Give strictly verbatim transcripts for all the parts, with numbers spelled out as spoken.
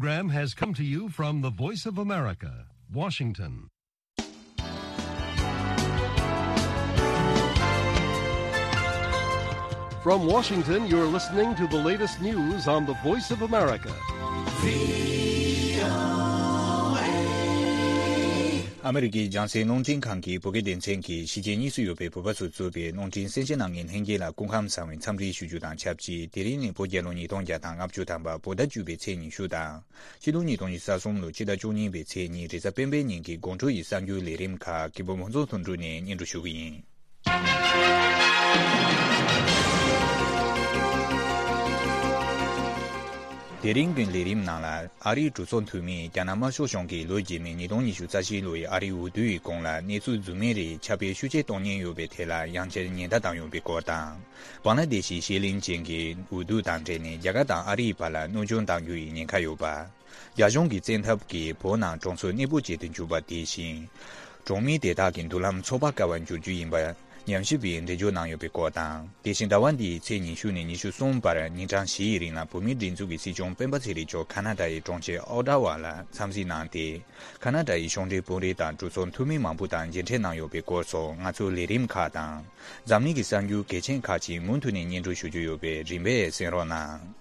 Program has come to you from the Voice of America, Washington. From Washington, you're listening to the latest news on the Voice of America. ཨ་མི་རི་ཀའི་རྒྱང་སྲིང་རླུང་འཕྲིན་ཁང་གི་བོད་སྐད་སྡེ་ཚན་གྱིས་གཞིས་བྱེས་གཉིས་སུ་ཡོད་པའི་བོད་པ་ཚོས་གཙོས་པའི་རླུང་འཕྲིན་གསན་མཁན་རྣམས་ཀྱི་ལྷན་རྒྱས་ལ་སྐུ་ཁམས་བཟང་བའི་འཚམས་འདྲི་ཞུ་རྒྱུ་དང་ཆབས་ཅིག་དེ་རིང་ནི་བོད་རྒྱལ་ལོ་ཉིས་སྟོང་བརྒྱ་དང་ལྔ་བཅུ་ཐམ་པ་བོད་ཟླ་བཅུ་པའི་ཚེས་ཉི་ཤུ་དང་། ཕྱི་ལོ་ཉིས་སྟོང་ཉི་ཤུ་རྩ་གསུམ་ལོའི་ཕྱི་ཟླ་བཅུ་གཉིས་པའི་ཚེས་གཉིས་རེས་གཟའ་སྤེན་པའི་ཉིན་གྱི་དགོང་དྲོ་ཡི་གསར་འགྱུར་ལས་རིམ་ཁག་གི་བོད་མང་ཚོགས་ཐོན་དྲུག་ནས་སྙན་སྒྲོན་ཞུ་གི་ཡིན། དེ་རིང་གི་ལས་རིམ་ནང་ལ་ཨ་རིའི་གྲོས་ཚོགས་འཐུས་མིས་རྒྱ་ནག་དམར་ཤོག་གཞུང་གིས་ལོ་རྗེས་མའི་ཉིས་སྟོང་ཉི་ཤུ་རྩ་བཞི་ལོའི་ཨ་རིའི་འོས་བསྡུ་ཡི་གོང་ལ་གནས་ཚུལ་རྫུན་མའི་རིགས་ཁྱབ་སྤེལ་ཤུགས་ཆེ་གཏོང་ཉེན་ཡོད་པའི་ཐད་ལ་ཡང་བསྐྱར་ཉེན་བརྡ་བཏང་ཡོད་པའི་སྐོར་དང་། བང་ལ་དེ་ཤི་ཤེས་ལིན་ཅན་གྱི་འོས་བསྡུ་དང་འབྲེལ་ནས་རྒྱ་གར་དང་ཨ་རིའི་བར་ལ་གནོད་སྐྱོན་གཏང་རྒྱུ་ཡི་ཉེན་ཁ་ཡོད་པ། རྒྱ་གཞུང་གི་བཙན་ཐབས་ཀྱིས་བོད་ནང་གྲོང་ཚོ་གནས་སྤོ་བྱེད་དུ་འཇུག་པ་དེ་བཞིན། གྲོང་མི་དེ་དག་གི་མདུན་ལམ་འཚོ་བ་དཀའ་བར་འགྱུར་རྒྱུ་ཡིན་པ་ཉམས་ཞིབ་པས་འགྲེལ་བརྗོད་གནང་ཡོད་པའི་སྐོར་དང་། དེ་བཞིན་ཟླ་བ་འདིའི་ཚེས་ཉི་ཤུ་ནས་ཉི་ཤུ་གསུམ་བར་ཉིན་གྲངས་བཞིའི་རིང་ལ་བོད་མིའི་སྒྲིག་འཛུགས་ཀྱི་སྲིད་སྐྱོང་སྤེན་པ་ཚེ་རིང་མཆོག་ཁ་ན་ཌ་ཡི་གྲོང་ཁྱེར་ཨོ་ཊ་ཝ་ལ་འཚམས་གཟིགས་གནང་སྟེ། ཁ་ན་ཌ་ཡི་གཞུང་འབྲེལ་དཔོན་རིགས་དང་གྲོས་ཚོགས་འཐུས་མི་མང་པོ་དང་མཇལ་འཕྲད་གནང་ཡོད་པའི་སྐོར་སོགས་ང་ཚོའི་ལས་རིམ་ཁག་དང་། འཛམ་གླིང་གི་གསར་འགྱུར་གལ་ཆེན་ཁག་ཅིག་མུ་མཐུད་ནས་སྙན་སྒྲོན་ཞུ་རྒྱུ་ཡོད་པས་རིམ་པས་གསན་རོགས་གནང་།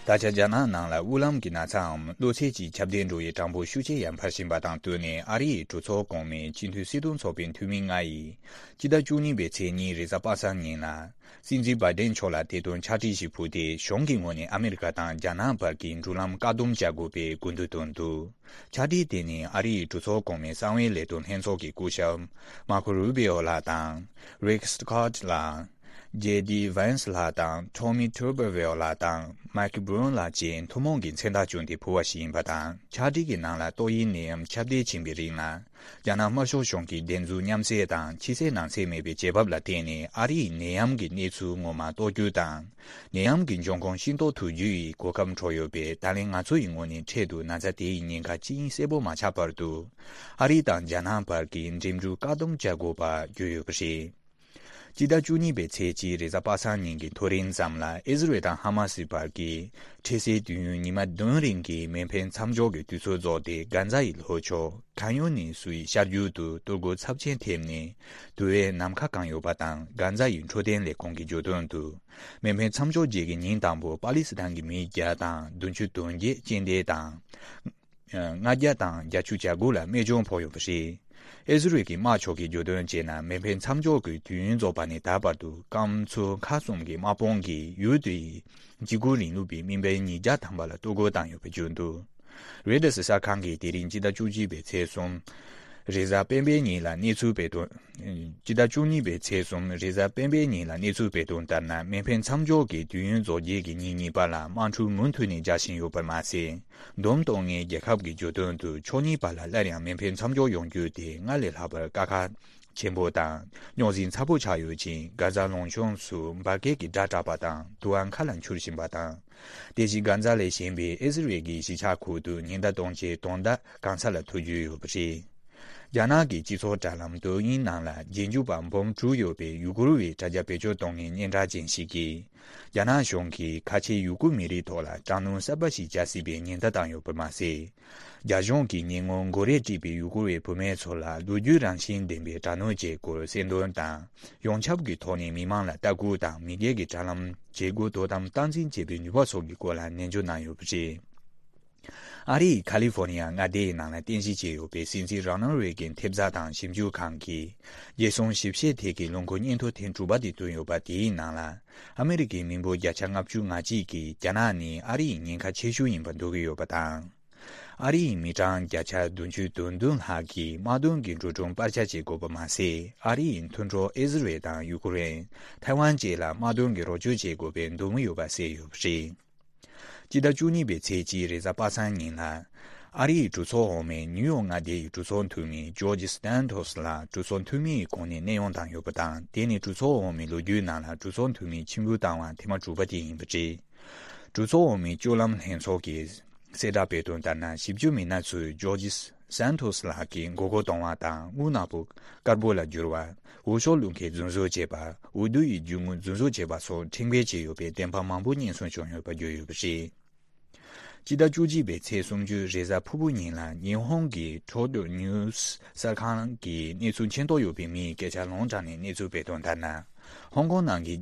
ད་ཆ་རྒྱ་ནག་ནང་ལ་དབུགས་ལམ་གྱི་ན་ཚའམ་གློ་ཚད་ཀྱི་ཁྱབ་གདལ་འགྲོ་བའི་གྲངས་འབོར་ཤུགས་ཆེ་ཡར་འཕར་བཞིན་པ་དང་བསྟུན་ནས། ཨ་རིའི་གྲོས་ཚོགས་གོང་མའི་སྤྱི་འཐུས་སྲིད་དོན་ཚོགས་པའི་འཐུས་མི་ལྔ་ཡིས་སྤྱི་ཟླ་བཅུ་གཉིས་པའི་ཚེས་གཉིས་རེས་གཟའ་པ་སངས་ཉིན་ལ། སྲིད་འཛིན་བྷའི་ཏན་མཆོག་ལ་དེ་དོན་ཕྱག་བྲིས་ཤིག་ཕུལ་ཏེ། གཞུང་གི་ངོས་ནས་ཨ་མི་རི་ཀ་དང་རྒྱ་ནག་བར་གྱི་འགྲུལ་ལམ་བཀག་སྡོམ་བྱ་དགོས་པའི་དགོས་འདུན་བཏོན་འདུག་ཕྱག་བྲིས་དེ་ནི་ཨ་རིའི་གྲོས་ཚོགས་གོང་མའི་གསང་བའི་ལས་དོན་ལྷན་ཚོགས་ཀྱི་སྐུ་ཞབས་མར་ཁོ་རུ་བི་ཨོ་ལགས་དང་། རིག་སི་ཀོ་ཊི་ལགས། ཇེ་ཌི་ཝན་སི་ལགས་དང་། ཊོ་མི་ཐུར་བེ་ཝེལ་ལགས་དང་། མའི་ཀི་བྷུན་ལགས་བཅས་ཐུན་མོང་གི་མཚན་རྟགས་བསྐྱོན་ཏེ་ཕུལ་བ་ཞིག་ཡིན་པ་དང་། ཕྱག་བྲིས་ཀྱི་ནང་ལ་ཏོག་དབྱིབས་ནད་ཡམས་ཁྱབ་གདལ་ཕྱིན་པའི་རིང་ལ། རྒྱ་ནག་དམར་ཤོག་གཞུང་གིས་བདེན་རྫུན་མཉམ་བསྲེས་དང་། ཕྱི་གསལ་ནང་གསལ་མེད་པའི་བྱེད་བབ་ལ་བརྟེན་ནས། ཨ་རིའི་ནད་ཡམས་ཀྱི་གནས་ཚུལ་ངོ་མ་རྟོགས་རྒྱུ་དང་། ནད་ཡམས་ཀྱི་འབྱུང་ཁུངས་ཤེས་རྟོགས་ཐུབ་རྒྱུ་ཡི་གོ་སྐབས་འཕྲོག་ཡོད་པས། ད་ལན་ང་ཚོ་ཡི་ངོས་ནས་འཕྲལ་དུ་ན་ཚ་དེ་ཡི་ཉེན་ཁ་ཅི་ཡིན་གསལ་པོ་མ་ཆགས་བར་དུ། ཨ་རི་དང་རྒྱ་ནག་བར་གྱི་འགྲིམ་འགྲུལ་བཀག་སྡོམ་བྱ་དགོས་པ་བརྗོད་ཡོད་པ་རེད། སྤྱི་ཟླ་བཅུ་གཉིས་པའི་ཚེས་གཅིག་རེས་གཟའ་པ་སངས་ཉིན་གྱི་ཐོ་རེངས་ཙམ་ལ། ཨི་ཟི་རེལ་དང་ཧ་མ་སི་བར་གྱི་འཕྲལ་སེལ་དུས་ཡུན་ཉི་མ་བདུན་རིང་གི་མེ་འཕེན་མཚམས་འཇོག་གི་དུས་ཚོད་རྫོགས་ཏེ། གྷན་ཛ་ཡི་ལྷོ་ཕྱོགས་ཁན་ཡུ་ནི་སུའི་ཤར་རྒྱུད་དུ་གཏོར་རྒོལ་ཚབས་ཆེན་ཐེབས་ནས་དུ་བས་ནམ་མཁའ་གང་ཡོད་པ་དང་། གྷན་ཛ་ཡི་འཕྲོད་བསྟེན་ལས་ཁུངས་ཀྱིས་བརྗོད་དོན་དུ། མེ་འཕེན་མཚམས་འཇོག་རྗེས་ཀྱི་ཉིན་དང་པོ་པ་ལི་སི་ཐན་གྱི་མི་བརྒྱ་དང་བདུན་ཅུ་དོན་བརྒྱད་རྐྱེན་འདས་དང་། ལྔ་བརྒྱ་དང་བརྒྱད་ཅུ་གྱ་དགུ་ལ་རྨས་སྐྱོན་ཕོག་ཡོད་པ་རེད། ཨི་ཟི་རེལ་གྱི་དམག་ཕྱོགས་ཀྱིས་བརྗོད་དོན་བྱས་ན། མེ་འཕེན་མཚམས་འཇོག་གི་དུས་ཡུན་རྫོགས་པ་ནས་ད་བར་དུ་སྐམ་མཚོ་མཁའ་གསུམ་གྱི་དམག་དཔུང་གིས་ཡུལ་དེའི་འཇིགས་སྐུལ་རིང་ལུགས་པའི་མི་འབོར་ཉིས་བརྒྱ་ཐམ་པ་ལ་གཏོར་རྒོལ་བཏང་ཡོད་པ་བརྗོད་འདུག་རོའི་ཊར་གསར་ཁང་གིས་དེ་རིང་སྤྱི་ཟླ་བཅུ་གཅིག་པའི་ཚེས་གསུམ་རེས་གཟའ་སྤེན་པའི་ཉིན་ལ་གནས་ཚུལ་སྤེལ་དོན། སྤྱི་ཟླ་བཅུ་གཉིས་པའི་ཚེས་གསུམ་རེས་གཟའ་སྤེན་པའི་ཉིན་ལ་གནས་ཚུལ་སྤེལ་དོན་ལྟར་ན། མེ་འཕེན་མཚམས་འཇོག་གི་དུས་ཡུན་རྫོགས་རྗེས་ཀྱི་ཉིན་གཉིས་པ་ལ་དམག་འཁྲུག་མུ་མཐུད་ནས་རྒྱག་བཞིན་ཡོད་པར་མ་ཟད། བསྡོམས་གཏོང་མཁན་རྒྱལ་ཁབ་ཀྱིས་བརྗོད་དོན་དུ། ཕྱོགས་གཉིས་བར་ལ་སླར་ཡང་མེ་འཕེན་མཚམས་འཇོག་ཡོང་རྒྱུ་དེ་སྔར་ལས་ལྷག་པར་དཀའ་ཁག་ཆེན་པོ་དང་རྙོག་ཟིང་ཚ་པོ་ཆགས་ཡོད་ཅིང་། གྷ་ཛ་ལུང་གཤོང་སུ་འབར་གས་ཀྱི་སྒྲ་གྲགས་པ་དང་དུ་བ་མཁའ་ལ་འཕྱུར་བཞིན་པ་དང་། དེ་བཞིན་གྷ་ཛ་ལས་གཞན་པའི་ཨི་ཟི་རེལ་གྱི་གཞིས་ཆགས་ཁུལ་དུ་ཉེན་བརྡ་གཏོང་ཆེད་དོན་དག་གང་ས་ལ་ཐོས་རྒྱུ་ཡོད་པ་རེད། རྒྱ་ནག་གི་སྤྱི་ཚོགས་དྲ་ལམ་ཏོའུ་ཡིན་ནང་ལ་རྗེས་འཇུག་པ་འབུམ་དྲུག་ཡོད་པའི་ཡུ་གུར་བའི་དྲ་རྒྱ་བེད་སྤྱོད་གཏོང་མཁན་སྙན་གྲགས་ཅན་ཞིག་གིས། རྒྱ་ནག་གཞུང་གིས་ཁ་ཆེའི་ཡུ་གུར་མི་རིགས་ཐོག་ལ་དྲག་གནོན་གསར་པ་ཞིག་བྱ་སྲིད་པའི་ཉེན་བརྡ་བཏང་ཡོད་པར་མ་ཟད། རྒྱ་གཞུང་གིས་ཉེ་སྔོན་མགོ་རས་བྲིས་པའི་ཡུ་གུར་བའི་བུད་མེད་ཚོ་ལ་ལོ་རྒྱུས་རང་བཞིན་ལྡན་པའི་དྲག་གནོན་བྱེད་སྐོར་གསལ་འདོན་དང་། ཡོངས་ཁྱབ་ཀྱི་ཐོག་ནས་མི་མང་ལ་ལྟ་སྐུལ་དང་། མི་སྒེར་གྱི་དྲ་ལམ་བྱེད་སྒོ་དོ་དམ་སྟངས་འཛིན་བྱེད་པའི་ནུས་པ་སོགས་ཀྱི་སྐོར་ལ་ནན་བརྗོད་གནང་ཡོད་པ་རེད། ཨ་རིའི་ཁ་ལི་ཧྥོར་ནི་ཡ་མངའ་སྡེའི་ནང་ལ་རྟེན་གཞི་བྱས་ཡོད་པའི་སྲིད་འཛིན་རོ་ནལ་རེ་གན་ཐེབས་རྩ་དང་ཞིབ་འཇུག་ཁང་གིས། རྒྱལ་སྲུང་ཞིབ་བཤེར་ཐད་ཀྱི་ལོ་འཁོར་སྙན་ཐོ་ཐེངས་དྲུག་པ་དེ་བཏོན་ཡོད་པ་དེའི་ནང་ལ། ཨ་མི་རི་ཀའི་མི་འབོར་བརྒྱ་ཆ་ལྔ་བཅུ་ང་གཅིག་གིས་རྒྱ་ནག་ནི་ཨ་རི་ཡི་ཉེན་ཁ་ཆེ་ཤོས་ཡིན་པ་འདོད་ཀྱི་ཡོད་པ་དང་། ཨ་རི་ཡི་མི་གྲངས་བརྒྱ་ཆ་བདུན་ཅུ་དོན་བདུན་ལྷག་གིས་དམག་དོན་གྱི་འགྲོ་གྲོན་སྤར་ཆ་བྱེད་དགོས་པ་མ་ཟད། ཨ་རི་ཡི་མཐུན་གྲོགས་ཨི་ཟི་རེལ་དང་ཡུ་ཀེ་རེན། ཐའེ་ཝན་བཅས་ལ་དམག་དོན་གྱི་རོགས་སྐྱོར་བྱེད་དགོས་པའི་འདོད་མོས་ཡོད་པ་གསལ་ཡོད་པ་རེད། སྤྱི་ཟླ་བཅུ་གཉིས་པའི་ཚེས་གཅིག་རེས་གཟའ་པ་སངས་ཉིན་ལ། ཨ་རིའི་གྲོས་ཚོགས་འོག་མའི་ནིའུ་ཡོག་མངའ་སྡེའི་གྲོས་ཚོགས་འཐུས་མི་ཇོར་ཇི་སྟན་ཏོས་ལགས་གྲོས་ཚོགས་འཐུས་མིའི་གོ་གནས་གནས་དབྱུང་བཏང་ཡོད་པ་དང་། དེ་ནི་གྲོས་ཚོགས་འོག་མའི་ལོ་རྒྱུས་ནང་ལ་གྲོས་ཚོགས་འཐུས་མི་ཆིབས་བསྒྱུར་བཏང་བ་ཐེངས་མ་དྲུག་པ་དེ་ཡིན་པ་རེད། གྲོས་ཚོགས་འོག་མའི་སྤྱོད་ལམ་ལྷན་ཚོགས་ཀྱིས་གསལ་བསྒྲགས་སྤེལ་དོན་ལྟར་ན། ཞིབ་འཇུག་མི་སྣ་ཚོས་ཇོར་ཇི་ སན་ཐོས་ལགས་ཀྱིས་མགོ་སྐོར་གཏོང་བ་དང་། དངུལ་ནག་པོ་དཀར་པོ་ལ་བསྒྱུར་བ། འོས་ཤོག་བླུག་མཁན་རྫུན་བཟོ་བྱས་པ། འོས་བསྡུ་ཡི་རྒྱུ་དངོས་རྫུན་བཟོ་བྱས་པ་སོགས་ཁྲིམས་འགལ་བྱས་ཡོད་པའི་བདེན་དཔང་མང་པོ་རྙེད་སོན་བྱུང་ཡོད་པ་བརྗོད་ཡོད་པ་རེད། སྤྱི་ཟླ་བཅུ་གཅིག་པའི་ཚེས་སུམ་ཅུ་རེས་གཟའ་ཕུར་བུ་ཉིན་ལ་ཉི་ཧོང་གི་ཁྲོ་ཏོ་ནིའུ་སི་གསར་ཁང་གིས་གནས་ཚུལ་མཁྱེན་རྟོགས་ཡོད་པའི་མིའི་སྐད་ཆ་ལུང་དྲངས་ནས་གནས་ཚུལ་སྤེལ་དོན་ལྟར་ན། ཧོང་ཀོང་ནང་གི་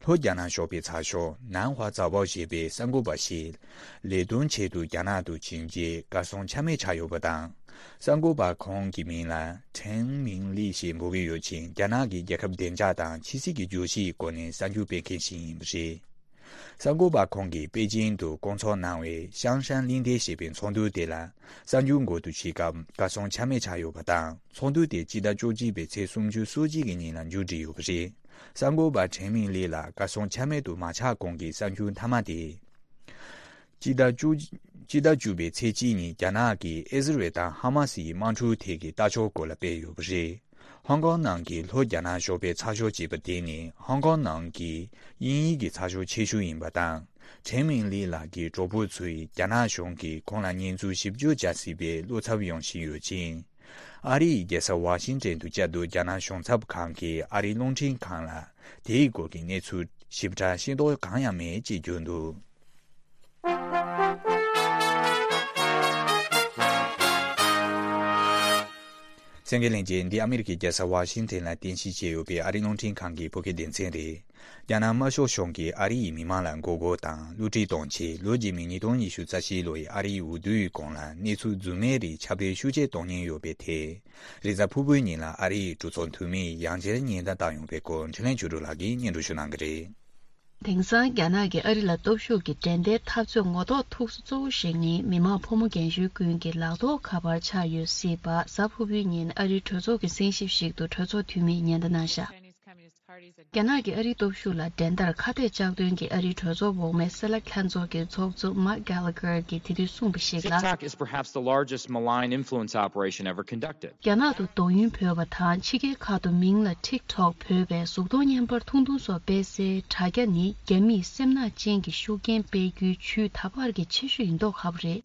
ལྷོ་རྒྱ་ནག་ཞོགས་པའི་ཚགས་ཤོག་ནན་ཧྭ་ཛ་བའོ་ཞེས་པའི་གསར་འགོད་པ་ཞིག་ལས་དོན་ཆེད་དུ་རྒྱ་ནག་ཏུ་ཕྱིན་རྗེས་གར་སོང་ཆ་མེད་ཆགས་ཡོད་པ་དང་། གསར་འགོད་པ་ཁོང་གི་མིང་ལ་ཁྲེན་མིང་ལི་ཞེས་འབོད་ཀྱི་ཡོད་ཅིང་། རྒྱ་ནག་གི་རྒྱལ་ཁབ་བདེ་འཇགས་དང་ཕྱི་སྲིད་ཀྱི་བརྗོད་གཞིའི་སྐོར་ནས་གསར་འགྱུར་སྤེལ་མཁན་ཞིག་ཡིན་པ་རེད། གསར་འགོད་པ་ཁོང་གིས་པེ་ཅིང་དུ་བསྐོང་ཚོགས་གནང་བའི་ཤང་ཧྲན་གླིང་ཕྲན་ཞེས་པའི་ཚོགས་འདུ་དེ་ལ་གསར་འགྱུར་འགོད་དུ་ཞུགས་སྐབས་གར་སོང་ཆ་མེད་ཆགས་ཡོད་པ་དང་། ཚོགས་འདུ་དེ་སྤྱི་ཟླ་བཅུ་གཅིག་པའི་ཚེས་སུམ་ཅུ་སོ་གཅིག་གི་ཉིན་ལ་མཇུག་བསྒྲིལ་ཡོད་པ་རེད། གསར་འགོད་པ་ཁྲེན་མིང་ལི་ལ་གར་སོང་ཆ་མེད་དུ་མ་ཆགས་གོང་གི་གསར་འགྱུར་མཐའ་མ་དེ། སྤྱི་ཟླ་བཅུ། སྤྱི་ཟླ་བཅུ་པའི་ཚེས་གཅིག་ཉིན་རྒྱ་ནག་གིས་ཨི་ཟི་རལ་དང་ཧ་མ་སི་ཡི་དམག་འཁྲུག་ཐད་ཀྱི་ལྟ་ཕྱོགས་སྐོར་ལ་སྤེལ་ཡོད་པ་རེད། ཧོང་ཀོང་ནང་གི་ལྷོ་རྒྱ་ནག་ཞོགས་པའི་ཚགས་ཤོག་ཅེས་པ་དེ་ནི་ཧོང་ཀོང་ནང་གི་དབྱིན་ཡིག་གི་ཚགས་ཤོག་ཆེ་ཤོས་ཡིན་པ་དང་། ཁྲེན་མིང་ལི་ལགས་ཀྱི་གྲོགས་པོ་ཚོས་རྒྱ་ནག་གཞུང་གིས་ཁོང་ལ་ཉེས་འཛུགས་ཞིབ་འཇུག་བྱ་སྲིད་པའི་བློ་འཚབ་ཡོང་བཞིན་ཡོད་ཅིང་། ཨ་རི་ཡི་རྒྱལ་ས་ཝ་ཤིང་ཏན་དུ་བཅའ་སྡོད་རྒྱ་ནག་གཞུང་ཚབ་ཁང་གི་ཨ་རིའི་རླུང་འཕྲིན་ཁང་ལ་དེའི་སྐོར་གྱི་གནས་ཚུལ་ཞིབ་ཕྲ་ཤེས་རྟོགས་གང་ཡང་མེད་ཅེས་བརྗོད་འདུག་གསན་མཁན་ལྷན་རྒྱས། འདི་ཨ་མི་རི་ཀའི་རྒྱལ་ས་ཝ་ཤིང་ཏན་ལ་རྟེན་གཞི་བྱས་ཡོད་པའི་ཨ་རིའི་རླུང་འཕྲིན་ཁང་གི་བོད་སྐད་སྡེ་ཚན་རེད། རྒྱ་ནག་དམར་ཤོག་གཞུང་གིས་ཨ་རི་ཡི་མི་མང་ལ་མགོ་སྐོར་དང་བསླུ་བྲིད་གཏོང་ཆེད། ལོ་རྗེས་མའི་ཉིས་སྟོང་ཉི་ཤུ་རྩ་བཞི་ལོའི་ཨ་རིའི་འོས་བསྡུའི་གོང་ལ་གནས་ཚུལ་རྫུན་མའི་རིགས་ཁྱབ་སྤེལ་ཤུགས་ཆེ་གཏོང་ཉེན་ཡོད་པའི་ཐད། རེས་གཟའ་ཕུར་བུའི་ཉིན་ལ་ཨ་རི་ཡི་གྲོས་ཚོགས་འཐུས་མིས་ཡང་བསྐྱར་ཉེན་བརྡ་བཏང་ཡོད་པའི་སྐོར་འཕྲིན་ལས་ཆོས་སྒྲོན་ལགས་ཀྱིས་སྙན་སྒྲོན་ཞུ་གནང་གི་རེད། དེང་སང་རྒྱ་ནག་གིས་ཨ་རི་ལ་སྟོབས་ཤུགས་ཀྱི་འགྲན་ཟླའི་འཐབ་རྩོད་ངོ་ཐོག་ཐུག་ས་གཙོ་བོ་ཞིག་ནི་མི་དམངས་ཕོ་མོ་རྒན་གཞོན་ཀུན་གྱི་ལག་ཐོགས་ཁ་པར་ཆགས་ཡོད་སྲིད་པ། གཟའ་ཕུར་བུའི་ཉིན་ཨ་རིའི་གྲོས་ཚོགས་ཀྱི་གསན་ཞིབ་ཞིག་ཏུ་གྲོས་ཚོགས་འཐུས་མིས་ཉེན་བརྡ་གནང་བཞག་རྒྱ་ནག་གི་ཨ་རིའི་སྟོབས་ཤུགས་ལ་འགྲན་ཟླར་ཁ་གཏད་གཅོག་འདུན་གྱི་ཨ་རིའི་གྲོས་ཚོགས་འོག་མའི་སེ་ལ་ལྷན་ཚོགས་ཀྱི་ཚོགས་གཙོ་Mark Gallagher གྱིས་དེ་དུས་གསུངས་པ་ཞིག་ལ། TikTok is perhaps the largest malign influence operation ever conducted. རྒྱ་ནག་ཏུ་དོགས་ཡོན་བོས་པ་དང་། ཕྱི་རྒྱལ་ཁག་ཏུ་མིང་ལ་TikTok བོས་པའི་གཟུགས་མཐོང་བརྙན་པར་ཐུང་ཐུང་སོགས་སྤེལ་སའི་དྲ་རྒྱ་ནི་རྒྱ་མིས་སེམས་ནག་ཅན་གྱི་ཤུགས་རྐྱེན་སྤེལ་རྒྱུའི་ཇུས་ད་བར་གྱི་ཆེ་ཤོས་ཡིན་མདོག་ཁ་པོ་རེད།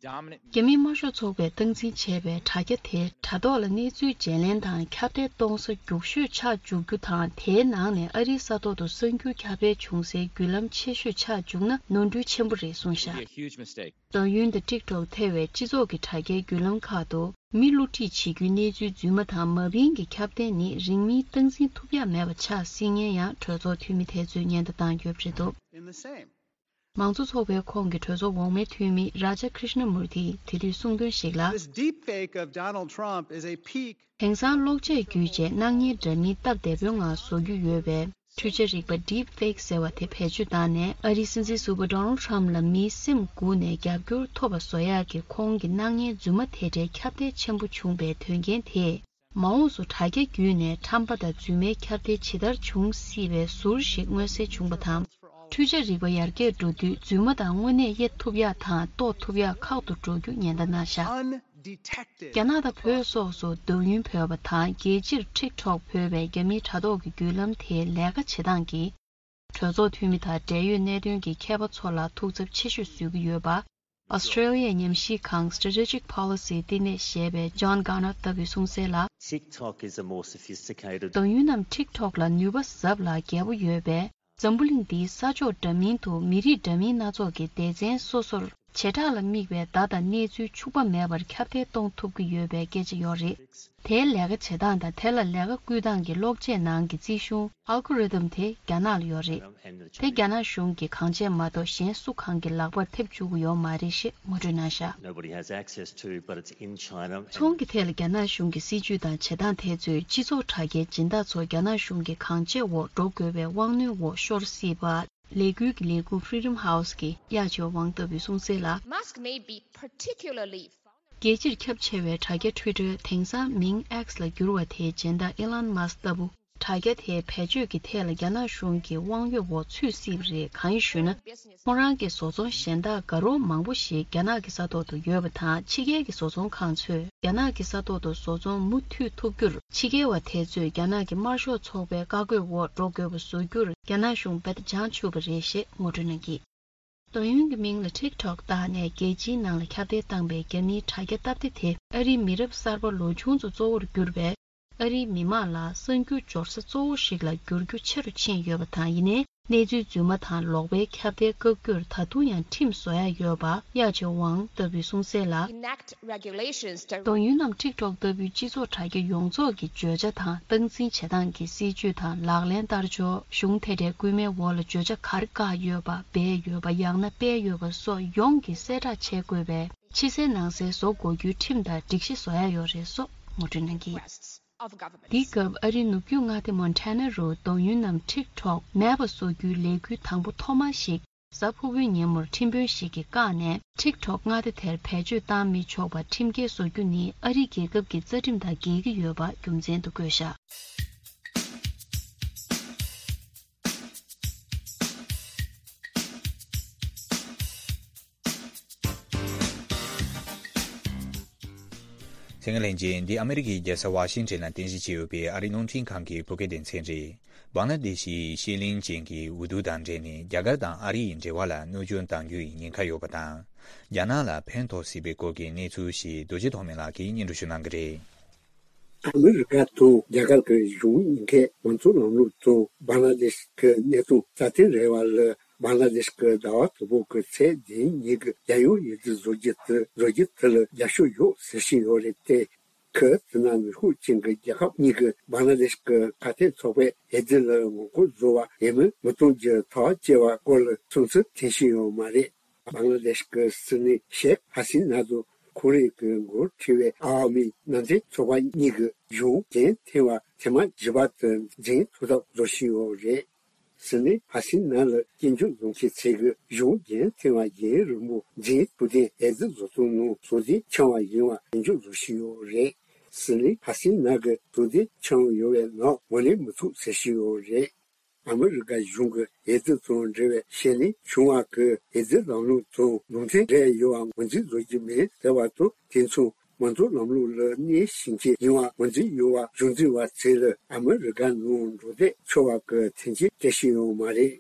རྒྱ་མིའི་དམར་ཤོག་ཚོགས་པས་སྟངས་འཛིན་བྱས་པའི་དྲ་རྒྱ་དེ་དྲ་ཐོག་ལ་གནས་ཚུལ་བརྗེ་ལེན་དང་ཁྱབ་གདལ་གཏོང་ས་རྒྱུགས་ཤོས་ཆགས་འཇུག་རྒྱུ་དང་། དེའི་ནང་ནས་ཨ་རིའི་ས་ཐོག་ཏུ་གསར་འགྱུར་ཁྱབ་སྤེལ་བྱུང་སའི་བརྒྱུད་ལམ་ཆེ་ཤོས་ཆགས་འཇུག་ན་ནོར་འཁྲུལ་ཆེན་པོ་རེད་གསུངས་བཞག It'd be a huge mistake. དོན་ཡོན་དང་TikTok་ཐེ་བའི་སྤྱི་ཚོགས་ཀྱི་དྲ་རྒྱའི་བརྒྱུད་ལམ་ཁག་ཏུ་མི་བསླུ་བྲིད་བྱེད་རྒྱུའི་གནས་ཚུལ་རྫུན་མ་དང་མ་བིན་གྱི་ཁྱབ་གདལ་ནི་རིང་མིན་སྟངས་འཛིན་ཐུབ་ཡག་མེད་པ་ཆགས་སྲིད་ངེས་ཡང་གྲོས་ཚོགས་འཐུས་མི་དེ་ཚོས་ཉེན་བརྡ་བཏང་ཡོད་པ་རེད་འདུག In the same མང་གཙོ་ཚོགས་པའི་ཁོངས་ཀྱི་གྲོས་ཚོགས་འོག་མའི་འཐུས་མི་Raja Krishnamoorti་དེ་དུས་གསུངས་དོན་ཞིག་ལ། This deepfake of Donald Trump is a peek. དེང་སང་གློག་ཆས་བརྒྱུད་བྱས་སྣང་བརྙན་འདྲ་མིན་སྟབས་བདེ་པོའི་ངང་བཟོ་རྒྱུ་ཡོད་པའི་འཕྲུལ་ཆས་རིག་པ་Deepfake་ཟེར་བ་དེ་བེད་སྤྱོད་བཏང་ནས་ཨ་རིའི་སྲིད་འཛིན་ཟུར་པ་Donald Trump་ལ་མིའི་སེམས་འགུག་ནས་རྒྱབ་སྐྱོར་ཐོབ་པ་བཟོ་ཡག་གི་ཁོང་གི་སྣང་བརྙན་རྫུན་མ་དེ་འདྲའི་ཁྱབ་གདལ་ཆེན་པོ་བྱུང་པའི་དོན་རྐྱེན་དེས། མ་འོངས་སུ་དྲ་རྒྱ་བརྒྱུད་ནས་ཁྲམ་པ་དང་རྫུན་མའི་ཁྱབ་གདལ་ཇི་ལྟར་འབྱུང་སྲིད་པའི་ཟུར་ཞིག་མངོན་གསལ་བྱུང་བ་དང་། འཕྲུལ་ཆས་རིག་པ་ཡར་རྒྱས་འགྲོ་དུས་རྫུན་མ་དང་དངོས་གནས་དབྱེ་ཐུབ་ཡག་དང་རྟོགས་ཐུབ་ཡག་ཁག་ཏུ་འགྲོ་རྒྱུ་ཉེན་བརྡ་གནང་བཞག་རྒྱ་ནག་དང་བོད་སོགས་སུ་དོགས་ཡོན་བོས་པ་དང་། རྒྱལ་སྤྱིར་TikTok་བོས་པའི་རྒྱ་མིའི་དྲ་ཐོག་གི་བརྒྱུད་ལམ་དེའི་ལས་ཀ་བྱེད་སྟངས་ཀྱིས། གྲོས་ཚོགས་འཐུས་མི་དང་འབྲེལ་ཡོད་གནད་དོན་གྱི་མཁས་པ་ཚོ་ལ་ཐུགས་འཚབ་ཆེ་ཤོས་བཟོ་གི་ཡོད་པ། Australia་ཉམས་ཞིབ་ཁང་Strategic Policy་བསྟི་གནས་བཞེས་པའི་John Garner་ལྟ་བུས་གསུངས་གསལ་ལ། TikTok is a more sophisticated དོན་ཡོད་རྣམས་TikTok་ལ་ནུས་པ་ཟབ་ལ་རྒྱས་པོ་ཡོད་པས། འཛམ་བུ་གླིང་འདིའི་ས་ཕྱོགས་འདྲ་མིན་དུ་མི་རིགས་འདྲ་མིན་སྣ་ཚོགས་ཀྱི་སྡེ་ཚན་སོ་སོར་བྱེ་བྲག་ལ་དམིགས་པའི་བརྡ་དང་གནས་ཚུལ་འཕྱུགས་པ་མེད་པར་ཁྱབ་གདལ་གཏོང་ཐུབ་ཀྱི་ཡོད་པའི་སྐད་ཆ་ཡོད་རེད། དེའི་ལས་ཀ་བྱེད་སྟངས་དང་དེ་ལ་ལས་ཀ་བསྐུལ་སྟངས་ཀྱི་གློག་ཆས་ནང་གི་རྩིས་གཞུང་Algorithm་དེ་རྒྱ་ནག་ལ་ཡོད་རེད། དེ་རྒྱ་ནག་གཞུང་གིས་གང་བྱས་མ་གཏོགས་གཞན་སུ་གང་གི་ལག་པར་ཐེབས་བཅུག་གི་ཡོད་མ་རེད་ཞེས་ངོ་སྤྲོད་གནང་བཞག Nobody has access to, but it's in China. ཚོང་གི་ཐད་ལ་རྒྱ་ནག་གཞུང་གི་སྲིད་ཇུས་དང་བྱེད་སྟངས་དེ་ཚོས་སྤྱི་ཚོགས་དྲ་རྒྱའི་སྦྱིན་བདག་ཚོ་རྒྱ་ནག་གཞུང་གིས་གང་བྱས་འོག་འགྲོ་དགོས་པའི་དབང་གནོད་འོག་ཤོར་སྲིད་པ། ལས་འགུལ་གྱི་ལས་ཁུངས་Freedom House་གི་གཡག་ཆོས་ཝང་ལྟ་བུས་གསུངས་གསལ་ལ། Musk may be particularly vulnerable. རྒྱལ་སྤྱིར་ཁྱབ་ཆེ་བའི་དྲ་རྒྱ་Twitter་དེང་སང་མིང་X་ལ་བསྒྱུར་བ་དེའི་སྦྱིན་བདག་Elon Musk་ལྟ་བུ། དྲ་རྒྱ་དེའི་བེད་སྤྱོད་ཀྱི་ཐད་ལ་རྒྱ་ནག་གཞུང་གི་དབང་ཡོད་འོག་ཚུད་སྲིད་པ་རེད། གང་ཡིན་ཞུས་ན། ཁོང་རང་གི་བཟོ་ཚོང་གཞན་དག་དགའ་རོགས་མང་པོ་ཞིག་རྒྱ་ནག་གི་ས་ཐོག་ཏུ་ཡོད་པ་དང་། ཕྱི་རྒྱལ་གྱི་བཟོ་ཚོང་ཁང་ཚོས་རྒྱ་ནག་གི་ས་ཐོག་ཏུ་བཟོ་ཚོང་མུ་མཐུད་ཐུབ་རྒྱུར། ཕྱི་རྒྱལ་བ་དེ་ཚོས་རྒྱ་ནག་གི་དམར་ཤོག་ཚོགས་པའི་བཀའ་བཀོད་འོག་འགྲོ་དགོས་པ་བཟོ་རྒྱུར་རྒྱ་ནག་གཞུང་དཔེ་ལྟ་བྱང་ཆུབ་པ་རེད་ཞེས་ངོ་སྤྲོད་གནང་གིས། དོན་ཡོད་ཀྱི་མིང་ལ་ཊིག་ཊོག་བཏགས་ནས་རྒྱལ་སྤྱིའི་ནང་ལ་ཁྱབ་གདལ་བཏང་པའི་རྒྱ་མིའི་དྲ་རྒྱ་སྟབས་བདེ་དེ་ཨ་རིའི་མི་རབས་གསར་པ་ལོ་ཆུང་ཚོ་གཙོ་བོར་གྱུར་པའི་ཨ་རིའི་མི་མང་ལ་གསར་འགྱུར་འབྱོར་ས་གཙོ་བོ་ཞིག་ལ་འགྱུར་རྒྱུ་ཆེ་རུ་ཕྱིན་ཡོད་པ་དང་། ཡིན་ནའི་གནས་ཚུལ་རྫུན་མ་དང་ལོག་པའི་ཁྱབ་གདལ་བཀག་རྒྱུར་ད་དུང་ཡང་ཁྲིམས་བཟོ་ཡ་ཡོད་པ་ཡ་ཆེ་ཝང་ལྟ་བུས་གསུངས་གསལ་ལ། Enact regulations to དོན་ཡོད་རྣམས་ཊིག་ཊོག་ལྟ་བུའི་སྤྱི་ཚོགས་དྲ་རྒྱ་ཡོངས་རྫོགས་ཀྱི་བརྗོད་བྱ་དང་སྟངས་འཛིན་བྱེད་སྟངས་ཀྱི་སྲིད་ཇུས་དང་ལག་ལེན་བསྟར་ཕྱོགས། གཞུང་དེ་འདྲའི་སྐུལ་མའི་འོག་ལ་བརྗོད་བྱ་ག་རེ་བཀག་ཡོད་པ། སྦས་ཡོད་པ། ཡང་ན་སྤེལ་ཡོད་པ་སོགས་ཡོངས་ཀྱིས་གསལ་བསྒྲགས་བྱེད་དགོས་པའི་ཕྱི་གསལ་ནང་གསལ་བཟོ་དགོས་རྒྱུའི་ཁྲིམས་དང་སྒྲིག་གཞི་བཟོ་ཡ་ཡོད་རེད་སོགས་ངོ་སྤྲོད་གནང་གི། འདིའི་སྐབས་ཨ་རིའི་ནུབ་རྒྱུད་མངའ་སྡེ་མོན་ཊ་ན་རུ་དོན་ཡོད་རྣམས་ཊིག་ཊོག་མེད་པ་བཟོ་རྒྱུའི་ལས་འགུལ་དང་པོ་ཐོག་མ་ཞིག་གཟའ་ཕུར་བུའི་ཉིན་མོར་ཁྲིམས་དཔོན་ཞིག་གིས་བཀག་ནས། ཊིག་ཊོག་མངའ་སྡེ་དེར་བེད་སྤྱོད་བཏང་མི་ཆོག་པ་ཁྲིམས་འགལ་བཟོ་རྒྱུ་ནི་ཨ་རིའི་རྒྱལ་ཁབ་ཀྱི་རྩ་ཁྲིམས་དང་འགལ་གྱི་ཡོད་པ་རྒྱུ་མཚན་དུ་བཀོད་བཞག་གསན་མཁན་ལྷན་རྒྱས། འདི་ཨ་མི་རི་ཀའི་རྒྱལ་ས་ཝ་ཤིང་ཊོན་ལ་རྟེན་གཞི་བྱས་ཡོད་པའི་ཨ་རིའི་རླུང་འཕྲིན་ཁང་གི་བོད་སྐད་སྡེ་ཚན་རེད། བང་ལ་དེ་ཤི་ཡི་ཤེས་ལེན་ཅན་གྱི་འུ་ཐུག་དང་འབྲེལ་ནས་རྒྱ་གར་དང་ཨ་རི་ཡི་འབྲེལ་བ་ལ་གནོད་སྐྱོན་གཏང་རྒྱུ་ཡི་ཉེན་ཁ་ཡོད་པ་དང་། རྒྱ་ནག་ལ་ཕན་ཐོགས་སྲིད་པའི་སྐོར་གྱི་གནས་ཚུལ་ཞིག་རྡོ་རྗེ་ཐོགས་མེད་ལགས་ཀྱིས་སྙན་སྒྲོན་ཞུ་གནང་གི་རེད། ཨ་མི་རི་ཀ་དང་རྒྱ་གར་གྱི་གཞུང་གཉིས་ཀས་མང་གཙོ་ལམ་ལུགས་དང་བང་ལ་དེ་ཤི་གི་གནད་དོན་རྩ་དོན་རེད་བ་ལ། བང་ལ་དེ་ཤི་གི་ཟླ་བ་དང་པོ་གི་ཚེས་བདུན་ཉིན་གྱི་རྒྱལ་ཡོངས་འོས་བསྡུ་བཟོ་རྒྱུ་དེ་བཟོ་རྒྱུ་དེ་ལ་རྒྱབ་སྐྱོར་ཡོད་ཟེར་བཞིན་ཡོད་རེད་དེ། ཁོས་དེ་ན་ནུས་ཤུགས་ཅན་གྱི་རྒྱལ་ཁབ་གཉིས་ཀྱི་བང་ལ་དེ་ཤི་གི་ཁ་གཏད་ཚོགས་པའི་འོས་བསྡུ་ལ་ངོ་རྒོལ་བཟོ་བ་ཡིན་མིན་མི་གཏོང་རྒྱུ་ཐག་བཅད་པ་སྐོར་ལ་བསམ་ཚུལ་འཐེན་བཞིན་ཡོད་མ་རེད། བང་ལ་དེ་ཤི་གི་སྲིད་བློན་ཤེག་ཧ་སི་ན་དང་ཁོང་རང་གི་མགོ་ཁྲིད་པའི་ཨ་བ་མི་ནང་བསྟན་ཚོགས་པ་གཉིས་ཀྱི་གཞུང་འགན་འཐེན་པ་ཐེངས་མ་བཞི་པ་དེ་འཛིན་ཐུབ་ཐབས་བཟོ་བཞིན་ཡོད་རེད། སྲིད་བློན་ཧ་སི་ན་ལ་སྐྱོན་བརྗོད་བཟོ་མཁན་ཚོས་ཀྱི་གཞུང་འགན་འཐེན་པ་རྒྱུན་རིང་པོ་འཛིན་ཐུབ་བསྟན་འོས་བསྡུ་བཟོ་སྟངས་ནང་ཟུར་འདེགས་འཆང་བ་ཡིན་པ་སྐྱོན་བརྗོད་བཟོ་བཞིན་ཡོད་རེད། སྲིད་བློན་ཧ་སི་ན་གི་ཟུར་འདེགས་འཆང་ཡོད་པའི་ནང་ངོས་ལེན་མི་ཐུབ་ཟེར་བཞིན་ཡོད་རེད། ཨ་མི་རི་ཀ་གཞུང་གི་འོས་བསྡུ་དང་འབྲེལ་བའི་ཤེས་ལེན་བྱུང་བ་གི་འོས་བསྡུ་ལམ་ལུགས་དང་ལུགས་མཐུན་འབྲེལ་ཡོད་པ་ངོས་འཛིན་བཟོ་རྒྱུ་མིན་ཟེར་བ་དང་། དེ་མཚུངས་མང་གཙོ་ལམ་ལུགས་ལ་གནས་ཤིང་ཆེ་ཡིན་པ་ངོས་འཛིན་ཡོད་པ་གཞུང་འཛིན་པ་ཚོས་ལ་ཨ་མི་རི་ཀ་ནང་འགྲོ་སྡོད་ཆོག་པ་གི་མཐུན་རྐྱེན་སྤྲད་བཞིན་ཡོད་མ་རེད།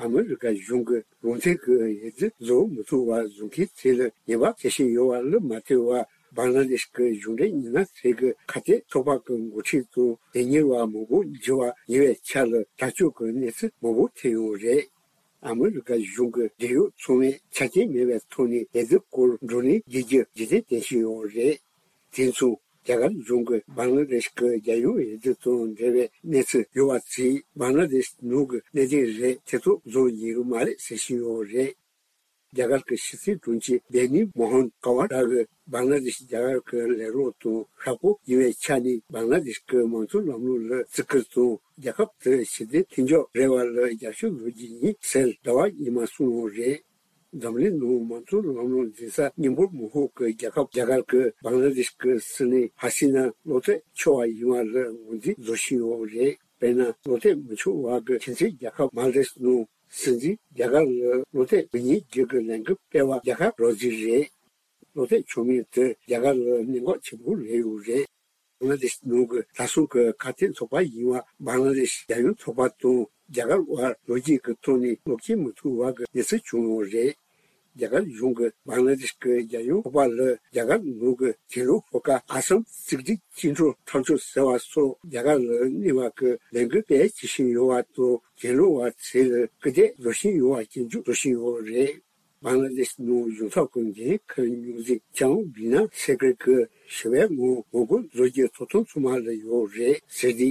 ཨ་མི་རི་ཀ་གཞུང་གི་ལུགས་མཐུན་གྱི་འོས་བསྡུ་བཟོ་མི་ཐུབ་པ་བཟོ་མཁན་ཚོས་ལ་ཉེས་པ་བྱེད་བཞིན་ཡོད་པ་ལ་མ་ལྟོས་པར། བང་ལ་དེ་ཤི་གི་གཞུང་འབྲེལ་མི་སྣ་ཚོས་ཀྱི་ཁ་གཏད་ཚོགས་པ་གི་འགོ་ཁྲིད་དང་དོན་གཉེར་བ་མང་པོ་འགྱུར་བ་ཡོང་བའི་ཆ་ལ་དྲག་སྤྱོད་ཀྱི་གནས་ཚུལ་མང་པོ་ཐོན་ཡོད་རེད། ཨ་མི་རི་ཀ་གཞུང་གི་འབྲེལ་ཡོད་ཚང་མས་ཆ་རྐྱེན་མེད་པའི་ཐོག་ནས་འོས་བསྡུ་སྐོར་བགྲོ་གླེང་བགྱི་རྒྱུ་རྗེས་དྲན་བསྟན་བཞིན་ཡོད་རེད། དེ་མཚུངས་རྒྱ་གར་གཞུང་གིས་བང་ལ་དེ་ཤི་གི་རྒྱལ་ཡོངས་འོས་བསྡུ་དང་འབྲེལ་བའི་གནས་ཚུལ་ཡོད་པ་ཚོས་བང་ལ་དེ་ཤི་ནང་གི་གནད་དོན་རེད། དེ་ཚོ་བཟོ་ཡོད་མ་རེད་ཟེར་བཞིན་ཡོད་རེད། རྒྱ་གར་གྱི་ཕྱི་སྲིད་དྲུང་ཆེ་བེ་ནི་མོ་ཧན་ཀ་ཝ་ཊ་གིས་བང་ལ་དེ་ཤི་རྒྱ་གར་གྱི་ལས་རོགས་དང་ཤག་པོ་ཡིན་པའི་ཆ་ནས་བང་ལ་དེ་ཤི་གི་མང་གཙོ་ལམ་ལུགས་ལ་བརྩི་བཀུར་དང་། རྒྱལ་ཁབ་དེར་ཞི་བདེ་མཐུན་སྦྱོར་རེ་བ་ལ་རྒྱབ་སྐྱོར་བཟོ་རྒྱུ་ཡིན་ཟེར་ཟླ་བ་ཉི་མ་གསུངས་ཡོད་རེད། འཛམ་གླིང་ནང་མང་གཙོ་ལམ་ལུགས་འཛིན་ས་སྙིང་པོ་མང་ཤོས་ཀྱི་རྒྱལ་ཁབ་རྒྱ་གར་གྱིས་བང་ལ་དེ་ཤི་གི་སྲིད་བློན་ཧ་སི་ན་བློ་གཏད་ཆོག་པ་ཡིན་པ་ལ་ངོས་འཛིན་བཟོ་བཞིན་ཡོད་རེད། དཔེར་ན། བློ་གཏད་མི་ཆོག་པ་གི་ཁྱིམ་མཚེས་རྒྱལ་ཁབ་མལ་ཌིབ་ནང་སྲིད་འཛིན་རྒྱ་གར་ལ་བློ་གཏད་མི་ཉན་རྒྱུ་གི་ལས་འགུལ་སྤེལ་བ་རྒྱ་གར་རོ་ཟི་རེད། བློ་གཏད་ཆོག་མིན་དེ་རྒྱ་གར་ལ་གནད་འགག་ཆེན་པོ་རེད་ཡོད་རེད། བང་ལ་དེ་ཤི་ནང་གི་ད་སོང་གི་ཁ་གཏད་ཚོགས་པ་ཡིན་པ་བང་ལ་དེ་ཤི་རྒྱལ་ཡོངས་ཚོགས་པ་དང་རྒྱ་གར་བར་ལོ་རྒྱུས་ཀྱི་ཐོག་ནས་བློ་སྐྱེལ་མི་ཐུབ་པ་གི་གནས་ཚུལ་བྱུང་ཡོད་རེད། རྒྱ་གར་གཞུང་གིས་བང་ལ་དེ་ཤི་གི་རྒྱལ་ཡོངས་ཚོགས་པ་ལ་རྒྱ་གར་ནང་གི་གྱེན་ལོག་ཤོག་ཁག་ཨ་སམ་གཅིག་སྒྲིལ་བཅིངས་འགྲོལ་འཐབ་ཕྱོགས་ཟེར་བ་སོགས་རྒྱ་གར་ལ་གནོད་པ་གི་ལས་འགུལ་སྤེལ་བྱེད་བཞིན་ཡོད་པ་དང་། གྱེན་ལོག་པ་ཚོས་ལ་སྐུལ་འདེད་བཟོ་བཞིན་ཡོད་པ་སྐྱོན་བརྗོད་བཟོ་བཞིན་ཡོད་རེད། བང་ལ་དེ་ཤི་ནང་གཞུང་ཚབ་ཀྱི་འགན་འཁུར་མྱོང་མཁན་ལྕམ་བི་ན་སེ་ཀར་གྱིས་ཞི་བའི་ངང་ངོ་རྒོལ་བཟོ་རྒྱུ་ཐོབ་ཐང་ཚང་མ་ལ་ཡོད་རེད་ཟེར་ཏེ།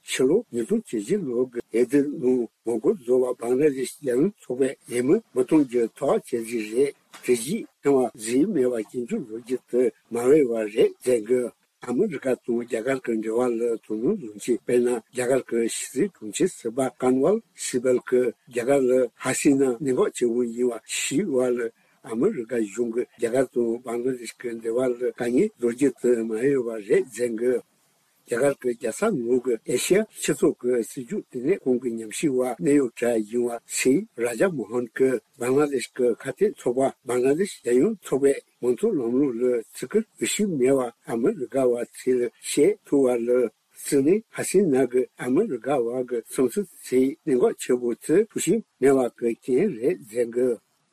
ཕྱི་ལོ་ཉིས་སྟོང་བཅུ་བཞི་ལོ་གི་འོས་བསྡུ་ནང་ངོ་རྒོལ་བཟོ་བ་བང་ལ་དེ་ཤི་རྒྱལ་ཡོངས་ཚོགས་པས་འོས་མི་མི་གཏོང་རྒྱུ་ཐག་བཅད་རྩིས་རེད། དེ་བཞིན་ཐེངས་མ་རྩིས་མེད་པར་སྐྱོན་བརྗོད་བཟོ་རྒྱུ་དེ་མ་འོས་པ་རེད་ཟེར་གི། ཨ་མི་རི་ཀ་དང་རྒྱ་གར་གྱི་འབྲེལ་བ་ལ་དོ་སྣང་བཟོ་མཁན། དཔེར་ན། རྒྱ་གར་གྱི་ཕྱི་སྲིད་དྲུང་ཆེ་ཟུར་པ་ཀོན་ཝལ་སི་བལ་གྱིས་རྒྱ་གར་ལ་ཧ་སི་ན་གནད་འགག་ཆེ་བོ་ཡིན་པ་ཤེས་པ་ལ། ཨ་མི་རི་ཀ་གཞུང་གིས་རྒྱ་གར་དང་བང་ལ་དེ་ཤི་གི་འབྲེལ་བ་ལ་དཀའ་ངལ་བཟོ་རྒྱུ་དེ་མ་འོས་པ་རེད་ཟེར་གི། རྒྱ་གར་གྱི་རྒྱལ་ས་ནང་གི་ཨེ་ཤི་ཡ་སྤྱི་ཚོགས་ཀྱི་སྲིད་ཇུས་ལྟེ་གནས་ཁང་གི་ཉམས་ཞིབ་པ་གནད་ཡོད་གྲས་ཡིན་པ་སི་རཱ་ཇ་མོ་ཧན་གྱིས་བང་ལ་དེ་ཤི་གི་ཁ་གཏད་ཚོགས་པ་བང་ལ་དེ་ཤི་རྒྱལ་ཡོངས་ཚོགས་པའི་མང་གཙོ་ལམ་ལུགས་ལ་བརྩི་བཀུར་འོས་ཤོས་མེད་པ་ཨ་མི་རི་ཀ་བ་ཚོས་ལ་བཤད་ཐུབ་པ་ལ། སྲིད་བློན་ཧ་སི་ན་གིས་ཨ་མི་རི་ཀ་བ་གི་བསམ་ཚུལ་ཚོའི་གནད་འགག་ཆེ་བོ་དེ་ཐུགས་ཞིབ་མེད་པ་གི་རྐྱེན་རེད་ཟེར་གི།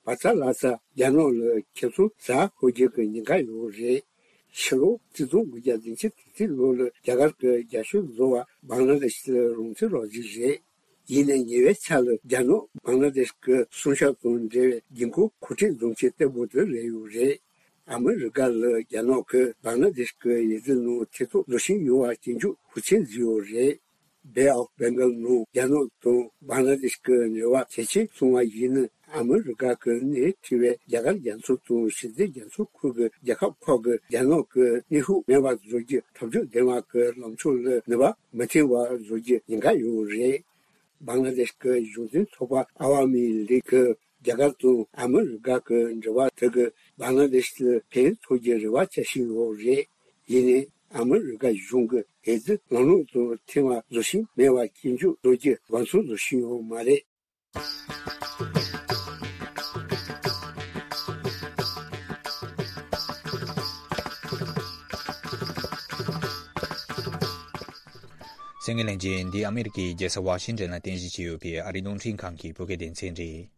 བ་ཚ་ལ་ཚ་རྒྱ་ནག་ལ་ཁྱེད་ཚོ་ཟ་ཧོ་རྒྱལ་གྱི་ཉེན་ཁ་ཡོད་རེད། ཕྱི་ལོ་ཆིག་སྟོང་དགུ་བརྒྱ་བདུན་ཅུ་དོན་གཅིག་ལོ་ལ་རྒྱ་གར་གྱི་རྒྱ་ཤོད་བཟོ་བ་བང་ལ་དེ་ཤི་ལ་རོང་ཚེ་རོགས་གཟིགས་རེད། ཡིན་ནའི་ཉེ་བའི་ཆར་ལ་རྒྱ་ནག་བང་ལ་དེ་ཤི་གི་སྲུང་སྐྱོབ་དང་འབྲེལ་བའི་འགན་ཁུར་གོ་སྒྲིག་འཛོམས་ཆེད་བརྟན་པོ་དེ་རེད་ཡོད་རེད། ཨ་མི་རི་ཀ་ལ་རྒྱ་ནག་གིས་བང་ལ་དེ་ཤི་གི་ཡི་ཙི་ནང་ཐེ་གཏོགས་བཟོ་བཞིན་ཡོད་པ་སྐྱོན་བརྗོད་ཤུགས་ཆེན་བཟོས་ཡོད་རེད། Bay of Bengal ནང་རྒྱ་ནག་དང་བང་ལ་དེ་ཤི་གི་འབྲེལ་བ་གལ་ཆེ་སོང་བ་ཡིན་ན། ཨ་མི་རི་ཀ་གི་སྣེ་ཁྲིད་པའི་རྒྱ་གར་རྒྱ་མཚོ་དང་ཞི་བདེ་རྒྱ་མཚོ་ཁུལ་གྱི་རྒྱལ་ཁབ་ཁག་གིས་རྒྱ་ནག་གི་གནོན་ཤུགས་མེད་པ་བཟོ་རྒྱུའི་ཐབས་ཇུས་ལྡན་པ་གི་ལངས་ཕྱོགས་ལ་ནུས་པ་མི་ཐོན་པ་བཟོ་རྒྱུའི་ཉེན་ཁ་ཡོད་རེད། བང་ལ་དེ་ཤི་གི་གཞུང་འཛིན་ཚོགས་པ་ཨ་ཝ་མི་ལིག་གིས་རྒྱ་གར་དང་ཨ་མི་རི་ཀ་གི་འབྲེལ་བ་དེ་གིས་བང་ལ་དེ་ཤི་ལ་ཕན་ཐོགས་རྒྱུའི་རེ་བ་བྱ་བཞིན་ཡོད་རེད། ཡིན་ནའི་ཨ་མི་རི་ཀ་གཞུང་གིས་ཨེ་ཙི་ལམ་ལྷོང་དུ་ཐོན་པ་བཟོ་བཞིན་མེད་པ་སྐྱོན་བརྗོད་བཟོ་རྒྱུའི་དགོངས་ཚུལ་བཟོ་བཞིན་ཡོད་མ་རེད། གསན་མཁན་ལྷན་རྒྱས། འདི་ཨ་མི་རི་ཀའི་རྒྱལ་ས་ཝ་ཤིང་ཏོན་ལ་རྟེན་གཞི་བྱས་ཡོད་པའི་ཨ་རིའི་རླུང་འཕྲིན་ཁང་གི་བོད་སྐད་སྡེ་ཚན་རེད།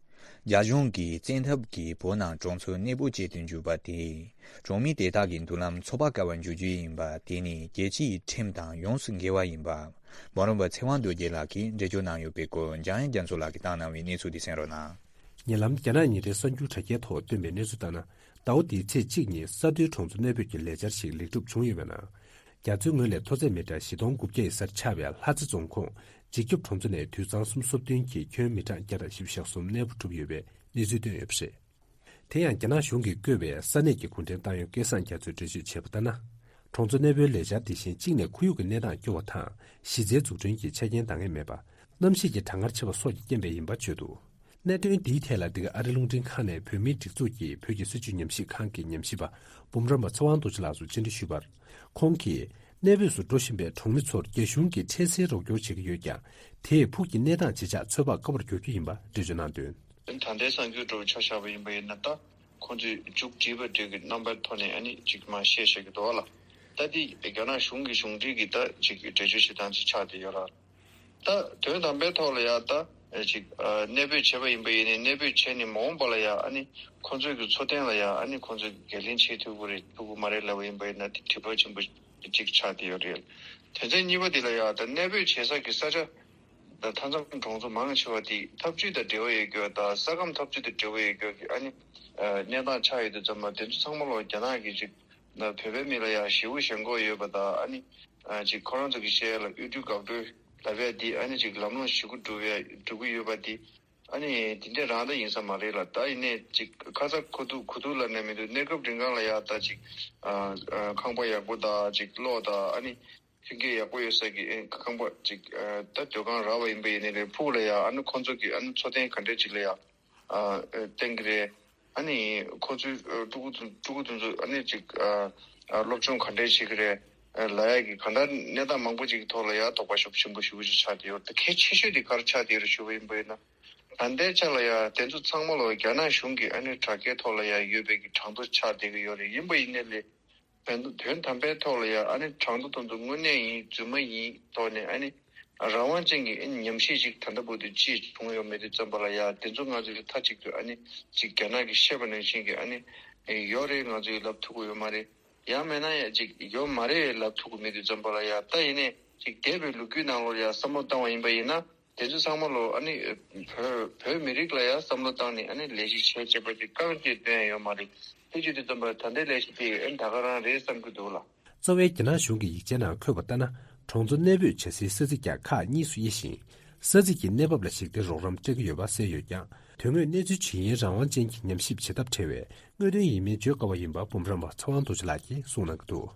རྒྱ་གཞུང་གིས་བཙན་ཐབས་ཀྱིས་བོད་ནང་གྲོང་ཚོར་གནས་སྤོ་བྱེད་དུ་འཇུག་པ་དེས། གྲོང་མི་དེ་དག་གི་མདུན་ལམ་འཚོ་བ་དཀའ་བར་འགྱུར་རྒྱུ་ཡིན་པ་དེ་ནི་རྒྱལ་སྤྱིའི་ཁྲིམས་དང་ཡོངས་སུ་འགལ་བ་ཡིན་པ། འབུམ་རམས་པ་ཚེ་དབང་རྡོ་རྗེ་ལགས་ཀྱིས་འགྲེལ་བརྗོད་གནང་ཡོད་པའི་སྐོར། འཇམ་དབྱངས་རྒྱ་མཚོ་ལགས་ཀྱིས་བཏང་གནང་བའི་གནས་ཚུལ་དེ་གསན་རོགས་གནང་། ཉེ་ལམ་རྒྱ་ནག་ཉིན་རེའི་གསར་འགྱུར་དྲ་རྒྱའི་ཐོག་བཏོན་པའི་གནས་ཚུལ་ལྟར་ན། ཟླ་བ་འདིའི་ཚེས་གཅིག་ཉིན་ས་མཐོའི་གྲོང་ཚོ་གནས་སྤོས་ཀྱི་ལས་འཆར་ཞིག་ལེགས་གྲུབ་བྱུང་ཡོད་པའི་ནང་། རྒྱ་མཚོའི་ངོས་ལས་མཐོ་ཚད་མི་ཊར་བཞི་སྟོང་དགུ་བརྒྱ་ཡི་སར་ཆགས་པའི་ལྷ་རྩེ་རྫོང་ཁོངས་འཇིགས་སྐྱོབ་གྲོང་ཚོ་ནས་དུད་ཚང་སུམ་ཅུ་སོ་བདུན་གྱི་ཁྱོན་མི་ཊར་བརྒྱ་དང་བཞི་བཅུ་ཞེ་གསུམ་གནས་སྤོ་གྲུབ་ཡོད་པའི་གནས་ཚུལ་བཏོན་ཡོད་པ་རེད། དེ་ཡང་རྒྱ་ནག་གཞུང་གིས་བསྐོས་པའི་ས་གནས་ཀྱི་གུང་ཁྲན་ཏང་ཡོན་སྐལ་བཟང་རྒྱ་མཚོས་འགྲེལ་བརྗོད་བྱས་པ་ལྟར་ན། གྲོང་ཚོ་གནས་སྤོའི་ལས་འཆར་དེ་བཞིན་གཅིག་ནས་ཁོར་ཡུག་གི་གནས་སྟངས་སྐྱོ་བ་དང་། གཞི་རྩའི་འཛུགས་སྐྲུན་གྱི་ཆ་རྐྱེན་འདང་ངེས་མེད་པ། གནམ་གཤིས་ཀྱི་གྲང་ངར་ཆེ་བ་སོགས་ཀྱི་རྐྱེན་པས་ཡིན་པ་བརྗོད་འདུག་གནད་དོན་འདིའི་ཐད་ལ་འདི་ག་ཨ་རི་རླུང་འཕྲིན་ཁང་ནས་བོད་མིའི་སྒྲིག་འཛུགས་ཀྱི་བོད་ཀྱི་སྲིད་བྱུས་ཉམས་ཞིབ་ཁང་གི་ཉམས་ཞིབ་པ་འབུམ་རམས་པ་ཚེ་དབང་རྡོ་རྗེ་ལགས་སུ་བཅར་འདྲི་ཞུས་པར། ཁོང་གིས་གནས་སྤོས་སུ་འགྲོ་བཞིན་པའི་གྲོང་མི་ཚོར་རྒྱ་གཞུང་གིས་འཕྲལ་སེལ་རོགས་སྐྱོར་བྱེད་ཀྱི་ཡོད་ཀྱང་། དེས་ཕུགས་ཀྱི་གནས་སྟངས་ཇི་ཆགས་ཚོད་དཔག་དཀའ་བར་འགྱུར་རྒྱུ་ཡིན་པ་འགྲེལ་བརྗོད་གནང་དོན། ད་ལྟའི་གསར་འགྱུར་འདྲ་བོ་ཆ་བཞག་པ་ཡིན་པ་ཡིན་ན། ད་ཁོང་ཚོས་མཇུག་བསྒྲིལ་བ་འདྲ་གི་རྣམ་པའི་ཐོག་ནས་ཨ་ནི་ཅིག་མར་བཤད་བཤད་ཀྱི་འདུག་བ་ལ། ད་འདི་རྒྱ་ནག་གཞུང་གི་གཞུང་འབྲེལ་གྱི་ད་ཅིག་འགྲེལ་བརྗོད་བྱེད་སྟངས་ཅིག་ཆགས་བསྡད་ཡོད་ར། ད་དོན་དམ་པའི་ཐོག་ལ་ཡ་ད་ཅིག་གནས་སྤོས་བྱས་པ་ཡིན་པ་ཡིན་ནའི། གནས་སྤོས་བྱས་ནས་མ་འོངས་པ་ལ་ཡ་ཨ་ནི་ཁོང་ཚོའི་གི་འཚོ་རྟེན་ལ་ཡ་ཨ་ནི་ཁོང་ཚོས་འགན་ལེན་བྱེད་ཐུབ་ཀྱི་རེད་ཐུབ་ཀྱི་མ་རེད་ལབ་པ་ཡིན་པ་ཡིན་ན། དེ་དྲི་བ་ཆེན་པོ་གཅིག་ཆགས་བསྡད་ཡོད་རེད། དོན་ཚན་གཉིས་པ་འདི་ལ་ཡ་ད་གནས་སྤོས་བྱེད་ས་གི་ས་ཆ་ད་མཐའ་མཚམས་གྲོང་ཚོ་མང་ཆེ་བ་དེ་འཐབ་ཇུས་དང་འབྲེལ་བ་ཡོད་རྒྱུ་དང་ས་ཁམས་འཐབ་ཇུས་དང་འབྲེལ་བ་ཡོད་རྒྱུ་གི་ཨ་ནི་གནས་སྟངས་ཆགས་ཡོད་དུས་ཙམ་པ། དེ་ཚོ་ཚང་མ་ལོ་རྒྱ་ནག་གི་ཅིག་བོད་པའི་མི་ལ་ཡ་ཞེ་པོ་ཞེན་ཁོག་ཡོད་པ་དང་། ཨ་ནི་ཅིག་ཁོ་རང་ཚོ་གི་བཤད་ཡ་ལ་དབུལ་སྒྲོལ་འགག་སྒྲོལ་ལབ་ཡ་དེ་ཨ་ནི་ཅིག་ལམ་ལྷོང་ཞེ་པོ་འགྲོ་བའི་འགྲོ་གི་ཡོད་པ་དེ། ཨ་ནི་དེ་འདྲ་རང་ད་ཡིན་ས་མ་རེད་ལ། ད་ཡིན་ནའི་ཅིག་ཁ་ཚ་ཁུ་ཐུག་ཁུ་ཐུག་ལབ་ནས་མི་འདུག་གནས་སྐབས་རིང་གང་ལ་ཡ་ད་ཅིག་ཨ་ཨ་ཁང་པ་ཡག་པོ་དང་ཅིག་གློག་དང་། ཨ་ནི་མཐུན་རྐྱེན་ཡག་པོ་ཡོད་ས་གི་ཨེ་ཁང་པ་ཅིག་ཨ་ད་སྡོད་ཁང་རག་པ་ཡིན་པ་ཡིན་ནའི་རེད། ཕུགས་ལ་ཡ་ཨ་ནི་ཁོང་ཚོ་གི་ཨ་ནི་འཚོ་རྟེན་ག་འདྲ་ཅིག་ལ་ཡ་ཨ་ཨ་བརྟེན་གི་རེད། ཨ་ནི་ཁོ་ཚོའི་ཨ་ཕྲུ་གུ་དེ་ཕྲུ་གུ་དེ་ཚོ་ཨ་ནི་ཅིག་ཨ་ཨ་སློབ་སྦྱོང་ག་འདྲས་བྱེད་ཀྱི་རེད། ཨ་ལབ་ཡ་གི་གང་ལྟར་གནས་སྟངས་མང་པོ་ཅིག་གི་ཐོག་ལ་ཡ་དོགས་པ་ཤུགས་ཆེན་པོ་ཞེ་པོ་ཅིག་ཆགས་བསྡད་ཡོད་རེད། ད་གལ་ཆེ་ཤོས་དེ་ག་རེ་ཆགས་བསྡད་ཡོད་རེད་ཞུ་བ་ཡིན་པ་ཡིན་ན། ད་ལྟའི་ཆ་ལ་ཡ་དེ་ཚོ་ཚང་མ་ལོ་རྒྱ་ནག་གཞུང་གི་ཨ་ནི་དྲ་རྒྱའི་ཐོག་ལ་ཡ་ཡོད་པའི་གི་གྲངས་ཐོ་ཆགས་བསྡད་ཀྱི་ཡོད་རེད། ཡིན་པ་ཡིན་ནའི་ལས། དོན་དོན་དམ་པའི་ཐོག་ལ་ཡང་ཨ་ནི་གྲངས་ཐོ་དེ་ཚོ་དངོས་གནས་ཡིན་རྫུན་མ་ཡིན་ཐོག་ནས་ཨ་ནི་རང་དབང་ཅན་གྱི་ཨ་ནི་ཉམས་ཞིབ་ཅིག་ད་ལྟ་བར་དུ་ཅིག་བྱུང་ཡོད་མེད་དུས་ཙམ་པ་ལ་ཡང་དེ་ཚོ་ང་ཚོས་མཐའ་གཅིག་ཏུ་ཨ་ནི་ཅིག་རྒྱ་ནག་གིས་བཤད་པ་ནང་བཞིན་གྱི་ཨ་ནི་ཡོད་རེད། ང་ཚོས་ལབ་ཐུབ་ཀྱི་ཡོད་མ་རེད། ཡང་མིན་ན་ཡང་ཅིག་ཡོད་མ་རེད་ལབ་ཐུབ་ཀྱི་མེད་དུས་ཙམ་པ་ལ་ཡང་། ད་ཡིན་ནའི་ཅིག་འདས་པའི་ལོ་རྒྱུས་ནང་ལོགས་ལ་ཡང་བསམ་བློ་བཏང་བ་ཡིན་པ་ཡིན་ན། དེ་ཚོ་ཚང་མ་ལོ་ཨ་ནི་བོད་བོད་མི་རིགས་ལ་ཡང་བསམ་བློ་བཏང་ནས་ཨ་ནི་ལས་གཞི་བྱས་བྱས་པ་དེ་རྐང་བཅད་བཏོན་ཡ་ཡོད་མ་རེད། དེ་བྱེད་དུས་ཙམ་པ་ད་ལྟའི་ལས་གཞི་དེ་ཨ་ནི་ད་ག་རང་རེད་བསམ་གྱི་འདུག་ལ། གཙོ་བའི་རྒྱ་ནག་གཞུང་གི་ཡིག་ཆའི་ནང་འཁོད་པ་ལྟར་ན། གྲོང་ཚོ་གནས་སྤོས་བྱ་སའི་ས་ཚིགས་ཀྱང་ཁག་གཉིས་སུ་དབྱེ་ཞིང་། ས་ཚིགས་ཀྱི་གནས་བབ་ལ་གཞིགས་ཏེ་རོགས་རམ་སྤྲད་ཀྱི་ཡོད་པ་གསལ་ཡོད་ཀྱང་། དོན་དངོས་གནས་ཚུལ་ཇི་ཡིན་རང་དབང་ཅན་གྱི་ཉམས་ཞིབ་བྱེད་ཐབས་བྲལ་བའི་དངོས་དོན་ཡིན་མིན་བརྗོད་དཀའ་བ་ཡིན་པ་འབུམ་རམས་པ་ཚེ་དབང་རྡོ་རྗེ་ལགས་ཀྱིས་གསུངས་གནང་གི་འདུག་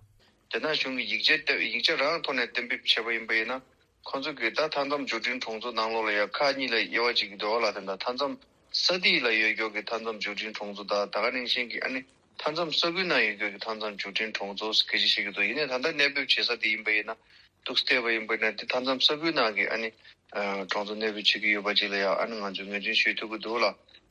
རྒྱ་ནག་གཞུང་གི་ཡིག་ཆ་ཡིག་ཆ་རང་ཐོག་ནས་གཏན་འབེབས་བྱས་པ་ཡིན་པ་ཡིན་ན། ཁོང་ཚོ་གིས་ད་མཐའ་མཚམས་འབྱོར་འབྲིང་གྲོང་ཚོ་ནང་ལོགས་ལ་ཡང་ཁག་གཉིས་ལ་དབྱེ་བ་ཕྱེ་གི་འདུག་ལ། དེ་འདྲ་མཐའ་མཚམས་ས་ཐིག་ལ་ཡོད་རྒྱུ་གི་མཐའ་མཚམས་འབྱོར་འབྲིང་གྲོང་ཚོ་དང་། ད་ག་ནང་བཞིན་གྱི་ཨ་ནི་མཐའ་མཚམས་ས་ཁུལ་ནང་ཡོད་རྒྱུ་གི་མཐའ་མཚམས་འབྱོར་འབྲིང་གྲོང་ཚོ་སྐད་ཆ་བཤད་ཀྱི་འདུག་ཡིན་ནའི་ད་ལྟ་གནས་སྤོས་བྱེད་ས་དེ་ཡིན་པ་ཡིན་ན། འདུག་སེ་བལྟས་པ་ཡིན་པ་ཡིན་ན་དེ་མཐའ་མཚམས་ས་ཁུལ་ནང་གི་ཨ་ནི་གྲོང་ཚོ་གནས་སྤོས་བྱེད་ཀྱི་ཡོད་པ་ཅིག་ལ་ཡང་ཨ་ནི་ང་ཚོས་ངོས་འཛིན་ཞུ་ཐུབ་ཀྱི་འདུག་ལ།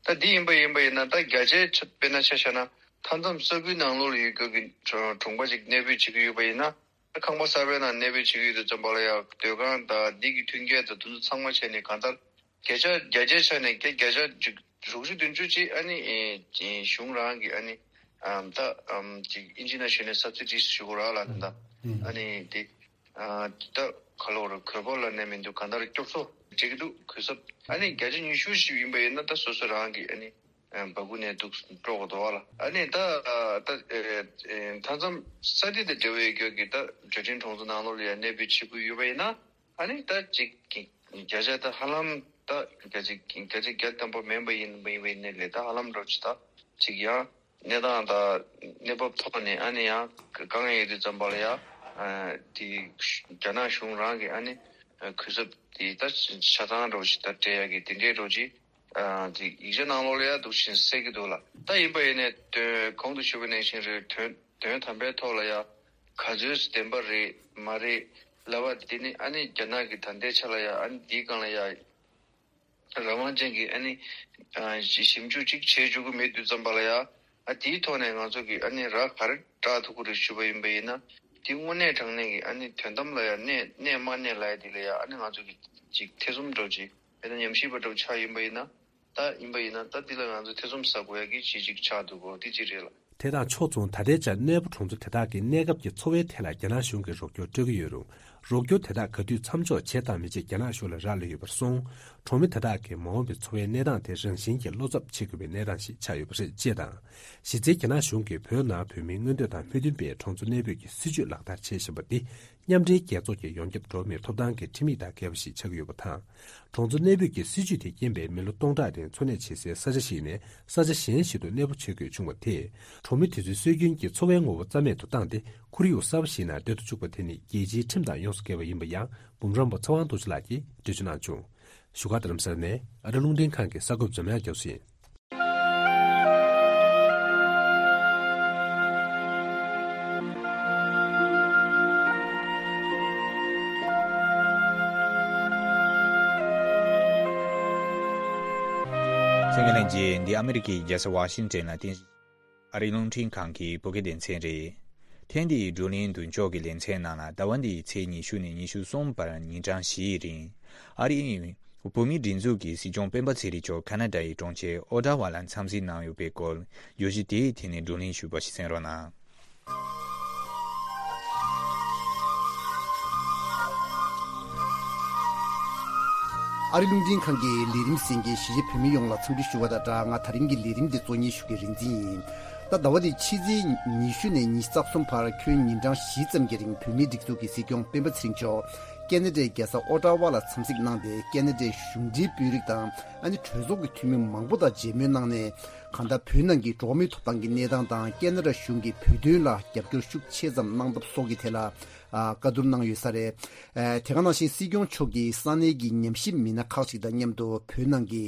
ད་འདི་ཡིན་པ་ཡིན་པ་ཡིན་ན། ད་བརྒྱ་ཆའི་ཆ་དཔེར་ན་ཆ་བཞག་ན་མཐའ་མཚམས་ས་ཁུལ་ནང་ལོགས་ལ་ཡོད་རྒྱུ་གི་གྲོང་པ་ཅིག་གནས་སྤོས་བྱེད་ཀྱི་ཡོད་པ་ཡིན་ན། ཁང་པ་གསར་པའི་ནང་གནས་སྤོས་བྱེད་ཀྱི་ཡོད་དུས་ཙམ་པ་ལ་ཡང་སྡོད་ཁང་དང་འདི་གི་མཐུན་རྐྱེན་དང་དེ་ཚོ་ཚང་མ་བྱས་ནས་གང་ལྟར་བརྒྱ་ཆ་བརྒྱ་ཆའི་ཆ་ནས་བརྒྱ་བརྒྱ་ཆ་ཅིག་ རུག་རུ་དོན་གཅོད་ཅིག་ཨ་ནི་ཨེ་གཞུང་རང་གི་ཨ་ནི་ཨམ་ད་ཨམ་ཅིག་ཨིན་ཇི་ནང་ཞུས་ནས་སབ་སི་ཌི་ཞུ་དགོས་ར་ལ་ད་ཨ་ནི་དེ་ཨ་ད་ག་ལོ་རུ་གོས་པོ་ལ་ནས་མི་འདུག་གང་ལྟར་སྐྱོབ་གསོ་བྱེད་ཀྱི་འདུག་གོས་སབ་ཨ་ནི་བརྒྱ་ཆ་ཉི་ཤུ་ཞིག་ཡིན་པ་ཡིན་ན་ད་སོ་སོ་རང་གི་ཨ་ནི་ཨ་འབག་གུ་ནས་འདུག་སྤྲོ་གོ་དོ་བ་ལ་ཨ་ནི་ད་ཨ་ད་ཨེ་ཨེ་མཐའ་མཚམས་ས་དེ་དང་འབྲེལ་བའི་རྒྱུ་གི་ད་འབྲས་སྤྲིན་གྲོང་ཚོ་ནང་ལོགས་ལ་ཡང་གནས་སྤོས་བྱེད་དགོས་ཡོད་པ་ཡིན་ན། ཨ་ནི་ད་ཅིག་གི་བརྒྱ་ཆ་ད་ཧ་ལམ་ད་བརྒྱ་ཆ་བརྒྱ་ཆ་བརྒྱ་ཐམ་པ་མིན་པ་ཡིན་པ་ཡིན་པའི་ནས་ལས་ད་ཧ་ལམ་འགྲོ་ཅི་ད་ཅིག་ཡང་གནས་སྟངས་ད་གནས་བབ་ཐོག་ནས་ཨ་ནི་ཡང་དཀའ་ངལ་ཡོད་དུས་ཙམ་པ་ལ་ཡང་དེ་རྒྱ་ནག་གཞུང་རང་གི་ཨ་ནི་གུས་ཞབས་དེ་ད་ཆ་ཚང་འགྲོ་ཅི་ད་སྤྲད་ཡ་གི་དེ་འདྲའི་འགྲོ་ཅི་དེ་ཡིག་ཆ་ནང་ལོགས་ལ་ཡང་འདུག་བཞིན་གསལ་གི་འདུག་ལ་ད་ཡིན་པ་ཡིན་ནས་དོན་གོང་དུ་ཞུས་པ་ནང་བཞིན་རེད་དོན། དོན་དམ་པའི་ཐོག་ལ་ཡ་ག་ཚོད་བདེན་པ་རེད་མ་རེད་ལབ་པ་དེ་ནི་ཨ་ནི་རྒྱ་ནག་གི་ད་ལྟའི་ཆ་ལ་ཡ་ཨ་ནི་འདིའི་སྒང་ལ་ཡ་རང་དབང་ཅན་གྱི་ཨ་ནི་ཞིབ་འཇུག་ཅིག་བྱེད་བཅུག་གི་མེད་དུས་ཙམ་པ་ལ་ཡ་ཨ་དེའི་ཐོག་ནས་ང་ཚོ་གི་ཨ་ནི་ར་ག་རེ་བསྒྲགས་ཐུབ་ཀྱི་རེད་ཞུས་པ་ཡིན་པ་ཡིན་ན་དེ་དངོས་གནས་དྲང་གནས་ཀྱི་ཨ་ནི་དོན་དམ་ལ་ཡ་གནས་གནས་མ་གནས་ལབ་ཡ་དེ་ལ་ཡ་ཨ་ནི་ང་ཚོ་གི་ཅིག་ཐེ་ཚོམ་འགྲོ་ཅིག་དཔེར་ན་ཉམས་ཞིབ་པ་འདྲ་བོ་ཆགས་ཡིན་པ་ཡིན་ན། ད་ཡིན་པ་ཡིན་ན་ད་འདི་ལ་ང་ཚོ་ཐེ་ཚོམ་ཟ་དགོས་ཡ་གི་ཅི་ཅིག་ཆགས་འདུག་གོ་འདི་ཅི་རེད་ལ། དེ་དང་ཕྱོགས་མཚུངས་ད་ལྟའི་ཆར་གནས་སྤོ་གྲོང་ཚོ་དེ་དག་གི་གནས་སྐབས་ཀྱི་འཚོ་བའི་ཐད་ལ་རྒྱ་ནག་གཞུང་གིས་རོགས་སྐྱོར་སྤྲོད་ཀྱི་ཡོད་རུང་། རོགས་སྐྱོར་དེ་དག་ག་དུས་མཚམས་འཇོག་བྱེད་དང་མི་བྱེད་རྒྱ་ནག་གཞུང་ལ་རག་ལས་ཡོད་པར་སོང་། གྲོང་མི་དེ་དག་གི་མ་འོངས་པའི་འཚོ་བའི་གནས་སྟངས་དེ་རང་བཞིན་གྱིས་བློ་འཚབ་བྱེད་དགོས་པའི་གནས་སྟངས་ཤིག་ཆགས་ཡོད་པ་རེད་ཅེས་དང་། གཞི་རྩའི་རྒྱ་ནག་གཞུང་གིས་བོད་ནང་བོད་མིའི་མངོན་འདོད་དང་མོས་མཐུན་པའི་གྲོང་ཚོ་གནས་སྤོས་ཀྱི་སྲིད་ཇུས་ལག་བསྟར་བྱེད་བཞིན་པ་འདི། མཉམ་འབྲེལ་རྒྱལ་ཚོགས་ཀྱི་ཡོངས་ཁྱབ་འགྲོ་བ་མིའི་ཐོབ་ཐང་གི་ཁྲིམས་ཡིག་དང་འགལ་བ་ཞིག་ཆགས་ཀྱི་ཡོད་པ་དང་། གྲོང་ཚོ་གནས་སྤོས་ཀྱི་སྲིད་ཇུས་དེ་རྐྱེན་པས་མི་ལོ་སྟོང་ཕྲག་རིང་འཚོ་གནས་བྱེད་སའི་ས་ཆ་ཞིག་ནས་ས་ཆ་གཞན་ཞིག་ཏུ་གནས་སྤོ་བྱེད་དགོས་བྱུང་བ་དེས། གྲོང་མི་དེ་ཚོའི་སྲོལ་རྒྱུན་གྱི་འཚོ་བའི་ངོ་བོ་རྩ་མེད་དུ་བཏང་སྟེ། ཁོར་ཡུག་གསར་པ་ཞིག་ནང་སྡོད་དུ་བཅུག་པ་དེ་ནི་རྒྱལ་སྤྱིའི་ཁྲིམས་དང་ཡོངས་སུ་འགལ་བ་ཡིན་པ་ཡང་འབུམ་རམས་པ་ཚེ་དབང་རྡོ་རྗེ་ལགས་ཀྱིས་འགྲེལ་བརྗོད་གནང་བྱུང་། བཞུགས་སྒར་རྡ་རམ་ས་ལ་ནས་ཨ་རི་རླུང་འཕྲིན་ཁང་གི་གསར་འགོད་འཛམ་དབྱངས་རྒྱ་མཚོ་ཡིན། གསན་མཁན་ལྷན་རྒྱས། འདི་ཨ་མི་རི་ཀའི་རྒྱལ་ས་ཝ་ཤིང་ཊོན་ལ་རྟེན་གཞི། ཨ་རིའི་རླུང་འཕྲིན་ཁང་གི་བོད་སྐད་སྡེ་ཚན་རེད། ཐེངས་འདིའི་བགྲོ་གླེང་མདུན་ཅོག་གི་ལེ་ཚན་ནང་ལ་ཟླ་བ་འདིའི་ཚེས་ཉི་ཤུ་ནས་ཉི་ཤུ་གསུམ་བར་ཉིན་གྲངས་བཞིའི་རིང་། ཨ་རིའི་བོད་མིའི་སྒྲིག་འཛུགས་ཀྱི་སྲིད་སྐྱོང་སྤེན་པ་ཚེ་རིང་མཆོག་ཁ་ན་ཌའི་གྲོང་ཁྱེར་ཨོ་ཊ་ཝ་ལ་འཚམས་གཟིགས་གནང་ཡོད་པའི་སྐོར། བརྗོད་གཞི་དེའི་ཐད་ནས་བགྲོ་གླེང་ཞུས་པ་ཞིག་གསན་རོགས་གནང་། ཨ་རི་རླུང་འཕྲིན་ཁང་གི་ལས་རིམ་གསན་མཁན་གཞིས་བྱེས་བོད་མི་ཡོངས་ལ་འཚམས་འདྲི་ཞུ་བ་དང་སྦྲགས། ང་ད་རིང་གི་ལས་རིམ་འདི་གཙོ་གཉེར་ཞུ་མཁན་རིག་འཛིན་ཡིན། ད་ཟླ་བ་འདིའི་ཕྱི་ཚེས་ཉི་ཤུ་ནས་ཉི་ཤུ་རྩ་གསུམ་བར་ཁྱོན་ཉིན་གྲངས་བཞི་ཙམ་གྱི་རིང་བོད་མིའི་སྒྲིག་འཛུགས་ཀྱི་སྲིད་སྐྱོང་སྤེན་པ་ཚེ་རིང་མཆོག་ཀེ་ན་ཌའི་རྒྱལ་ས་ཨོ་ཊ་ཝ་ལ་འཚམས་གཟིགས་གནང་སྟེ། ཀེ་ན་ཌའི་གཞུང་འབྲེལ་དཔོན་རིགས་དང་ཨ་ནི་གྲོས་ཚོགས་ཀྱི་འཐུས་མི་མང་པོ་དང་མཇལ་མོལ་གནང་ནས། གང་ལྟར་བོད་ནང་གི་འགྲོ་བ་མིའི་ཐོབ་ཐང་གི་གནས་སྟངས་དང་། ཀེ་ན་ཌ་གཞུང་གིས་བོད་དོན་ལ་རྒྱབ་སྐྱོར་ཤུགས་ཆེ་ཙམ་གནང་སྟངས་སོགས་ཀྱི་ཐད་ལ་ཨ་བཀའ་བསྡུར་གནང་ཡོད་ས་རེད། ཨ་དེ་ག་ནང་བཞིན་སྲིད་སྐྱོང་མཆོག་གིས་ས་གནས་ཀྱི་ཉམས་ཞིབ་མི་སྣ་ཁག་ཅིག་དང་མཉམ་དུ་བོད་ནང་གི་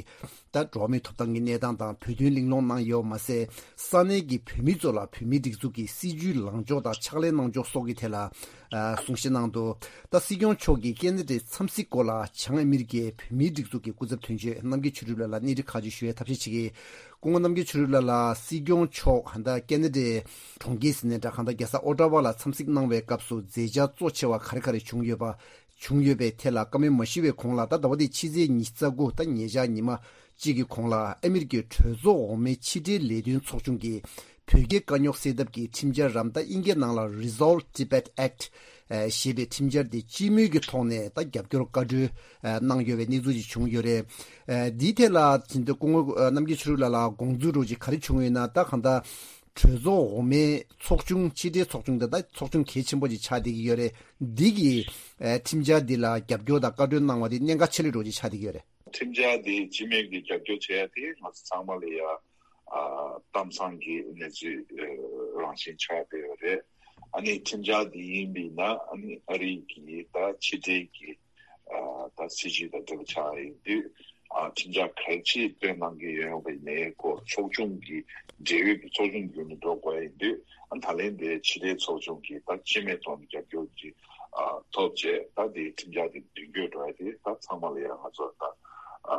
ད་འགྲོ་བ་མིའི་ཐོབ་ཐང་གི་གནས་སྟངས་དང་བོད་དོན་གླེང་སློང་གནང་ཡོད་མ་ཟད། ས་གནས་ཀྱི་བོད་མི་ཚོ་ལ་བོད་མིའི་སྒྲིག་འཛུགས་ཀྱི་སྲིད་བྱུས་ལངས་ཕྱོགས་དང་ཕྱག་ལས་གནང་ཕྱོགས་སོགས་ཀྱི་ཐད་ལ་ཨ་གསུང་བཤད་གནང་འདུག་ད་སྲིད་སྐྱོང་མཆོག་གིས་ཀེ་ན་ཌའི་འཚམས་གཟིགས་སྐོར་ལ་བྱང་ཨ་མི་རི་ཀའི་བོད་མིའི་སྒྲིག་འཛུགས་ཀྱི་སྐུ་ཚབ་དོན་གཅོད་རྣམ་རྒྱལ་ཆོས་གྲུབ་ལགས་ལ་གནས་འདྲི་ཁག་ཅིག་ཞུ་བའི་ཐབས་ཤེས་བྱེད་ཀྱི། སྐུ་ངོ་རྣམ་རྒྱལ་ཆོས་གྲུབ་ལགས་ལ་སྲིད་སྐྱོང་མཆོག་ཧན་ད་ཀེ་ན་ཌའི་གྲོང་ཁྱེར་ཟེར་ནའི་འདྲ། གང་ལྟར་རྒྱལ་ས་ཨོ་ཊ་ཝ་ལ་འཚམས་གཟིགས་གནང་བའི་སྐབས་སུ་མཛད་འཆར་གཙོ་ཆེ་བ་ག་རེ་ག་རེ་བྱུང་ཡོད་པ། བྱུང་ཡོད་པའི་ཐད་ལ་བཀའ་མོལ་མ་ཞུས་པའི་གོང་ལ། ད་ཟླ་བ་འདིའི་ཕྱི་ཚེས་ཉི་ཤུ་རྩ་དགུ་ད་ཉེ་ཆར་ཉི་མ་གཅིག་གི་གོང་ལ་ཨ་མི་རི་ཀའི་གྲོས་ཚོགས་འོག་མའི་ཕྱི་འབྲེལ་ལས་དོན་ཚོགས་ཆུང་གིས་བོད་རྒྱའི་དཀའ་རྙོག་སེལ་ཐབས་ཀྱི་ཁྲིམས་འཆར་རམ། ད་ཨིན་སྐད་ནང་ལ་Resolve Tibet Act ཨ་ཞེས་པའི་ཁྲིམས་འཆར་དེ་སྤྱི་མོས་ཀྱི་ཐོག་ནས་ད་རྒྱབ་སྐྱོར་བཀའ་འཁྲོལ་ཨ་གནང་ཡོད་པའི་གནས་ཚུལ་ཅིག་བྱུང་ཡོད་རེད། ཨ་འདིའི་ཐད་ལ་དེ་འདྲ་སྐུ་ངོ་ཨ་རྣམ་རྒྱལ་ཆོས་གྲུབ་ལགས་ལ་དགོངས་ཚུལ་རོགས་ཅིག་ག་རེ་བྱུང་ཡོད་ན། ད་གང་ལྟར་གྲོས་ཚོགས་འོག་མའི་ཚོགས་ཆུང་། ཕྱི་འབྲེལ་ཚོགས་ཆུང་དེ་ད་ཚོགས་ཆུང་གལ་ཆེན་པོ་ཅིག་ཆགས་བསྡད་ཀྱི་ཡོད་རེད། འདི་གི་ཨ་ཁྲིམས་འཆར་འདི་ལ་རྒྱབ་སྐྱོར་དང་བཀའ་འཁྲོལ་གནང་བ་དེ་གནད་འགག་ཆེ་ལོས་རོགས་ཅིག་ཆགས་བསྡད་ཀྱི་ཡོད་རེད། ཁྲིམས་འཆར་འདི་སྤྱི་མོས་ཀྱི་རྒྱབ་སྐྱོར་བྱེད་ཡ་དེ་ང་ཚོ་ཚང་མ་ལ་ཡ་ཨ་གཏམ་བཟང་གི་གནས་ཚུལ་ཨ་རང་བཞིན་ཆགས་བསྡད་ཡོད་རེད། ཨ་ནི་ཁྲིམས་འཆར་འདི་ཡིན་པས་ན་ཨ་ནི་ཨ་རི་གི་ད་ཕྱི་འབྲེལ་གྱི་ཨ་ད་སྲིད་བྱུས་དང་འབྲེལ་བ་ཆགས་ཡིན་དུས། ཨ་ཁྲིམས་འཆར་གལ་ཆེ་བཏོན་གནང་གི་ཡོད་པའི་གནས་སྐོར་ཚོགས་ཆུང་གི་འབྲེལ་ཡོད་ཀྱི་ཚོགས་ཆུང་བརྒྱུད་ནས་འགྲོ་དགོས་ཡིན་དུས། ཨ་ད་ལན་དེ་ཕྱི་འབྲེལ་ཚོགས་ཆུང་གི་ད་སྤྱི་མོས་ཐོག་ནས་རྒྱབ་སྐྱོར་གྱི་ཨ་ཐོབ་རྗེས་ད་དེ་ཁྲིམས་འཆར་དེ་མདུན་སྐྱོད་འགྲོ་ཡ་དེ་ད་ཚང་མ་ལ་ཡ་ང་ཚོ་ད་ཨ་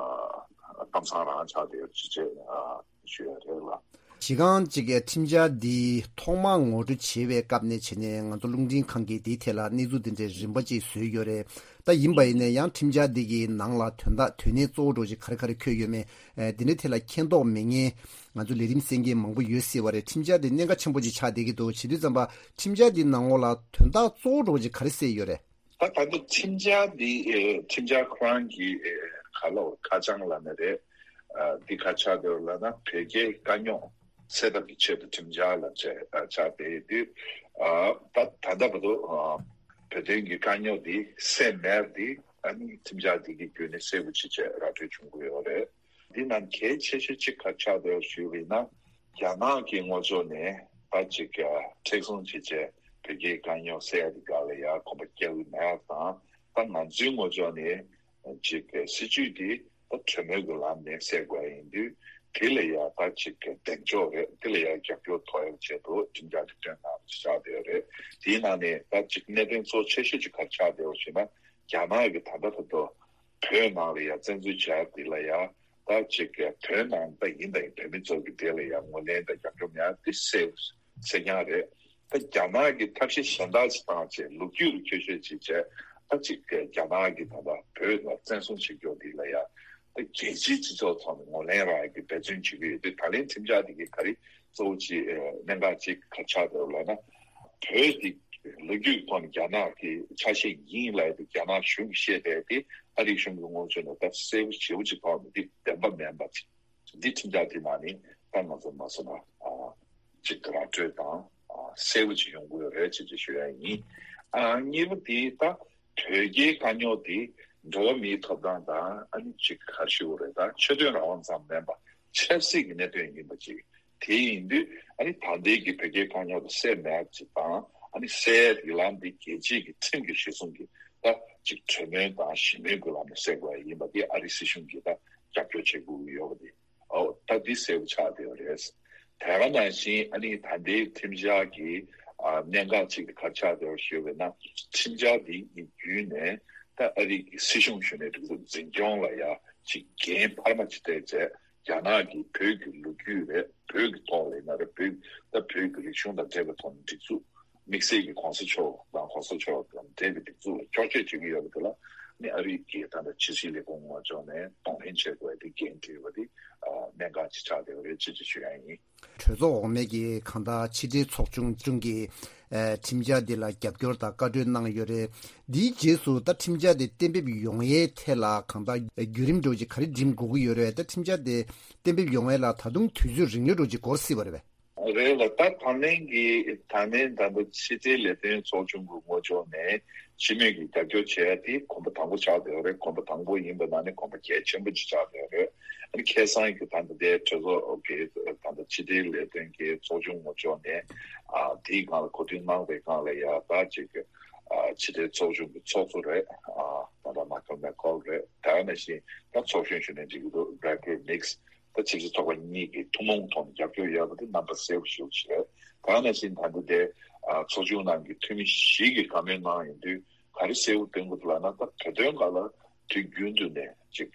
གཏམ་བཟང་རང་ཆགས་བསྡད་ཡོད་ཅེས་ཨ་ཞུ་ཡ་རེད་ལ། གཞི་རྐང་གཅིག་གི་ཁྲིམས་འཆར་འདི་ཐོག་མར་ངོ་སྤྲོད་བྱེད་པའི་སྐབས་ནས་བྱས་ནས་ང་ཚོ་རླུང་འཕྲིན་ཁང་གིས་འདིའི་ཐད་ལ་གནས་ཚུལ་འདི་འདྲའི་རིམ་པ་གཅིག་བཟོས་ཡོད་རེད། ད་ཡིན་པ་ཡིན་ནའི་ཡང་ཁྲིམས་འཆར་འདི་གི་ནང་ལ་དོན་དག་དོན་གནད་གཙོ་བོ་འདྲ་ཅིག་ག་རེ་ག་རེ་འཁོད་ཡོད་མེད། ཨེ། འདི་འདྲའི་ཐད་ལ་མཁྱེན་རྟོགས་མེད་མཁན་ང་ཚོ་ལས་རིམ་གསན་མཁན་མང་པོ་ཡོད་སྲིད་པ་རེད། ཁྲིམས་འཆར་འདི་གནད་འགག་ཆེན་པོ་ཅིག་ཆགས་བསྡད་ཀྱི་འདུག་བྱེད་དུས་ཙམ་པ་ཁྲིམས་འཆར་འདི་ནང་ལོགས་ལ་དོན་དག་གཙོ་བོ་འདྲ་ཅིག་ག་རེ་གསལ་ཡོད་རེད། ད་ད་ལྟ་ཁྲིམས་འཆར་འདི་ཨེ། ཁྲིམས་འཆར་ཁོ་རང་གི་ཨེ། ག་ལ་ཁ་བྱང་ལབ་ན་རེད། ཨ། འདི་ག་ཆགས་བསྡད་ཡོད་ལབ་ན་བོད་རྒྱའི་དཀའ་རྙོག་སེལ་ཐབས་ཀྱི་ཆེད་དུ་ཁྲིམས་འཆར་ལ་བྱས། ཨ། ཆགས་བསྡད་ཡོད་དུས། ཨ། ད་ད་ལྟ་བར་དུ། ཨ། བོད་དོན་གྱི་དཀའ་རྙོག་འདི་སེལ་མེད་འདི་ཨ་ནི་ཁྲིམས་འཆར་འདི་གི་བརྒྱུད་ནས་གསལ་པོ་ཅིག་བྱས་ར་སྤྲོད་བྱུང་གི་ཡོད་རེད། འདི་ནང་གལ་ཆེ་ཤོས་གཅིག་ག་ཆགས་བསྡད་ཡོད་ཞུས་པ་ཡིན་ན། རྒྱ་ནག་གི་ངོ་ཕྱོགས་ནས་ད་ཅིག་མཁྲེགས་བཟུང་བྱས་བྱས་བོད་རྒྱའི་དཀའ་རྙོག་སེལ་ཡ་འདི་སྒང་ལ་ཡ་གོམ་པ་རྒྱག་གི་མེད་པ་དང་། ད་ང་ཚོའི་ངོ་ཕྱོགས་ནས་ཅིག་སྲིད་ཇུས་འདི་ད་གྲོས་མོལ་གྱི་ལམ་ནས་སེལ་དགོས་ཡིན་དུས། དེ་ལ་ཡ་ད་ཅིག་གདེང་འཇོག་རེད། དེ་ལ་ཡ་རྒྱབ་སྐྱོར་ཐོབ་ཡ་ཆེད་དུ་ཁྲིམས་འཆར་འདི་བཏོན་གནང་བ་ཆགས་བསྡད་ཡོད་རེད། དེའི་ནང་ནས་ད་ཅིག་གནད་དོན་གཙོ་ཆེ་ཤོས་ཅིག་ག་ཆགས་བསྡད་ཡོད་ཞེ་ན། རྒྱ་ནག་གིས་ད་ལྟ་བར་དུ་བོད་ནང་ལ་ཡ་བཙན་འཛུལ་བྱས་འདི་ལ་ཡ། ད་ཅིག་བོད་ནང་ད་ཡིན་ད་ཡིན་བོད་མི་ཚོ་གི་དེ་ལ་ཡ་ངོས་ལེན་དང་རྒྱབ་སྐྱོར་མེད་འདི་གསལ་གསལ་རྐྱང་རེད། ད་རྒྱ་ནག་གིས་ཐབས་ཤེས་གཞན་དག་ཅིག་བཏང་བྱས་ལོ་རྒྱུས་ལ་འཁྱོག་བཤད་ཅིག་བྱས། ད་ཅིག་རྒྱ་ནག་གིས་ད་ལྟ་བོད་ལ་བཙན་བཟུང་བྱེད་རྒྱུ་འདི་ལ་ཡ། ད་རྒྱལ་སྤྱིའི་སྤྱི་ཚོགས་ཐོག་ནས་ངོས་ལེན་རག་ཡ་གི་འབད་བརྩོན་བྱེད་ཀྱི་ཡོད་དུས། ད་ལན་ཁྲིམས་འཆར་འདི་གིས་ག་རེ་གཙོ་བོ་ཅིག་ཨ། གནད་འགག་ཅིག་ག་ཆགས་འདུག་ལབ་ན། བོད་འདི་ལོ་རྒྱུས་ཐོག་ནས་རྒྱ་ནག་གི་ཆ་ཤས་ཡིན་ལབ་ཡ་དེ་རྒྱ་ནག་གཞུང་གིས་བཤད་བསྡད་དེ། ཨ་རིའི་གཞུང་གི་ངོས་ཕྱོགས་ནས་ད་གསལ་པོ་ཞེ་པོ་ཅིག་ཐོག་ནས་འདི་བདེན་པ་མིན་པ་ཅིག་འདི་ཁྲིམས་འཆར་འདི་ནང་ནས་ད་ང་ཚོ་མ་སོང་ན། ཨ། ཅིག་ར་སྤྲོད་དང་། ཨ། གསལ་པོ་ཅིག་ཡོང་གི་ཡོད་རེད་ཅེས་ཅིག་ཞུ་ཡ་ཡིན། ཨ། གཉིས་པ་དེ་ད་བོད་རྒྱའི་དཀའ་རྙོག་དེ་འགྲོ་བ་མིའི་ཐོབ་ཐང་དང་། ཨ་ནི་ཅིག་ག་རེ་ཞུ་དགོས་རེད། ད་ཆོས་དོན་རང་དབང་ཙམ་མིན་པ་ཆབ་སྲིད་ཀྱི་གནད་དོན་ཡིན་པ་ཅིག་དེ་ཡིན་དུས། ཨ་ནི་ད་ལྟའི་གི་བོད་རྒྱའི་དཀའ་རྙོག་དེ་སེལ་མེད་ཅིག་དང་། ཨ་ནི་སེལ་ཡ་གི་ལམ་དེ་རྒྱལ་སྤྱིའི་གི་ཁྲིམས་ཀྱི་གཞི་བཟུང་གི་ད་ཅིག་གྲོས་མོལ་དང་ཞི་མོལ་གྱི་ལམ་ནས་སེལ་དགོས་ཡ་ཡིན་པ་དེ་ཨ་རི་སྲིད་གཞུང་གིས་ད་རྒྱབ་སྐྱོར་བྱེད་དགོས་ཀྱི་ཡོད་པ་དེ། ཨོ། ད་འདི་གསལ་པོ་ཆགས་བསྡད་ཡོད་རེད། དེ་ག་ནང་བཞིན་ཨ་ནི་ད་ལྟའི་ཁྲིམས་འཆར་གྱི། ཨ། གནད་འགག་ཅིག་དེ་ག་ཆགས་བསྡད་ཡོད་ཞུས་པ་ཡིན་ན། ཁྲིམས་འཆར་འདི་གི་བརྒྱུད་ནས་ད་ཨ་རི་གི་སྲིད་གཞུང་གཞོན་ནུའི་སྒྲིག་འཛུགས་འཛིན་སྐྱོང་ལ་ཡ་ཅིག་འགན་འཕར་མ་ཅིག་སྤྲད་བྱས། རྒྱ་ནག་གིས་བོད་ཀྱི་ལོ་རྒྱུས་རེད། བོད་ཀྱི་ཐོག་ལ་ཡིན་ན་རེད། བོད་ད་བོད་ཀྱི་རིག་གཞུང་དང་འབྲེལ་བའི་ཐོག་ནས་སྒྲིག་འཛུགས། དམིགས་བསལ་གྱི་གོང་ས་མཆོག་དང་། གོང་ས་མཆོག་དང་འབྲེལ་བའི་སྒྲིག་འཛུགས་ལ་འཁྱོག་བཤད་བྱེད་ཀྱི་ཡོད་པ་དེ་ལ་ནི་ཨ་རི་གི་ད་ལྟ་ཕྱི་སྲིད་ལས་ཁུངས་ངོས་ཕྱོགས་ནས་གདོང་ལེན་བྱེད་དགོས་དེ་འགན་འཁྲི་ཡོད་པ་དེ། ཨ། གནད་འགག་ཅིག་ཆགས་བསྡད་ཡོད་རེད་ཅེས་ཅིག་ཞུ་ཡ་ཡིན། གྲོས་ཚོགས་འོག་མའི་གི་གང་ལྟར་ཕྱི་འབྲེལ་ཚོགས་ཆུང་ཆུང་གིས། ཨ། ཁྲིམས་འཆར་འདི་ལ་རྒྱབ་སྐྱོར་དང་བཀའ་འཁྲོལ་གནང་ཡོད་རེད། འདིའི་རྗེས་སུ་ད་ཁྲིམས་འཆར་དེ་གཏན་འབེབས་ཡོང་ཡའི་ཐད་ལ་གང་ལྟར་བརྒྱུད་རིམ་འདྲ་བོ་ཅིག་ག་རེ་འགྲིམ་དགོས་ཀྱི་ཡོད་རེད། ད་ཁྲིམས་འཆར་དེ་གཏན་འབེབས་ཡོང་ཡ་ལ་ད་དུང་དུས་ཚོད་རིང་ལོས་འདྲ་བོ་ཅིག་འགོར་སྲིད་པ་རེད་པས། རེད་ལ། ད་ད་ལན་གྱི་ད་ལན་ད་ལྟ་ཕྱི་འབྲེལ་ལས་དོན་ཚོགས་ཆུང་གི་ངོས་ཕྱོགས་ནས་སྤྱི་མོས་ཀྱིས་རྒྱབ་སྐྱོར་བྱས་ཏེ་གོམ་པ་དང་པོ་ཆགས་བསྡད་ཡོད་རེད། གོམ་པ་དང་པོ་ཡིན་པ་ནང་ནས་གོམ་པ་གལ་ཆེན་པོ་ཅིག་ཆགས་བསྡད་ཡོད་རེད། ཨ་ནི་ཁ་སང་གི་ད་ལྟ་དེ་གྲོས་ཚོགས་ཀྱི་ད་ལྟ་ཕྱི་འབྲེལ་ལས་དོན་གྱི་ཚོགས་ཆུང་ངོས་ཕྱོགས་ནས། ཨ། དེའི་སྒང་ལ་གོ་བསྡུར་གནང་བའི་སྒང་ལ་ཡ་ད་ཅིག་ཨ། ཕྱི་འབྲེལ་ཚོགས་ཆུང་གི་ཚོགས་གཙོ་རེད། ཨ། ད་ལྟ་མཱ་ཁལ་མེ་ཁོལ་རེད། དེ་ནང་བཞིན་ད་ཚོགས་གཞོན་གཞོན་ནུ་ཅིག་འདུག Gregory Meeks། ད་ཆབ་སྲིད་ཚོགས་པ་གཉིས་ཀྱི་ཐུན་མོང་ཐོག་ནས་རྒྱབ་སྐྱོར་ཡོད་པ་དེ་རྣམ་པ་གསལ་པོ་ཞེ་པོ་ཅིག་རེད། དེ་ནང་བཞིན་ད་ལྟ་དེ། ཨ། ཚོགས་ཆུང་ནང་གི་འཐུས་མི་བཞི་གིས་བཀའ་མོལ་གནང་ཡོང་དུས་ག་རེ་གསལ་པོ་སྟོན་གྱི་འདུག་ལབ་ན། ད་བོད་དོན་སྒང་ལ་དུས་རྒྱུན་དུ་ནས་ཅིག་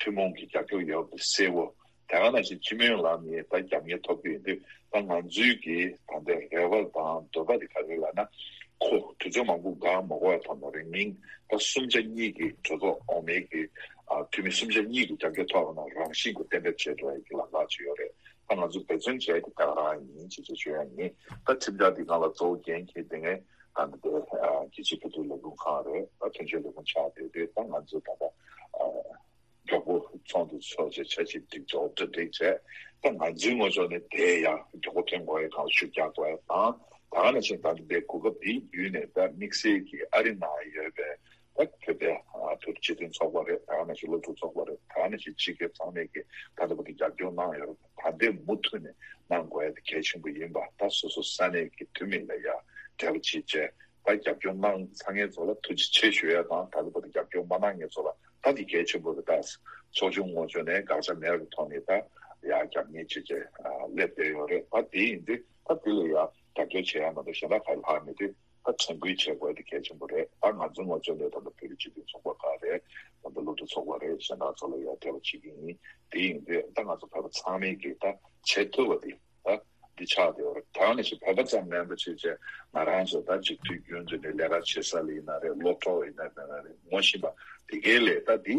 ཐུན་མོང་གི་རྒྱབ་སྐྱོར་ཡོད་པ་དེ་གསལ་པོ། དེ་ག་ནང་བཞིན་སྤྱི་མོས་ལམ་ནས་ད་རྒྱབ་གཉེར་ཐོབ་ཀྱི་ཡོད་དུས། ད་ང་ཚོའི་གི་ད་ལྟའི་རེ་བ་དང་འདོད་པ་དེ་ག་རེ་ལབ་ན། ཁོ་དུས་ཚོད་མང་པོ་འགོར་མ་དགོས་པའི་ཐོག་ནས་རིང་མིན་ད་གསུམ་ཆ་གཉིས་ཀྱི་གྲོས་ཚོགས་འོག་མའི་གི། ཨ། འཐུས་མི་གསུམ་ཆ་གཉིས་ཀྱི་རྒྱབ་སྐྱོར་ཐོབ་པ་ན་རང་བཞིན་གྱིས་གཏན་འབེབས་བྱེད་འགྲོ་ཡ་གི་ལམ་ཁ་ཅིག་ཡོད་རེད། ད་ང་ཚོ་འབད་བརྩོན་བྱས་ཏེ་ད་ག་རང་ཡིན་ཅེས་ཅིག་ཞུ་ཡ་ཡིན། ད་ཁྲིམས་འཆར་འདི་ནང་ལ་གཙོ་བོ་འགན་འཁྱེར་དེ་ངས་ད་འདི་ལྟའི། ཨ། རྒྱལ་སྤྱིའི་བོད་དོན་ལས་ཁུངས་ཁང་རེད། ད་དོན་གཅོད་ལས་ཁུངས་ཆགས་བསྡད་དུས་ད་ང་ཚོ་ད་ལྟ། ཨ། མགྱོགས་པོ་ཚོགས་འདུ་ཚོགས་བྱས་འཆར་གཞི་སྒྲིག་འཇོག་གྲ་སྒྲིག་བྱས། ད་ང་ཚོའི་ངོས་ཕྱོགས་ནས་དེ་ཡང་མགྱོགས་པོ་ཐོན་དགོས་ཡ་གང་ལ་ཤུགས་རྒྱག་དགོས་ཡ་དང་། ད་ག་ནང་བཞིན་ད་ལྟ་དེ་གོ་སྐབས་འདིའི་བརྒྱུད་ནས་ད་དམིགས་བསལ་གྱི་ཨ་རི་ནང་ཡོད་པའི་ད་བོད་པའི། ཨ། བོད་སྤྱི་མཐུན་ཚོགས་པ་རེད། ད་ག་ནང་བཞིན་སློབ་ཕྲུག་ཚོགས་པ་རེད། ད་ག་ནང་བཞིན་ཕྱི་རྒྱལ་ཚང་མས་ཀྱི་ད་ལྟ་བར་དུ་རྒྱབ་སྐྱོར་གནང་ཡོད་རེད། ད་ལྟའི་མུ་མཐུད་ནས་གནང་དགོས་ཡ་དེ་གལ་ཆེན་པོ་ཡིན་པ། ད་སོ་སོ་ས་གནས་ཀྱི་འཐུས་མི་ལ་ཡ་འབྲེལ་བ་བྱེད་བྱས། ད་རྒྱབ་སྐྱོར་གནང་ཚར་མཁན་ཚོ་ལ་ཐུགས་རྗེ་ཆེ་ཞུ་ཡ་དང་། ད་ལྟ་བར་དུ་རྒྱབ་སྐྱོར་མ་གནང་མཁན་ཚོ་ལ་ད་འདི་གལ་ཆེན་པོ་རེད། ད་ཚོགས་ཆུང་ངོས་ཕྱོགས་ནས་དགག་བྱ་མེད་པའི་ཐོག་ནས་ད་ཡ་རྒྱབ་གཉེར་བྱེད་བྱས། ཨ། སླེབས་བསྡད་ཡོད་རེད། ད་དེ་ཡིན་དུས་ད་དེ་ལ་ཡ་རྒྱབ་སྐྱོར་བྱེད་ཡ་མ་གཏོགས་གཞན་དག་ག་ལྷག་མེད་དུས། ད་དྲན་སྐུལ་བྱེད་དགོས་དེ་གལ་ཆེན་པོ་རེད། ད་ང་ཚོའི་ངོས་ཕྱོགས་ནས་ད་ལྟ་བོད་རིགས་སྤྱི་མཐུན་ཚོགས་པ་ཁག་རེད། ད་ལྟ་སློབ་ཕྲུག་ཚོགས་པ་རེད། གཞན་དག་ཚོ་ལ་ཡ་འབྲེལ་བ་བྱེད་ཀྱི་ཡིན། དེ་ཡིན་དུས་ད་ང་ཚོ་བོད་པ་ཚང་མས་ཀྱིས་ད་བྱེད་ཐུབ་པ་དེ། དེ་ཆགས་བསྡད་ཡོད་རེད། ད་ནི་ཅིག་བོད་པ་ཙམ་མིན་པ་ཅིག་བྱས་ང་རང་ཚོ་ད་ཅིག་དུས་རྒྱུན་དུ་ནས་ལས་ཀ་བྱེད་ས་ལ་ཡིན་ན་རེད། སློབ་གྲོགས་ཡིན་ན་མིན་ན་རེད། ངོ་ཤེས་པ་དེ་གའི་ལས་ད་འདི་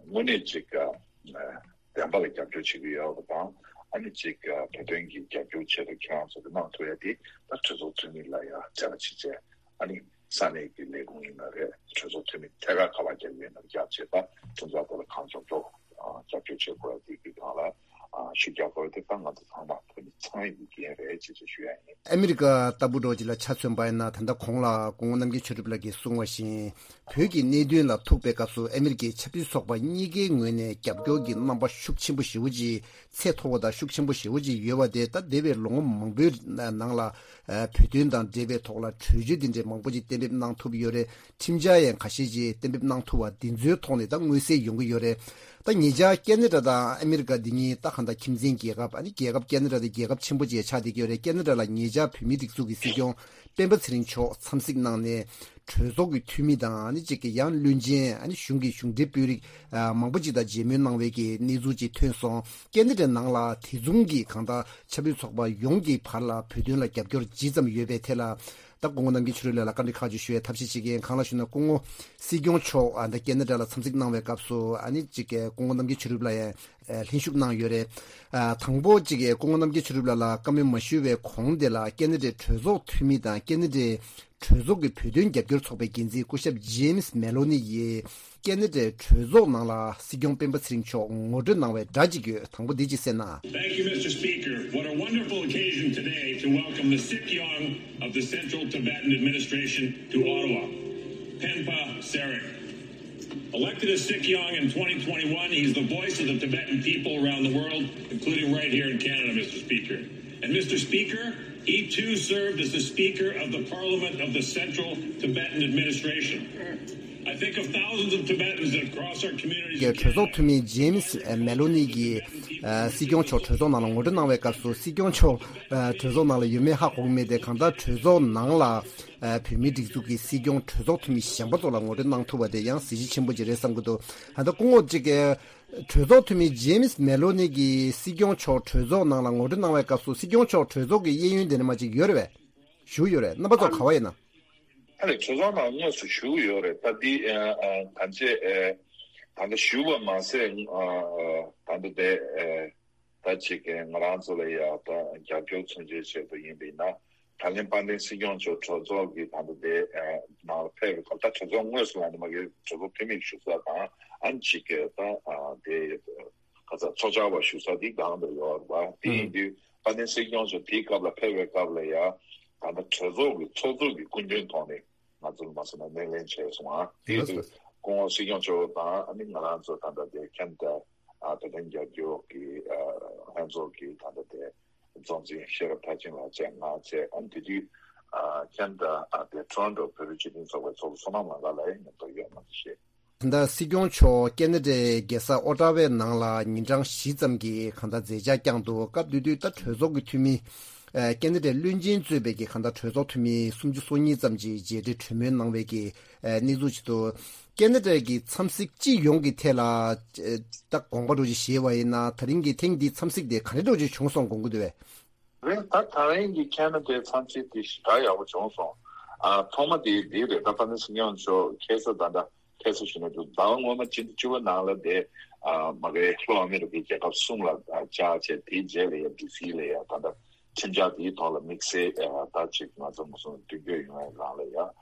དངོས་གནས་ཅིག་བདེན་པ་ལ་རྒྱབ་སྐྱོར་བྱེད་ཀྱི་ཡོད་པ་དང་། ཨ་ནི་ཅིག་བོད་དོན་གྱི་རྒྱབ་སྐྱོར་ཆེད་དུ་ཁྱེད་རང་ཚོ་གི་གནང་ཐུབ་ཡ་དེ་ད་གྲོས་ཚོགས་འཐུས་མི་ལ་ཡ་མཇལ་ཁ་ཅིག་བྱས། ཨ་ནི་ས་གནས་ཀྱི་ལས་ཁུངས་ཡིན་ན་རེད། གྲོས་ཚོགས་འཐུས་མི་ཐད་ཀར་ག་པར་རྒྱབ་ཡོད་ན་རྒྱབ་བྱས། ད་ཁྲིམས་འཆར་ཐོག་ལ་གང་མགྱོགས་མགྱོགས་རྒྱབ་སྐྱོར་བྱེད་དགོས་ཡ་དེ་གི་སྒང་ལ་ཤུགས་རྒྱག་དགོས་ཡ་དེ་ད་ང་ཚོ་ཚང་མ་བོད་མི་ཚང་ཡིན་གྱི་འགན་རེད་ཅེས་ཅེས་ཞུ་ཡ་ཡིན། ཨ་མི་རི་ཀ་ལྟ་བུ་འདྲ་ཅིག་ལ་ཆ་མཚོན་པ་ཡིན་ན། ད་ལྟ་གོང་ལ་སྐུ་ངོ་རྣམ་རྒྱལ་ཆོས་གྲུབ་ལགས་ཀྱིས་གསུངས་པ་བཞིན། བོད་ཀྱི་གནད་དོན་ལ་ཐུག་པའི་སྐབས་སུ་ཨ་མི་རི་ཀའི་ཆབ་སྲིད་ཚོགས་པ་གཉིས་ཀའི་ངོས་ནས་རྒྱབ་སྐྱོར་གྱི་རྣམ་པ་ཤུགས་ཆེན་པོ་ཞེ་པོ་ཅིག་ཚད་མཐོ་བ་དང་ཤུགས་ཆེན་པོ་ཞེ་པོ་ཅིག་ཡོད་པ་དེ། ད་འདས་པའི་ལོ་ངོ་མང་པོའི་ནང་ལ་བོད་དོན་དང་འབྲེལ་བའི་ཐོག་ལ་གྲོས་ཆོད་འདི་འདྲའི་མང་པོ་ཅིག་གཏན་འབེབས་གནང་ཐུབ་ཡོད་རེད། ཁྲིམས་འཆར་ཡང་ཁ་ཤས་ཅིག་གཏན་འབེབས་གནང་ཐུབ་པ་འདི་ཚོའི་ཐོག་ནས་ད་མངོན་གསལ་ཡོང་གི་ཡོད་རེད། ད་ཉེ་ཆར་ཁེ་ན་ཌ་དང་ཨ་མི་རི་ཀ་འདི་གཉིས་ད་གང་ལྟར་ཁྱིམ་མཚེས་རྒྱལ་ཁབ། ཨ་ནི་རྒྱལ་ཁབ་ཁེ་ན་ཌ་དེ་རྒྱལ་ཁབ་ཆེན་པོ་ཅིག་ཆགས་བསྡད་ཀྱི་ཡོད་རེད། ཁེ་ན་ཌ་ལ་ཉེ་ཆར་བོད་མིའི་སྒྲིག་འཛུགས་ཀྱི་སྲིད་སྐྱོང་སྤེན་པ་ཚེ་རིང་མཆོག་འཚམས་གཟིགས་གནང་ནས། གྲོས་ཚོགས་ཀྱི་འཐུས་མི་དང་། ཨ་ནི་གཅིག་གི་ཡང་བློན་ཆེན། ཨ་ནི་གཞུང་གི་གཞུང་འབྲེལ་དཔོན་རིགས་མང་པོ་ཅིག་དང་མཇལ་མོལ་གནང་བའི་གི་གནས་ཚུལ་ཅིག་ཐོན་སོང་། ཁེ་ན་ཌའི་ནང་ལ་དེ་མཚུངས་ཀྱི་གང་ལྟར་ཆབ་སྲིད་ཚོགས་པ་ཡོངས་ཀྱི་བར་ལ་བོད་དོན་ལ་རྒྱབ་སྐྱོར་ཇི་ཙམ་ཡོད་པའི་ཐད་ལ། ད་སྐུ་ངོ་རྣམ་རྒྱལ་ཆོས་གྲུབ་ལགས་ལ་བཀའ་འདྲི་ཁག་ཅིག་ཞུ་ཡའི་ཐབས་ཤེས་བྱེད་ཀྱི་ཡིན། གང་ལགས་ཞུ་ན། སྐུ་ངོ་སྲིད་སྐྱོང་མཆོག་ཨ་ད་ཁེ་ན་ཌ་ལ་འཚམས་གཟིགས་གནང་བའི་སྐབས་སུ། ཨ་ནི་གཅིག་གི་སྐུ་ངོ་རྣམ་རྒྱལ་ཆོས་གྲུབ་ལགས་ཡང་ལྷན་ཞུགས་གནང་ཡོད་རེད། ཨ་དང་པོ་གཅིག་གི་སྐུ་ངོ་རྣམ་རྒྱལ་ཆོས་གྲུབ་ལགས་ལ་བཀའ་མོལ་མ་ཞུ་བའི་གོང་དེ་ལ་ཁེ་ན་ཌའི་གྲོས་ཚོགས་འཐུས་མི་དང་ཁེ་ན་ཌའི་གྲོས་ཚོགས་ཀྱི་བོད་དོན་རྒྱབ་སྐྱོར་ཚོགས་པའི་འགན་འཛིན་སྐུ་ཞབས་ཇེམ་སི་མེ་ལོ་ནི་ཡིས་ཁེ་ན་ཌའི་གྲོས་ཚོགས་ནང་ལ་སྲིད་སྐྱོང་སྤེན་པ་ཚེ་རིང་མཆོག་ངོ་སྤྲོད་གནང་བའི་སྒྲ་གཅིག་ཡོད། དང་པོ་འདི་གཅིག་གསན་ན། Thank you, Mister Speaker. What a wonderful occasion today to welcome the Sikyong of the Central Tibetan Administration to Ottawa, Penpa Tsering. Elected as Sikyong in twenty twenty-one, he's the voice of the Tibetan people around the world, including right here in Canada, Mister Speaker. And Mister Speaker, he too served as the Speaker of the Parliament of the Central Tibetan Administration. I think of thousands of Tibetans that cross our communities གྲོས་ཚོགས་འཐུས་མི་ཇེམ་སི་མེ་ལོ་ནི་གིས་སྲིད་སྐྱོང་མཆོག་གྲོས་ཚོགས་ནང་ལ་ངོ་སྤྲོད་གནང་བའི་སྐབས་སུ། སྲིད་སྐྱོང་མཆོག་གྲོས་ཚོགས་ནང་ལ་ཡོད་མེད་ཧ་གོ་གི་མེད་དེ། གང་ལྟར་གྲོས་ཚོགས་ནང་ལ་བོད་མིའི་སྒྲིག་འཛུགས་ཀྱི་སྲིད་སྐྱོང་གྲོས་ཚོགས་འཐུས་མི་གཞན་པ་ཚོ་ལ་ངོ་སྤྲོད་གནང་ཐུབ་པ་དེ་ཡང་གཟི་བརྗིད་ཆེན་པོ་ཅིག་རེད་བསམ་གྱི་འདུག་ད་ལྟ་སྐུ་ངོ་གཅིག་གིས་གྲོས་ཚོགས་འཐུས་མི་ཇེམ་སི་མེ་ལོ་ནི་གིས་སྲིད་སྐྱོང་མཆོག་གྲོས་ཚོགས་ནང་ལ་ངོ་སྤྲོད་གནང་བའི་སྐབས་སུ། སྲིད་སྐྱོང་མཆོག་གྲོས་ཚོགས་ཀྱི་གཡས་གཡོན་དེ་ནས་མ་ཅིག་ཡོད་རེད་པས། བཞུགས་ཡོད་རེད། རྣམ་པ་ཚོ་ག་པར་ཡིན་ན། ཨ་ནི་གྲོས་ཚོགས་ནང་དངོས་སུ་བཞུགས་ཡོད་རེད། ད་འདི་ཨ་ཨ་ད་ལྟ་བཞུགས་པ་མ་ཟད། ཨ་ཨ་ད་ལྟ་དེ་ཨ་ད་ཅིག་གི་ང་རང་ཚོ་ལ་ཡ་ད་རྒྱབ་སྐྱོར་མཚོན་བྱེད་ཆེད་དུ་ཡིན་པ་ཡིན་ན། ད་ལན་དཔལ་ལྡན་སྲིད་སྐྱོང་མཆོག་གྲོས་ཚོགས་ཀྱི་ད་ལྟ་དེ་ཨ་ནང་ལ་ཕེབས་པའི་སྐབས། ད་གྲོས་ཚོགས་དངོས་སུ་ལ་ནི་མ་གི་གྲོས་ཚོགས་འཐུས་མི་བཞུགས་ས་དང་། ཨ་ནི་ཅིག་གི་ད་ཨ་དེ་ག་ཚ་ཚོགས་བཅར་བ་བཞུགས་ས་དེ་སྒང་དུ་ཡོད་རེད་པ། དེ་ཡིན་དུས་དཔལ་ལྡན་སྲིད་སྐྱོང་མཆོག་དེའི་སྐབས་ལ་ཕེབས་པའི་སྐབས་ལ་ཡ། ད་ལྟ་གྲོས་ཚོགས་ཀྱི་ཚོགས་གཙོ་གི་སྐུ་མགྲོན་ཐོག་ནས་ང་ཚོ་ལ་མ་སོང་ན་སྣེ་ལེན་བྱས་སོང་ཨ། དེ་ཡིན་དུས་སྐུ་ངོ་སྲིད་སྐྱོང་མཆོག་དང་ཨ་ནི་ང་རང་ཚོ་ད་ལྟ་དེ་ཁེ་ན་ཌ་ཨ་བོད་དོན་རྒྱབ་སྐྱོར་གྱི་ཨ་ལྷན་ཚོགས་ཀྱི་ད་ལྟ་དེ་གཙོ་འཛིན་ཤེས་རབ་མཐར་ཕྱིན་ལགས་བཅས་ང་བཅས། ཨ་ནི་དེ་དུས་ཨ་ཁེ་ན་ཌ་ཨ་དེ་ཊོ་རོན་ཊོ་བོད་རིགས་སྤྱི་མཐུན་ཚོགས་པའི་ཚོགས་གཙོ་བསོད་ནམས་ལགས་ལ་ཡང་མཉམ་དུ་ཡོད་མ་གཏོགས་ཤེས། ད་ལྟ་སྲིད་སྐྱོང་མཆོག་ཁེ་ན་ཌའི་རྒྱལ་ས་ཨོ་ཊ་ཝའི་ནང་ལ་ཉིན་གྲངས་བཞི་ཙམ་གྱི་གང་ལྟར་མཛད་འཆར་བསྐྱངས་འདུག་སྐབས་དེ་དུས་ད་གྲོས་ཚོགས་ཀྱི་འཐུས་མི་ཨ་ཁེ་ན་ཌའི་བློན་ཆེན་གཙོས་པའི་གི་གང་ལྟར་གྲོས་ཚོགས་འཐུས་མི་སུམ་ཅུ་སོ་གཉིས་ཙམ་གྱིས་མཇལ་འཕྲད་གྲོས་མོལ་གནང་བའི་གི་ཨ་གནས་ཚུལ་ཅིག་འདུག་ཁེ་ན་ཌ་གི་འཚམས་གཟིགས་སྤྱི་ཡོངས་ཀྱི་ཐད་ལ་ཨ་ད་དགོངས་པ་འདྲ་ཅིག་བཞེས་པ་ཡིན་ན། ད་རིང་གི་ཐེངས་འདིའི་འཚམས་གཟིགས་དེ་ག་རེ་འདྲ་ཅིག་བྱུང་སོང་དགོངས་ཀྱི་འདུག་པས། རེད། ད་ད་རིང་གི་ཁེ་ན་ཌའི་འཚམས་གཟིགས་དེ་ཞེ་དྲག་ཡག་པོ་བྱུང་སོང་། ཨ་ཐོག་མ་དེ་འདི་རེད། ད་དཔལ་ལྡན་སྲིད་སྐྱོང་མཆོག་ཁ་སང་ད་ལྟ་ཁ་སང་ཞུས་ན་འདུག་ཟླ་བ་སྔོན་མ་སྤྱི་ཟླ་བཅུ་པ་ནང་ལ་དེ་ཨ་མ་གི་ལྷོ་ཨ་མི་རི་ཀའི་རྒྱལ་ཁབ་གསུམ་ལ་ཨ་བཅར་བྱས། དེའི་རྗེས་ལ་ཡ་ཌི་སི་ལ་ཡ་ད་ལྟ་ཁྲིམས་འཆར་དེའི་ཐོག་ལ་དམིགས་བསལ་ཨ་ད་ཅིག་ང་ཚོ་མུ་སུང་མདུན་སྐྱོད་ཡོང་བའི་སྒང་ལ་ཡ་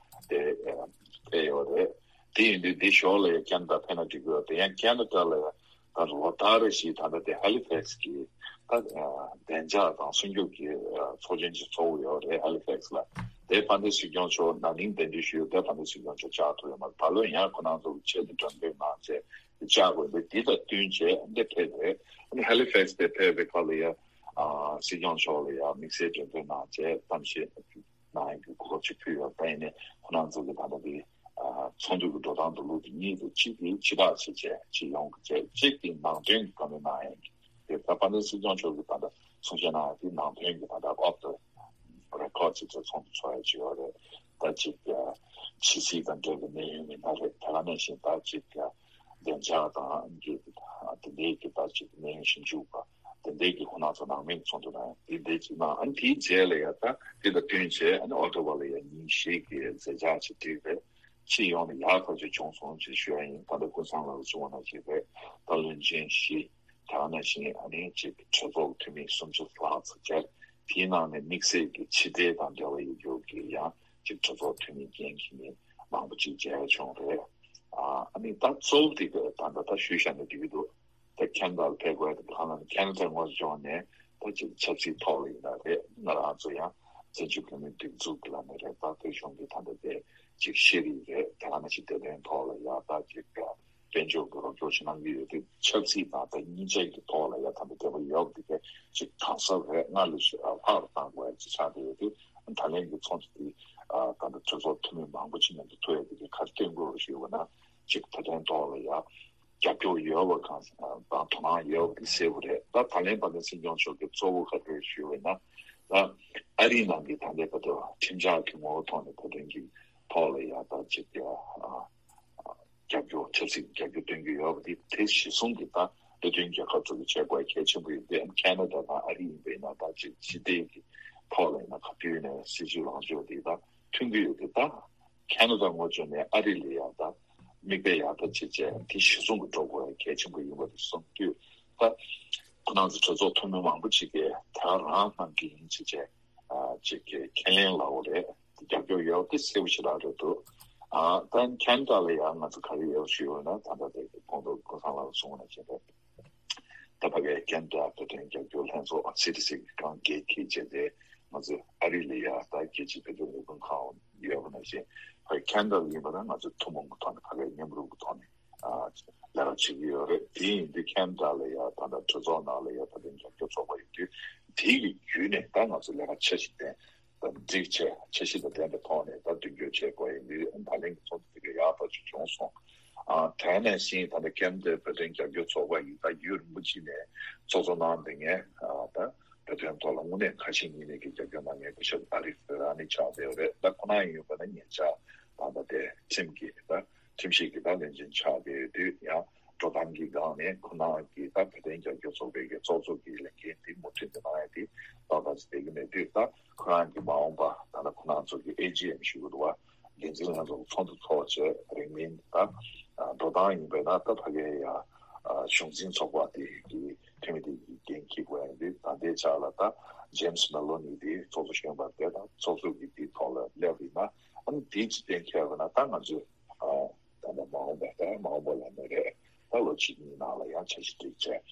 དེ་ཨ་ཕེབས་ཡོད་རེད། དེ་ཡིན་དུས་འདི་ཞོར་ལ་ཡ་ཁེ་ན་ཌ་ཕེབས་ན་འགྲིག་གི་ཡོད། དེ་ཡང་ཁེ་ན་ཌ་ལ་ཡ་ད་ལོ་ལྟར་རེ་བཞིན་ད་ལྟ་དེ་ཧ་ལི་ཕེག་སི་གི་ད་བདེ་འཇགས་དང་སྲུང་སྐྱོབ་ཀྱི་ཚོགས་ཆེན་ཅིག་ཚོགས་ཀྱི་ཡོད་རེད། ཧ་ལི་ཕེག་སི་ལ། དེ་དཔལ་ལྡན་སྲིད་སྐྱོང་མཆོག་ན་ནིང་གདན་འདྲེན་ཞུས་ཡོད། དེ་དཔལ་ལྡན་སྲིད་སྐྱོང་མཆོག་བཅར་ཐུབ་ཡོད་མ་རེད། ད་ལོ་ཡང་ཁོ་རང་ཚོ་གི་ཆེད་དུ་མགྲོན་འབོད་གནང་བྱས་བཅར་དགོས་འདུག་འདི་དང་བསྟུན་བྱས་འདི་ཕེབས་རེད། ཨ་ནི་ཧ་ལི་ཕེག་སི་དེ་ཕེབས་པའི་སྐབས་ལ་ཡ་ཨ་སྲིད་སྐྱོང་མཆོག་ལ་ཡ་དམིགས་བསལ་མགྲོན་འབོད་གནང་བྱས་གཏམ་བཤད་གནང་ཡག་གི་གོ་སྐབས་ཅིག་ཕུལ་ཡོད། ད་ཡིན་ནའི་ཁོ་རང་ཚོ་གི་ད་ལྟ་དེ་ཨ་ཚོགས་འདུ་གི་འགྲོ་སྟངས་དེ་ལུགས་དེ་གཉིས་དེ་གཅིག་དེ་ཕྱི་ཐག་ཆོད་བྱས་སྤྱི་ཡོངས་ཀྱི་བྱས། གཅིག་དེ་ནང་དོན་གྱི་བཀའ་མོལ་གནང་ཡག་གི་དེ་ད་དཔལ་ལྡན་སྲིད་སྐྱོང་མཆོག་གིས་ད་ལྟ་གསུང་བཤད་གནང་ཡག་དེ་ནང་དོན་གྱི་ད་ལྟ་ཨོཕ་ཊི་རེ་ཀོཌ་ཅིག་ཚོགས་འདུ་ཚོགས་ཡག་ཅིག་ཡོད་རེད། ད་ཅིག་ཨ་ཕྱི་སྲིད་དང་འབྲེལ་བའི་གནད་ཡོད་མི་སྣ་རེད། དེ་ག་ནང་བཞིན་ད་ཅིག་ཨ་བདེ་འཇགས་དང་གི་དེ་འདྲའི་གི་ད་ཅིག་གནད་ཡོད་ཞིབ་འཇུག་པ། དེ་འདྲའི་གི་ཁོ་རང་ཚོ་ནང་མི་ཚོགས་འདུ་དང་དེ་འདྲའི་ཅིག་གནང་། ཨ་ནི་དེའི་རྗེས་ལ་ཡ་ད་དེ་དང་བསྟུན་བྱས་ཨ་ནི་ཨོག་ཊོ་བར་ལ་ཡ་ཉིན་བཞི་གི་མཛད་འཆར་ཅིག་བསྒྲིགས་རེད། སྤྱི་ཡོངས་ནས་ཡག་ཐག་ཆོད་བྱུང་སོང་ཅེས་ཞུ་ཡ་ཡིན། ད་ལྟ་ཀུན་བཟང་ལགས་གསུངས་པ་ནང་བཞིན་རེད། ད་བློན་ཆེན་བཞི་དེ་ནང་བཞིན་ཨ་ནི་ཅིག་གྲོས་ཚོགས་འཐུས་མི་སུམ་ཅུ་ལྷག་ཙམ་བཅར། དེའི་ནང་ནས་དམིགས་བསལ་གྱི་ཕྱི་འབྲེལ་དང་འབྲེལ་བ་ཡོད་རྒྱུ་གི་ཡང་ཅིག་གྲོས་ཚོགས་འཐུས་མི་འགན་འཁྱེར་མི་མང་པོ་ཅིག་མཇལ་བྱུང་རེད། ཨ་ནི་ད་གཙོ་བོ་དེ་ག་ད་ད་ད་ཞུས་བཞག་ན་འགྲིག་གི་འདུག་ད་ཁེ་ན་ཌ་ལ་ཕེབས་དགོས་དེ་གང་ལ་ནི་ཁེ་ན་ཌ་ངོས་བཟུང་ནས་ད་ཅིག་ཆབ་སྲིད་ཐོག་ལ་ཡིན་ན་རེད། ང་རང་ཚོ་ཡང་བཙན་བྱོལ་བོད་མིའི་སྒྲིག་འཛུགས་ཀྱི་ལམ་ནས་རེད། ད་བོད་གཞུང་གི་ད་ལྟ་དེ་ཅིག་ཤེས་རིག་རེད། དེ་ག་ནང་བཞིན་བདེ་དོན་ཐོག་ལ་ཡང་ད་ཅིག་དཔལ་འབྱོར་གྱི་རོགས་སྐྱོར་ཞིག་གནང་གི་ཡོད་དུས་ཆབ་སྲིད་དང་ད་གཉིས་ཆ་གི་ཐོག་ལ་ཡང་ད་ལྟ་དེ་བ་ཡོད་དེ་ག་ཅིག་གང་ཟག་རེད་སྔར་ལས་ཤིག་ལྷག་རུ་གཏང་དགོས་ཡ་ཅིག་ཆགས་བསྡད་ཡོད་དུས་ད་ལན་གྱི་ཚོགས་འདུ་དེ་ད་ལྟ་གྲོས་ཚོགས་འཐུས་མི་མང་པོ་ཅིག་མཉམ་དུ་ཐུག་ཡ་དེ་ག་ག་རེ་སྟོན་དགོས་རེད་ཞུས་པ་ན་ཅིག་བོད་དོན་ཐོག་ལ་ཡང་རྒྱབ་སྐྱོར་ཡོད་པ་གང་དང་དོ་སྣང་ཡོད་པ་དེ་གསལ་པོ་རེད། ད་ད་ལན་དཔལ་ལྡན་སྲིད་སྐྱོང་མཆོག་གིས་གཙོ་བོ་ག་རེ་ཞུས་པ་ཡིན་ན་ད་ཨ་རིའི་ནང་གི་ད་ལྟའི་བར་དུ་ཁྲིམས་འཆར་གྱི་ངོ་བོ་ཐོག་ནས་བོད་དོན་གྱི་ཐོག་ལ་ཡང་ད་ཅིག་ཡ་རྒྱབ་སྐྱོར་ཆབ་སྲིད་ཀྱི་རྒྱབ་སྐྱོར་སྟོན་གྱི་ཡོད་པ་དེ་དེ་གཞི་བཟུང་གི་ད་སྟོད་ཐུན་རྒྱལ་ཁབ་ཚོ་གི་བྱེད་དགོས་གལ་ཆེན་པོ་ཡིན་ཏེ་ཁེ་ན་ཌ་དང་ཨ་རི་ཡིན་པ་ཡིན་ན་ད་ཅིག་ཕྱི་འབྲེལ་གྱི་ཐོག་ལ་ཡིན་ན་ག་དུས་ནས་སྲིད་ཇུས་ལངས་ཕྱོགས་དེ་ད་མཐུན་གྱི་ཡོད་དེ་ད། ཁེ་ན་ཌ་ངོས་བཟུང་ནས་ཨ་རི་ལ་ཡང་ད་མིག་དཔེ་ཡག་ཐག་ཆོད་བྱས་དེ་གཞི་བཟུང་གི་འགྲོ་དགོས་གལ་ཆེན་པོ་ཡིན་པ་རེད་གསུངས་དུས་ད་ཁོ་རང་ཚོ་གྲོས་ཚོགས་འཐུས་མི་མང་པོ་ཅིག་གིས་ད་རང་གནང་གི་ཡིན་ཅེས་བྱས་ཅིག་གི་ཁས་ལེན་ལབ་པ་རེད། དེ་རྒྱབ་སྐྱོར་ཡོད་དེ་གསལ་པོ་ཞེ་དྲག་རེད་འདུག་ཨ་ད་ཁེ་ན་ཌ་ལ་ཡང་ང་ཚོ་ག་རེ་ཡོད་ཞུས་ཡོད་ན་ད་ལྟ་དེ་གོང་དུ་ཀུན་བཟང་ལགས་གསུངས་པ་ནང་བཞིན་རེད། ད་ཕ་གིའི་ཁེ་ན་ཌ་བོད་དོན་རྒྱབ་སྐྱོར་ལྷན་ཚོགས་སི་ཌི་སི་གི་ཁང་གི་འགན་འཁྱེར་བྱས་ཏེ་ང་ཚོས་ཨ་རི་ལ་ཡ་ད་རྒྱལ་སྤྱིའི་བོད་དོན་ལས་ཁུངས་ཁང་ཡོད་པ་ནང་བཞིན་ཕ་གི་ཁེ་ན་ཌ་ལ་ཡིན་པ་ན་ང་ཚོས་ཐུན་མོང་གི་ཐོག་ནས་ཕ་གིའི་མཉམ་རུབ་ཀྱི་ཐོག་ནས་ལས་ཀ་བྱེད་ཀྱི་ཡོད་རེད། དེ་ཡིན་དུས་ཁེ་ན་ཌ་ལ་ཡ་ད་ལྟ་གྲོས་ཚོགས་ནང་ལ་ཡ་བོད་དོན་རྒྱབ་སྐྱོར་ཚོགས་པ་ཡོད་དུས་དེ་གི་བརྒྱུད་ནས་ད་ང་ཚོས་ལས་ཀ་འཆར་གཞི་ལྡན། དང་སྒྲིག་ཆས་འཆར་གཞི་དང་ལྡན་པའི་ཐོག་ནས་ད་མདུན་སྐྱོད་བྱེད་དགོས་ཡིན་དུས་ད་ལན་གྱི་ཚོགས་འདུ་དེ་ག་ཡག་ཐག་ཆོད་བྱུང་སོང་། ཨ་དེ་ནང་བཞིན་ད་ལྟ་ཁེ་ན་ཌའི་བོད་དོན་རྒྱབ་སྐྱོར་ཚོགས་པ་ཡིས་ད་ཡུན་རིང་པོ་ཅིག་ནས་ཚོགས་གཙོ་གནང་བསྡད་མཁན་ཨ་ད་བོད་དོན་ཐོག་ལ་དངོས་གནས་ཁ་ཞེ་གཉིས་མེད་ཀྱི་རྒྱབ་སྐྱོར་གནང་མཁན་སྐུ་ཞབས་ཨ་རིག་ར་ནི་ཆགས་བསྡད་ཡོད་རེད། ད་ཁོ་རང་ཡིན་པ་ན་ཉེ་ཆར་ད་ལྟ་དེ་ཁྲིམས་ཀྱི་ད་ཁྲིམས་ཞིབ་ཀྱི་ད་བློན་ཆེན་ཆགས་བསྡད་ཡོད་དུས་ཡང་། འགྲོ་སྟངས་ཀྱི་སྒང་ནས་ཁོ་རང་གིས་ད་བོད་དོན་རྒྱབ་སྐྱོར་ཚོགས་པའི་གི་ཚོགས་གཙོ་གི་ལས་འགན་དེ་མུ་མཐུད་དུ་གནང་ཡ་དེ་ཏག་ཏག་ཅིག་བསྡད་ཀྱི་མེད་དུས་ད་ཁོ་རང་གིས་མ་འོངས་པ་ད་ལྟ་ཁོ་རང་ཚོ་གི་ཨེ་ཇི་ཨེམ་ཞུ་གི་འདུག་བ། འགན་འཛིན་ལྷན་ཚོགས་ཚོགས་འདུ་ཚོགས་བྱས་རིང་མིན་ད་འགྲོ་སྟངས་ཡིན་པས་ན་ད་ཕ་གིའི་ཡ་གཞུང་འཛིན་ཚོགས་པ་དེ་གི་འཐུས་མི་དེ་གི་འགན་འཁྱེར་དགོས་ཡ་ཡིན་དུས་ད་ལྟའི་ཆ་ལ་ད་ཇེམ་སི་མེ་ལོ་ནི་དེ་ཚོགས་གཙོ་གཞོན་པ་དེ་དང་ཚོགས་གཙོ་གི་དེའི་ཐོག་ལ་སླེབས་ཡིན་ན་ཨ་ནི་དེ་ཅི་གཏན་འཁེལ་བ་ན་ད་ང་ཚོས། ད་ལྟ་མ་འོངས་པ་ད་མ་འོངས་པ་ལ་མེད་རེད། ད་ལོ་གཅིག་གཉིས་ནང་ལ་ཡང་འཆར་གཞི་སྒྲིག་བྱས་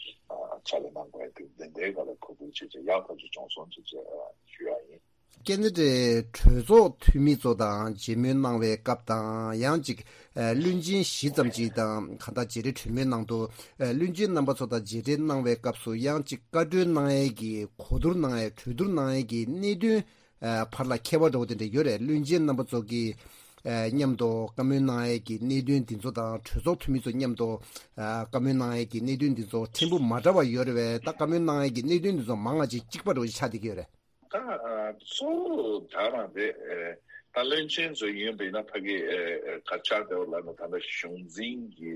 ཕྱག་ལས་གནང་དགོས་ཡ་དེ་འདི་འདྲའི་སྒང་ལ་གོ་བསྡུར་བྱས་བྱས་ཡག་ཐག་ཆོད་བྱུང་སོང་ཅེས་བྱས་ཞུ་ཡ་ཡིན། ཁེ་ན་ཌའི་གྲོས་ཚོགས་འཐུས་མི་ཚོ་དང་མཇལ་མོལ་གནང་བའི་སྐབས་དང་ཡང་ཅིག་བློན་ཆེན་བཞི་ཙམ་ཅིག་དང་གང་ལྟར་མཇལ་འཕྲད་གྲོས་མོལ་གནང་འདུག་བློན་ཆེན་རྣམ་པ་ཚོ་དང་མཇལ་འཕྲད་གནང་བའི་སྐབས་སུ་ཡང་ཅིག་བཀའ་འཁྲོལ་གནང་ཡས་ཀྱི་གོ་བསྡུར་གནང་ཡས་གྲོས་བསྡུར་གནང་ཡས་ཀྱི་གནད་དོན། ཨ་བར་ལ་ཁྱད་པར་འདྲ་བོ་དེ་འདྲ་ཡོད་རེད། བློན་ཆེན་རྣམ་པ་ཚོ་གིས་ཨ་མཉམ་དུ་བཀའ་མོལ་གནང་ཡས་ཀྱི་གནད་དོན་འདི་ཚོ་དང་གྲོས་ཚོགས་འཐུས་མི་ཚོ་མཉམ་དུ་ཨ་བཀའ་མོལ་གནང་ཡས་ཀྱི་གནད་དོན་འདི་ཚོ་ཕྲན་བུ་མ་འདྲ་བ་ཡོད་རེད་པས། ད་བཀའ་མོལ་གནང་ཡས་ཀྱི་གནད་དོན་འདི་ཚོ་མང་བ་ཅིག་གཅིག་པ་འདྲ་བོ་ཅིག་ཆགས་བསྡད་ཀྱི་ཡོད་རེད། ད་ཨ་གཙོ་བོ་ད་རང་རེད། ཨ་ད་བློན་ཆེན་ཚོ་ཡིན་པ་ཡིན་ན་ཕ་གི་ཨ་ཨ་ག་ཆགས་བསྡད་པ་ལབ་ན་ད་ལྟ་གཞུང་འཛིན་གྱི་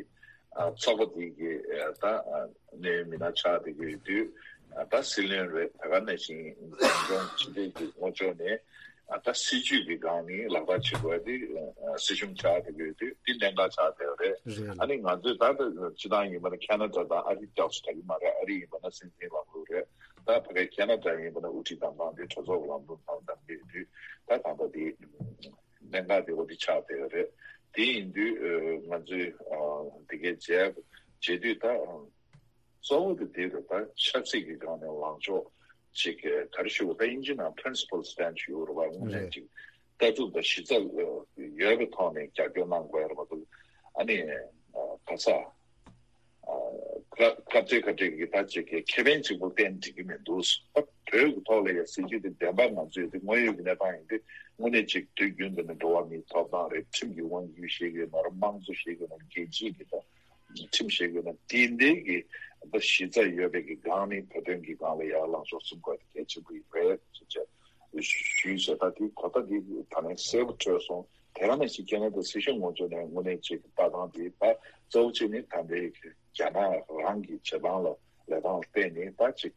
ཨ་ཚོགས་པ་དེ་གི་ཨ་ད་ཨ་གནད་ཡོད་མི་སྣ་ཆགས་བསྡད་ཀྱི་ཡོད་དུས། ད་སྲིད་བློན་རེད། ད་ག་ནང་བཞིན་འཛིན་སྐྱོང་སྤྱི་བདེ་གི་ངོ་ཕྱོགས་ནས་ད་སྲིད་ཇུས་ཀྱི་སྒང་ནས་ལག་བསྟར་བྱེད་དགོས་དེ་སྲིད་གཞུང་ཆགས་བསྡད་ཀྱི་ཡོད་དུས་དེ་གནད་འགག་ཆགས་བསྡད་ཡོད་རེད། རེད། ཨ་ནི་ང་ཚོས་ད་ལྟ་སྤྱི་བཏང་ཡིན་པ་ན་ཁེ་ན་ཌ་དང་ཨ་རི་སྐྱབས་སུ་ད་གི་མ་རེད། ཨ་རི་ཡིན་པ་ན་སྲིད་འཛིན་ལམ་ལུགས་རེད། ད་ཕ་གི་ཁེ་ན་ཌ་ཡིན་པ་ན་དབུ་ཁྲིད་བདམས་སྟངས་དེ་གྲོས་ཚོགས་ཀྱི་ལམ་ལུགས་ནང་བདམས་ཀྱི་ཡོད་དུས་ད་ད་ལྟ་དེ། གནད་འགག་དེ་འོ་དེ་ཆགས་བསྡད་ཡོད་རེད། དེ་ཡིན་དུས་ང་ཚོས་དེ་གའི་བྱས་བྱེད་དུས་ད་གཙོ་བོ་དེ་དེ་རེད། ད་ཆབ་སྲིད་ཀྱི་སྒང་ནས་ལངས་ཕྱོགས་ཅིག་ག་རེ་ཞུ་དགོས། ད་དབྱིན་ཇི་ནང་principle stance་ཞུ་དགོས་རེད་པ། དངོས་གནས་ཅིག་ལྟ་གྲུབ་དང་གཞི་རྩ་ཡོད་པའི་ཐོག་ནས་རྒྱབ་སྐྱོར་གནང་དགོས་ཡ་རེད་མ་གཏོགས་ཨ་ནི་ག་ས། ཁ་ཁ་བྲལ་ཁ་བྲལ་གྱི་ད་ཅིག་གི་ཁེ་ཕན་གཅིག་པུ་བརྟེན་འགྲིག་གི་མི་འདུག་ད་བོད་ཀྱི་ཐོག་ལ་ཡ་སྲིད་ཇུས་དེ་བདེན་པ་ང་ཚོས་དེ་དངོས་ཡོད་ཀྱི་གནས་སྟངས་ཡིན་དུས་དངོས་གནས་ཅིག་དུས་རྒྱུན་དུ་ནས་འགྲོ་བ་མིའི་ཐོབ་ཐང་རེད། ཁྲིམས་ཀྱི་དབང་སྒྱུར་བྱེད་ཀྱི་ཡོད་ན་རེད། དམངས་གཙོ་བྱེད་ཀྱི་ཡོད་ན་རྒྱལ་སྤྱིའི་གི་ད་ཁྲིམས་བྱེད་ཀྱི་ཡོད་ན་དེ་འདྲའི་གི་ད་གཞི་རྩ་ཡོད་པའི་གི་སྒང་ནས་བོད་དོན་གྱི་སྒང་ལ་ཡར་ལངས་ཕྱོགས་འཛིན་དགོས་དེ་གལ་ཆེན་པོ་ཡིན་པས་ཞུས་བྱས། ད་དེ་གོ་ད་དེ་ད་ནས་གསལ་པོ་གྲོལ་སོང་། དེ་ག་ནང་བཞིན་ཁེ་ན་ཌ་སྲིད་གཞུང་ངོས་ཕྱོགས་ནས་དངོས་གནས་ཅིག་ལྟ་སྟངས་དེ་ད་གཙོ་བོ་གཅིག་ནི་ད་ལྟའི་རྒྱ་ནག་རང་གི་བྱེད་སྟངས་ལ་ ལས་སྟངས་ལ་བརྟེན་ནས་ད་ཅིག་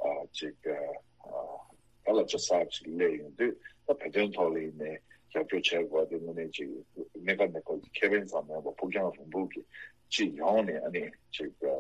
ཨ་ཅིག་ཨ་ད་ལ་ཅིག་གསར་ཅིག་སླེབས་ཡོང་དུས་ད་བོད་དོན་ཐོག་ལ་ཡིན་ནའི་རྒྱབ་སྐྱོར་བྱས་དགོས་དེ་དངོས་གནས་ཅིག་གནས་སྐབས་གནས་སྐབས་ཀྱི་ཁེ་ཕན་ཙམ་མིན་པར་ཕུགས་རྒྱང་རིང་པོ་གི་སྤྱི་ཡོངས་ནས་ཨ་ནི་ཅིག་ཨ་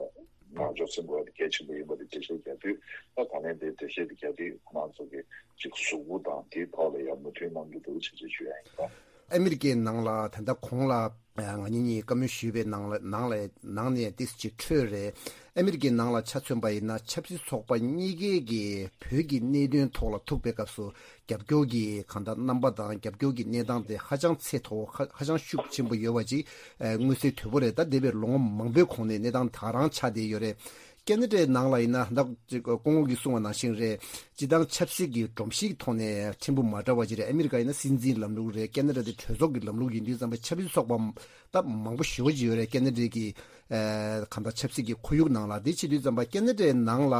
ནང་ཆོས་སེམས་པ་དེ་གལ་ཆེན་པོ་ཡིན་པ་དེ་འགྲེལ་བཤད་རྒྱག་དུས་ད་ད་ལན་དེ་འགྲེལ་བཤད་དེ་རྒྱག་དུས་ཁོ་རང་ཚོ་གི་ཅིག་གཟུགས་པོ་དང་དེའི་ཐོག་ལ་ཡང་མོས་མཐུན་གནང་རྒྱུ་འདུག་ཅེས་ཅིག་ཞུ་ཡ་ཡིན་ད། ཨ་མི་རི་ཀའི་ནང་ལ་ད་ལྟ་གོང་ལ་ང་གཉིས་གཉིས་བཀའ་མོལ་ཞུས་པའི་ནང་ལ་ནང་ལ་ནང་ནས་ཏིས་ཅིག་འཕྲོས་རེད། ཨ་མི་རི་ཀའི་ནང་ལ་ཆ་མཚོན་པ་ཡིན་ན་ཆབ་སྲིད་ཚོགས་པ་གཉིས་ཀའི་གི་བོད་ཀྱི་གནད་དོན་ཐོག་ལ་ཐུག་པའི་སྐབས་སུ་རྒྱབ་སྐྱོར་གྱི་གང་ལྟར་རྣམ་པ་དང་རྒྱབ་སྐྱོར་གྱི་གནས་སྟངས་དེ་ཧ་ཅང་ཚད་མཐོ་བོ་ཧ་ཧ་ཅང་ཤུགས་ཆེན་པོ་ཡོད་པ་ཅིག་མངོན་གསལ་དོད་པོ་རེད། ད་འདས་པའི་ལོ་ངོ་མང་པོའི་གོང་ནས་གནས་སྟངས་ད་རང་ཆགས་བསྡད་ཡོད་རེད། ཁེ་ན་ཌའི་ནང་ལ་ཡིན་ན་ད་ཅིག་སྐུ་ངོ་གིས་གསུངས་པ་ནང་བཞིན་རེད། སྤྱི་བཏང་ཆབ་སྲིད་ཀྱི་སྒྲོམ་གཞིའི་ཐོག་ནས་ཕྲན་བུ་མ་འདྲ་བ་ཅིག་རེད། ཨ་མི་རི་ཀ་ཡིན་ན་སྲིད་འཛིན་ལམ་ལུགས་རེད། ཁེ་ན་ཌ་དེ་གྲོས་ཚོགས་ཀྱི་ལམ་ལུགས་ཡིན་དུས་ཙམ་པ་ཆབ་སྲིད་ཚོགས་པ་ད་མང་པོ་ཞེ་པོ་ཅིག་ཡོད་རེད། ཁེ་ན་ཌའི་གི་ཨ་གང་ལྟར་ཆབ་སྲིད་ཀྱི་ཁོར་ཡུག་ནང་ལ། དེ་བྱེད་དུས་ཙམ་པ་ཁེ་ན་ཌའི་ནང་ལ་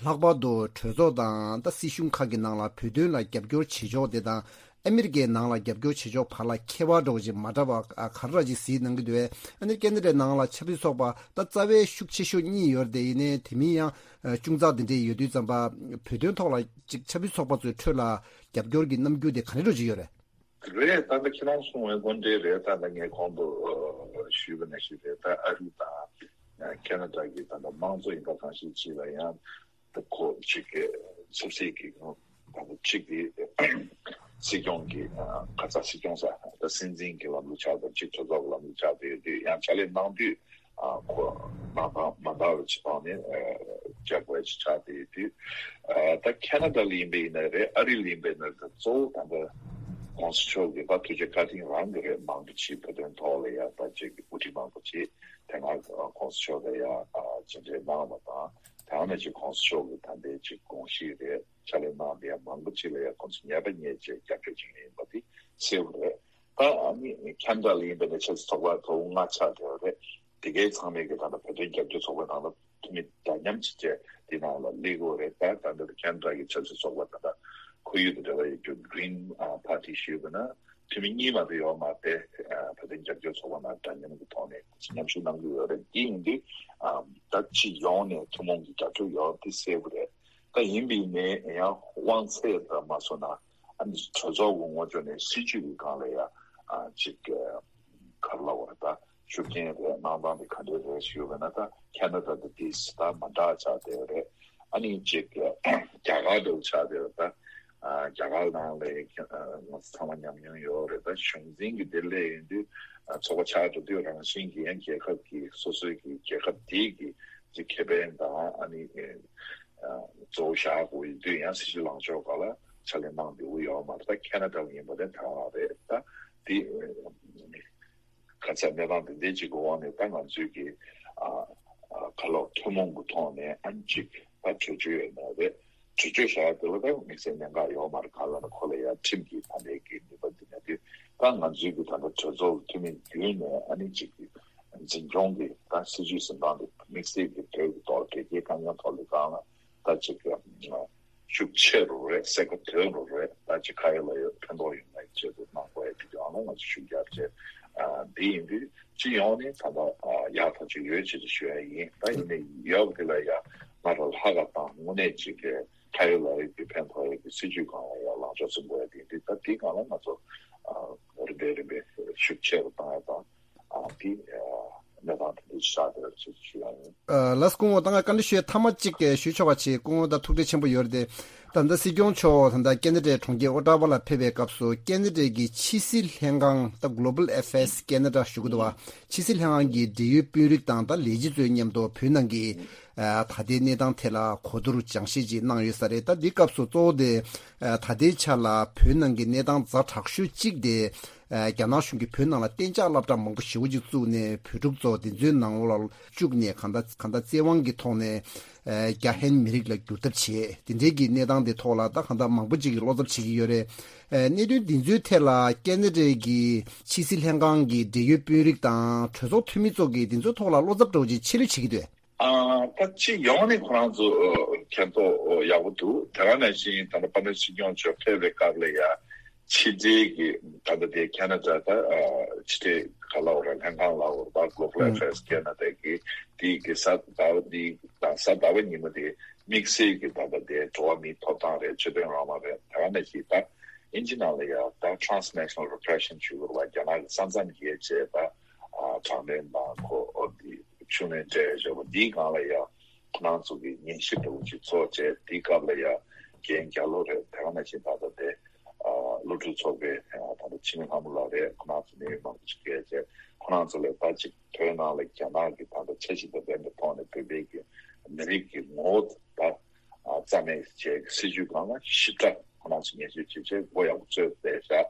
ལྷག་པར་དུ་གྲོས་ཚོགས་དང་ད་སྲིད་གཞུང་ཁག་གི་ནང་ལ་བོད་དོན་ལ་རྒྱབ་སྐྱོར་བྱེད་ཕྱོགས་དེ་དང་ཨ་མི་རི་ཀའི་ནང་ལ་རྒྱབ་སྐྱོར་བྱེད་ཕྱོགས་བར་ལ་ཁྱད་པར་འདྲ་བོ་ཅིག་མ་འདྲ་བ་ཨ་ག་རེ་ཅིག་གཟིགས་གནང་གི་འདུག་བས། ཨ་ནི་ཁེ་ན་ཌའི་ནང་ལ་ཆབ་སྲིད་ཚོགས་པ་ད་རྩ་བའི་ཤུགས་ཆེ་ཤོས་གཉིས་ཡོད་རེད་དེ། ཡིན་ནའི་དེ་མིན་ཡང་ཨ་ཅུང་ཙག་དེ་འདྲས་ཡོད་དུས་ཙམ་པ་བོད་དོན་ཐོག་ལ་ཅིག་ཆབ་སྲིད་ཚོགས་པ་ཚོའི་ཁྲོད་ལ་རྒྱབ་སྐྱོར་གྱི་རྣམ་འགྱུར་དེ་ག་འདྲས་འདྲ་བོ་ཅིག་ཡོད་རེད། རེད། ད་ལྟ་ཁྱེད་རང་གསུངས་པའི་དགོངས་འགྲེལ་རེད། ད་ལྟ་ངས་གོང་དུ་ཨ་ཞུས་པ་ནང་བཞིན་རེད། ད་ཨ་རི་དང་ཁེ་ན་ཌ་གི་ད་ལྟ་དམངས་གཙོ་ཡིན་པ་གང་ཞིག་ཅིག་ལ་ཡང་ད་ཁོ་གཅིག་གི་ཆབ་སྲིད་ཀྱི་ད་ལྟ་གཅིག་གི་སྲིད་སྐྱོང་གི་ཨ་ག་ས་སྲིད་སྐྱོང་ས་ད་སྲིད་འཛིན་གྱི་ལམ་ལུགས་ཆགས་པ་གཅིག་གྲོས་ཚོགས་ཀྱི་ལམ་ལུགས་ཆགས་བསྡད་ཡོད་དུས་ཡང་ཕྱག་ལས་གནང་དུས། ཨ་ཁོ་གནང་སྟངས་མ་འདྲ་བ་ཅིག་སྟེང་ནས་ཨ་བྱ་དགོས་ཅིག་ཆགས་བསྡད་ཡོད་དུས། ཨ་ད་ཁེ་ན་ཌ་ལ་ཡིན་པ་ཡིན་ན་རེད། ཨ་རི་ལ་ཡིན་པ་ཡིན་ན་རེད། གཙོ་བོ་ད་ལྟ་ཁོང་ཚོ་ཕྱོགས་ཀྱི་ད་ཐུགས་རྗེ་བཀའ་དྲིན་རང་གི་རེད། མང་པོ་ཅིག་བོད་དོན་ཐོག་ལ་ཡ་ད་ཅིག་དབུ་ཁྲིད་མང་པོ་ཅིག་དེ་སྔ་ཁོང་ཚོ་ཕྱོགས་ལ་ཡ་ཨ་མཇལ་འཕྲད་གནང་བ་དང་། དེ་ནང་ནས་ཅིག་ཁོང་ཚོ་ཕྱོགས་ཀྱི་ད་ལྟའི་ཅིག་དགོངས་གཞི་རེད། ཕྱག་ལས་གནང་བསྡད་ཡ་མང་པོ་ཅིག་ལ་ཡ་ཁོང་ཚོ་ཉན་པ་ཉན་བྱས་རྒྱབ་སྐྱོར་བྱེད་མཁན་ཡིན་པ་དེ་གསལ་པོ་རེད། ད་ཨ་ནི་ཁེ་ན་ཌ་ལ་ཡིན་པ་ཡིན་ན་ཆབ་སྲིད་ཚོགས་པ་ཐོག་ལྔ་ཆགས་བསྡད་ཡོད་རེད། དེ་གའི་ཚང་མས་ཀྱི་ད་ལྟ་བོད་དོན་རྒྱབ་སྐྱོར་ཚོགས་པ་ནང་ལ་འཐུས་མི་འདྲ་མཉམ་ཅིག་བྱས་དེ་ནང་ལ་སླེབས་ཀྱི་ཡོད་རེད། ད་ད་ལྟ་ཁེ་ན་ཌ་གི་ཆབ་སྲིད་ཚོགས་པ་ད་ལྟ་ཁོར་ཡུག་དང་འབྲེལ་བ་ཡོད་རྒྱུ་Green Party ཞུས་པ་ན་འཐུས་མི་གཉིས་མ་གཏོགས་ཡོད་མ་རེད། བོད་དོན་རྒྱབ་སྐྱོར་ཚོགས་པ་ནང་འདྲ་མཉམ་གྱི་ཐོག་ནས་མཉམ་ཞུགས་གནང་གི་ཡོད་རེད། དེ་ཡིན་དུས་ད་སྤྱི་ཡོངས་ནས་ཐུན་མོང་གི་རྒྱབ་སྐྱོར་ཡོད་དེ་གསལ་པོ་རེད། ད་ཡིན་པ་ཡིན་ནའི་ཡང་དབང་ཚད་ལ་མ་སོང་ན་ཨ་ནི་གྲོས་ཚོགས་ཀྱི་ངོས་ཕྱོགས་ནས་སྲིད་ཇུས་ཀྱི་སྒང་ལ་ཡ་ཨ་ཅིག་ག་རེ་ལབ་དགོས་རེད། ད་ཤུགས་རྐྱེན་རེད། གནང་སྟངས་དེ་ག་འདྲས་རེད་ཞུས་པ་ན་ད་ཁེ་ན་ཌ་དང་དེ་ད་མ་འདྲ་ཆགས་བསྡད་ཡོད་རེད། ཨ་ནི་ཅིག་རྒྱ་གར་འདྲ་བོ་ཆགས་བསྡད་ཡོད་རེད། ད་ཨ་རྒྱ་གར་ནང་ལ་ཡ་ང་ཚོ་ཚང་མ་ཉམས་མྱོང་ཡོད་རེད། ད་གཞུང་འཛིན་གྱི་དེ་སླེབས་ཡོང་དུས་ཨ་ཚོགས་པ་ཆགས་འགྲོ་དུས་རང་བཞིན་གྱིས་ཡང་རྒྱལ་ཁབ་ཀྱི་སོ་སོའི་གི་རྒྱལ་ཁབ་དེའི་གི་ཅིག་ཁེ་ཕན་དང་ཨ་ནི་ཨ་གཙོ་བོ་བཞག་དགོས་ཡོད་དུས་ཡང་སྲིད་ཇུས་ལངས་ཕྱོགས་སྒང་ལ་ཕྱག་ལས་གནང་བསྡད་ཡོད་མ་རེད། ད་ཁེ་ན་ཌ་ལ་ཡིན་པ་དེ་དེ་རང་རེད། ད་དེ་ག་ཚད་གནས་སྟངས་དེ་འདྲའི་ཅིག་གི་འོག་ནས་ད་ང་ཚོའི་གི་ཨ་ཨ་ག་ལབ་ཐུན་མོང་གི་ཐོག་ནས་ཨ་ནི་ཅིག་ད་གྲོས་ཆོད་ཡོད་ན་རེད། གྲོས་ཆོད་བཞག་དེ་ལ་ད་དམིགས་བསལ་གནད་འགག་ཡོད་མ་རེད། གང་ལབ་ན་ཁོ་ལ་ཡ་ཁྲིམས་ཀྱི་ད་ལྟའི་གི་ནུས་པ་འདི་ན་དུས་ད་ང་ཚོའི་གི་ད་ལྟ་གྲོས་ཚོགས་འཐུས་མི་བརྒྱུད་ནས་ཨ་ནི་ཅིག་གི་འཛིན་སྐྱོང་གི་ད་སྲིད་ཇུས་འཛིན་སྟངས་དེ་དམིགས་བསལ་གྱི་བོད་ཀྱི་ཐོག་དོལ་རྒྱལ་དཀའ་ངལ་ཐོག་ལ་སྒང་ལ་ད་ཅིག་ཤུགས་ཆེ་རུ་རེད། གསལ་ཁ་དོད་རུ་རེད། ད་ཅིག་ཁ་ཡོད་ལག་ཡོད་ཕན་ཐོགས་ཡོང་ངེས་ཆེད་དུ་གནང་དགོས་ཡ་དེ་ཀྱང་ང་ཚོ་ཤུགས་རྒྱབ་བྱས་ཨ་འདི་ཡིན་དུས་སྤྱི་ཡོངས་ནས་ད་ལྟ་ཨ་ཡག་ཐག་ཆོད་ཡོད་ཅེས་ཞུ་ཡ་ཡིན། ད་ཡིན་ནའི་ཡག་དེ་ལ་ཡ་ང་རང་ལྷག་ག་དང་དངོས་གནས་ཅིག་གི་ཁ་ཡོད་ལག་ཡོད་ཀྱི་ཕན་ཐོགས་ཡ་གི་སྲིད་ཇུས་སྒང་ལ་ཡ་ལངས་ཕྱོགས་འཛིན་དགོས་ཡ་དེ་ཡིན་དུས་ད་དེའི་སྒང་ལ་ང་ཚོ་ཨ་རིམ་པས་རིམ་པས་ཤུགས་ཆེ་རུ་བཏང་ཡ་དང་། ཨ་དེ་ཨ་གནས་སྟངས་དེ་འདྲ་ཞིག་ཆགས་བསྡད་ཡོད་ཅེས་ཞུ་ཡ་ཡིན། ཨ་ལགས་སོ། སྐུ་ངོ་ད་ང་བཀའ་འདྲི་ཞུ་ཡ་མཐའ་མ་གཅིག་ཞུ་ཆོག་པ་བྱེད། སྐུ་ངོ་ད་ཐུགས་རྗེ་ཆེན་པོ་ཡོད་རེད་དེ། ད་ལྟ་སྲིད་སྐྱོང་མཆོག་ད་ལྟ་ཁེ་ན་ཌའི་གྲོང་ཁྱེར་ཨོ་ཊ་ཝ་ལ་ཕེབས་པའི་སྐབས་སུ་ཁེ་ན་ཌའི་གི་ཕྱི་སྲིད་ལྷན་ཁང་ད་Global Affairs Canada ཞུ་གི་འདུག་བ། ཕྱི་སྲིད་ལྷན་ཁང་གི་འབྲེལ་ཡོད་དཔོན་རིགས་དང་ད་ལས་བྱེད་ཚོའི་མཉམ་དུ་བོད་ནང་གི་ཨ་ད་ལྟའི་གནས་སྟངས་ཐད་ལ་གོ་བསྡུར་སྦྱང་བཤད་ཅིག་གནང་ཡོད་ས་རེད། ད་འདི་སྐབས་སུ་གཙོ་བོ་དེ་ཨ་ད་ལྟའི་ཆ་ལ་བོད་ནང་གི་གནས་སྟངས་ཛ་དྲག་ཤོས་གཅིག་དེ། ཨ་རྒྱ་ནག་གཞུང་གིས་བོད་ནང་ལ་གཏན་འཇགས་སློབ་གྲྭ་མང་པོ་ཞེ་པོ་ཅིག་བཙུགས་ནས་བོད་ཕྲུག་ཚོ་དེ་ཚོའི་ནང་ལོགས་ལ་བཅུག་ནས་གང་ལྟར་གང་ལྟར་བཙན་དབང་གི་ཐོག་ནས་ཨ་རྒྱ་ཧན་མི་རིགས་ལ་བསྒྱུར་ཐབས་བྱས། དེ་འདྲའི་གི་གནས་སྟངས་དེ་ཐོག་ལ་ད་གང་ལྟར་མང་པོ་ཅིག་གིས་བློ་འཚབ་བྱེད་ཀྱི་ཡོད་རེད། ཨ་གནད་དོན་འདི་ཚོའི་ཐད་ལ་ཁེ་ན་ཌའི་གི་ཕྱི་སྲིད་ལྷན་ཁང་གི་འབྲེལ་ཡོད་དཔོན་རིགས་དང་གྲོས་ཚོགས་འཐུས་མི་ཚོ་གིས་འདི་ཚོའི་ཐོག་ལ་བློ་འཚབ་འདྲ་བོ་ཅིག་ཆེ་རུ་བྱེད་ཀྱི་འདུག་ཨ་ད་སྤྱི་ཡོངས་ནས་ཁོ་རང་ཚོ་ཨ་མཁྱེན་རྟོགས་ཡག་པོ་འདུག་དེ་ག་ནང་བཞིན་ད་ལྟ་དཔལ་ལྡན་སྲིད་སྐྱོང་མཆོག་ཕེབས་པའི་སྐབས་ལ་ཡ་ཕྱི་འབྲེལ་གྱི་ད་ལྟ་དེ་ཁེ་ན་ཌ་ད་ཨ་ཕྱི་འབྲེལ་ ག་ལབ་རེད། ལྷན་ཁང་ལབ་རེད། Global Affairs Canada གི་དེའི་གི་གཟའ་ཟླ་བ་འདི་དང་གཟའ་ཟླ་བ་ཉི་མ་དེ་དམིགས་བསལ་གྱི་ད་ལྟ་དེ་འགྲོ་བ་མིའི་ཐོབ་ཐང་རེད། ཆོས་དད་རང་དབང་རེད། དེ་ག་ནང་བཞིན་ད་ཨིན་ཇི་ནང་ལ་ཡང་ད་transnational repression ཞུ་དགོས་རེད་པ། རྒྱ་ནག་གི་ས་མཚམས་བརྒལ་བྱས་ད་དྲག་གནོན་དང་ཁོ་འོ་དེ་ཤུགས་སྣོན་སྤྲད་བཞག་པ་འདིའི་སྒང་ལ་ཡང་ཁོ་རང་ཚོ་གི་ཉན་ཞིབ་འདྲ་བོ་ཅིག་ཚོགས་བྱས། དེའི་སྐབས་ལ་ཡང་རྒན་རྒྱ་ལོ་རེད། དེ་ག་ནང་བཞིན་ད་ལྟ་དེ་ཨ་བློ་གྲོས་ཚོགས་པའི་ཨ་ད་ལྟ་འཆི་མེད་ལྷ་མོ་ལགས་རེད། ཁོ་རང་ཚོ་གནད་ཡོད་མང་པོ་ཅིག་བསྐྱལ་བྱས། ཁོ་རང་ཚོ་ལ་ད་ཅིག་བོད་ནང་ལ་རྒྱ་ནག་གི་ད་ལྟ་འཆར་གཞི་དང་ལྡན་པའི་ཐོག་ནས་བོད་པའི་གི་མི་རིགས་ཀྱི་ངོ་བོ་ད་ཨ་རྩ་མེད་བྱས་སྲིད་ཇུས་སྒང་ལ་ཞིབ་ཕྲ་ཁོ་རང་ཚོ་ཉན་ཞིབ་བྱས་བྱས་མགོ་ཡག་པོ་ཚོས་བསྡད་བཞག་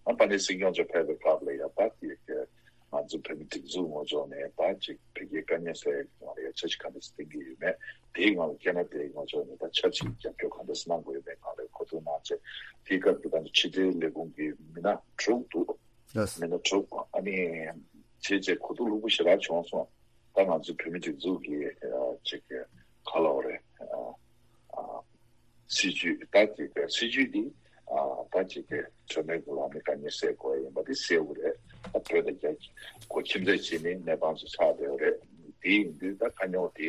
ཨ་ཕ་ནི་སྲིད་སྐྱོང་མཆོག་ཕེབས་པའི་སྐབས་ལ་ཡང་ད་དེ་གི་ང་ཚོ་བོད་མི་སྒྲིག་འཛུགས་ངོས་ཕྱོགས་ནས་ད་ཅིག་བོད་རྒྱའི་དཀའ་རྙོག་སེལ་ཡག་གི་ནང་ལ་ཡང་འཆར་གཞི་ག་འདྲ་ཞིག་བཏིང་གི་ཡོད་མེད། དེའི་ནང་ལ་ཁེ་ན་ཌའི་ངོས་ཕྱོགས་ནས་ད་ཆབ་སྲིད་རྒྱབ་སྐྱོར་ག་འདྲ་ཞིག་གནང་དགོས་ཡོད་མེད་སྒང་ལ་གོ་བསྡུར་གནང་བྱས། དེའི་སྐབས་ཀྱི་ད་ཕྱི་འབྲེལ་ལས་ཁུངས་ཀྱི་མི་སྣ་དྲུག་འདུག་ལགས། མི་སྣ་དྲུག་ཨ་ནི་བྱས་རྗེས་གོ་བསྡུར་ལྷུག་པོ་ཞེ་དྲག་བྱུང་སོང་། ད་ང་ཚོའི་བོད་མི་སྒྲིག་འཛུགས་ཀྱི་ཨ་ཅིག་ག་ལབ་དགོས་རེད། ཨ་ཨ་སྲིད་ཇུས་ད་ཅིག་སྲིད་ཇུས་འདི་ཨ་ད་ཅིག་གྲོས་མོལ་གྱི་ལམ་ནས་དཀའ་ངལ་སེལ་དགོས་ཡིན་པ་འདི་གསལ་པོ་རེད། ད་བོད་དང་རྒྱ་གོ་ཁྱིམ་མཚེས་བྱས་ནས་གནས་སྟངས་སུ་ཆགས་བསྡད་པ་རེད། དེ་ཡིན་དུས་ད་དཀའ་རྙོག་དེ་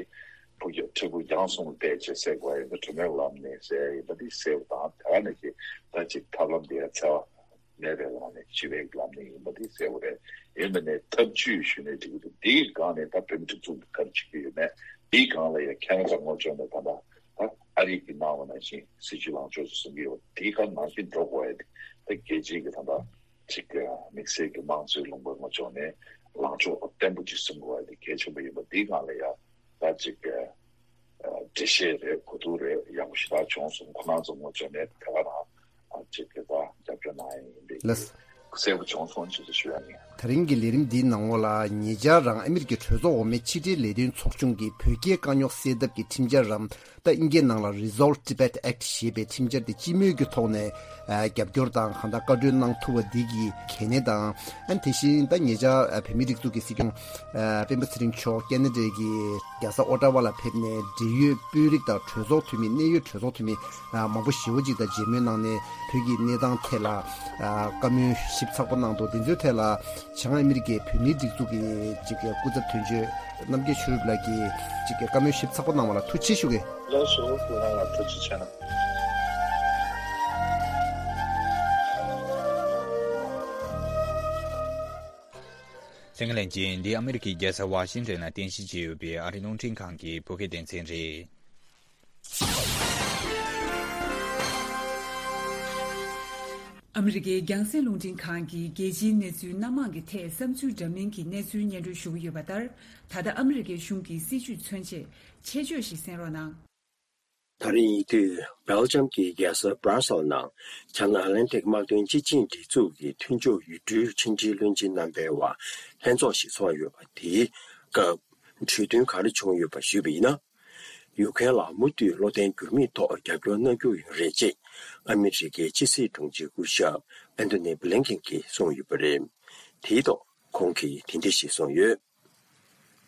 ཕུགས་ཀྱི་འཕྲལ་ཕུགས་རྒྱང་གསུམ་ལ་བལྟས་བྱས་སེལ་དགོས་ཡིན་པ། གྲོས་མོལ་ལམ་ནས་སེལ་ཡིན་པ་འདི་གསལ་པོ་དང་། དེ་ག་ནང་བཞིན་ད་ཅིག་ཐབས་ལམ་འདི་ཡང་འཚེ་བ་མེད་པའི་ལམ་ནས་ཞི་བའི་ལམ་ནས་ཡིན་པ་འདི་གསལ་པོ་རེད། ཡིན་པ་ནས་ཐབས་ཇུས་ཞུས་ནས་འགྲིག་གི་འདུག་དེའི་སྒང་ནས་ད་བོད་མི་སྒྲིག་འཛུགས་ཀྱིས་ག་རེ་བྱེད་ཀྱི་ཡོད་མེད། དེའི་སྒང་ལ་ཡང་ཁེ་ན་ཌ་ངོས་ཕྱོགས་ནས་ད་ལྟ་ད་ཨ་རི་གིས་གནང་བ་ནང་བཞིན་སྲིད་ཇུས་ལངས་ཕྱོགས་སུ་བཟུང་གི་ཡོད། དེའི་སྒང་ནང་བཞིན་འགྲོ་དགོས་ཡ་དེ་ད་རྒྱལ་སྤྱིའི་གི་ད་ལྟ་ཅིག་དམིགས་བསལ་གྱི་དམངས་གཙོའི་ལུང་པ་ངོས་ཕྱོགས་ནས་ལངས་ཕྱོགས་བརྟན་པོ་ཅིག་བཟུང་དགོས་ཡ་དེ་གལ་ཆེན་པོ་ཡིན་པ། དེའི་སྒང་ལ་ཡང་ད་ཅིག་ཨ་འགྲེལ་བཤད་རེད། གོ་བསྡུར་རེད། ཡག་པོ་ཞེ་དྲག་བྱུང་སོང་། ཁོ་རང་ཚོ་ངོས་ཕྱོགས་ནས་དེ་ག་རང་ཨ་ཅིག་གི་ད་རྒྱབ་སྐྱོར་གནང་ཡ་ཡིན་པའི་ལགས། གསལ་པོ་བྱུང་སོང་ཅེས་ཞུ་ཡ་ཡིན། ད་རིང་གི་ལས་རིམ་འདིའི་ནང་ལོགས་ལ་ཉེ་ཆར་རང་ཨ་མི་རི་ཀའི་གྲོས་ཚོགས་འོག་མའི་ཕྱི་འབྲེལ་ལས་དོན་ཚོགས་ཆུང་གིས་བོད་རྒྱའི་དཀའ་རྙོག་སེལ་ཐབས་ཀྱི་ཁྲིམས་འཆར་རམ། ད་ཨིན་སྐད་ནང་ལ་Resolve Tibet Act ཞེས་པའི་ཁྲིམས་འཆར་དེ་སྤྱི་མོས་ཀྱི་ཐོག་ནས་ཨ་རྒྱབ་སྐྱོར་དང་གང་ལྟར་བཀའ་འཁྲོལ་གནང་ཐུབ་པ་འདི་གི་གལ་གནད་དང་། ཨ་ནི་དེ་བཞིན་ད་ཉེ་ཆར་ཨ་བོད་མིའི་སྒྲིག་འཛུགས་ཀྱི་སྲིད་སྐྱོང་ཨ་སྤེན་པ་ཚེ་རིང་མཆོག་ཁེ་ན་ཌའི་གི་རྒྱལ་ས་ཨོ་ཊ་ཝ་ལ་ཕེབས་ནས་འབྲེལ་ཡོད་དཔོན་རིགས་དང་གྲོས་ཚོགས་འཐུས་མི། གནད་ཡོད་གྲོས་ཚོགས་འཐུས་མི་ཨ་མང་པོ་ཞེ་པོ་ཅིག་དང་མཇལ་མོལ་གནང་ནས་བོད་ཀྱི་གནས་སྟངས་ཐད་ལ་ཨ་བཀའ་མོལ་ཞིབ་ཚགས་པོ་གནང་འདུག་དེ་ཚོའི་ཐད་ལ་བྱང་ཨ་མི་རི་ཀའི་བོད་མིའི་སྒྲིག་འཛུགས་ཀྱི་ཅིག་སྐུ་ཚབ་དོན་གཅོད་རྣམ་རྒྱལ་ཆོས་གྲུབ་ལགས་ཀྱིས་ཅིག་བཀའ་མོལ་ཞིབ་ཚགས་པོ་གནང་བ་ལ་ཐུགས་རྗེ་ཆེ་ཞུ་གི། ལགས་སོ། ཁོང་རང་ལ་ཐུགས་རྗེ་ཆེ་གནང་། གསན་མཁན་ལྷན་རྒྱས། འདི་ཨ་མི་རི་ཀའི་རྒྱལ་ས་ཝ་ཤིང་ཊོན་ནང་རྟེན་གཞི་བྱས་ཡོད་པའི་ཨ་རིའི་རླུང་འཕྲིན་ཁང་གི་བོད་སྐད་སྡེ་ཚན་རེད། ཨ་མི་རི་ཀའི་རྒྱང་སྲིང་རླུང་འཕྲིན་ཁང་གིས་རྒྱལ་སྤྱིའི་གནས་ཚུལ་སྣ་མང་གི་ཐད་བསམ་ཚུལ་འདྲ་མིན་གྱི་གནས་ཚུལ་སྙན་སྒྲོན་ཞུ་གི་ཡོད་པ་ལྟར། ད་ལྟ་ཨ་མི་རི་ཀའི་གཞུང་གི་སྲིད་བྱུས་མཚོན་ཆེད་ཆེད་བརྗོད་ཞིག་གསན་རོགས་གནང་། ད་རེས་ཉེ་དུས་སྦེལ་ཇམ་གྱི་རྒྱལ་ས་སྦྲ་སེལ་ནང་China Atlantic དམག་དོན་སྤྱི་ཆིངས་སྒྲིག་འཛུགས་ཀྱི་མཐུན་ཕྱོགས་ཡུལ་གྲུའི་ཕྱི་འབྲེལ་བློན་ཆེན་རྣམ་པའི་དབར་ལྷན་ཚོགས་ཤིག་ཚོགས་ཡོད་པ། དེའི་སྐབས་གྲོས་མཐུན་ག་རེ་བྱུང་ཡོད་པ་ཞུས་པ་ཡིན་ན། ཡུ་ཁྲེན་ལ་མུ་མཐུད་བློ་བརྟན་འགྱུར་མེད་ཐོག་རྒྱབ་སྐྱོར་གནང་རྒྱུ་ཡིན་རེད་ཅེས་ཨ་མི་རི་ཀའི་ཕྱི་སྲིད་དྲུང་ཆེ་སྐུ་ཞབས་ཨན་ཐོ་ནི་བྷི་ལིན་ཀེན་གྱིས་གསུངས་ཡོད་པ་རེད། དེའི་ཐོག་ཁོང་གིས་དེ་འདྲ་ཞིག་གསུངས་ཡོད།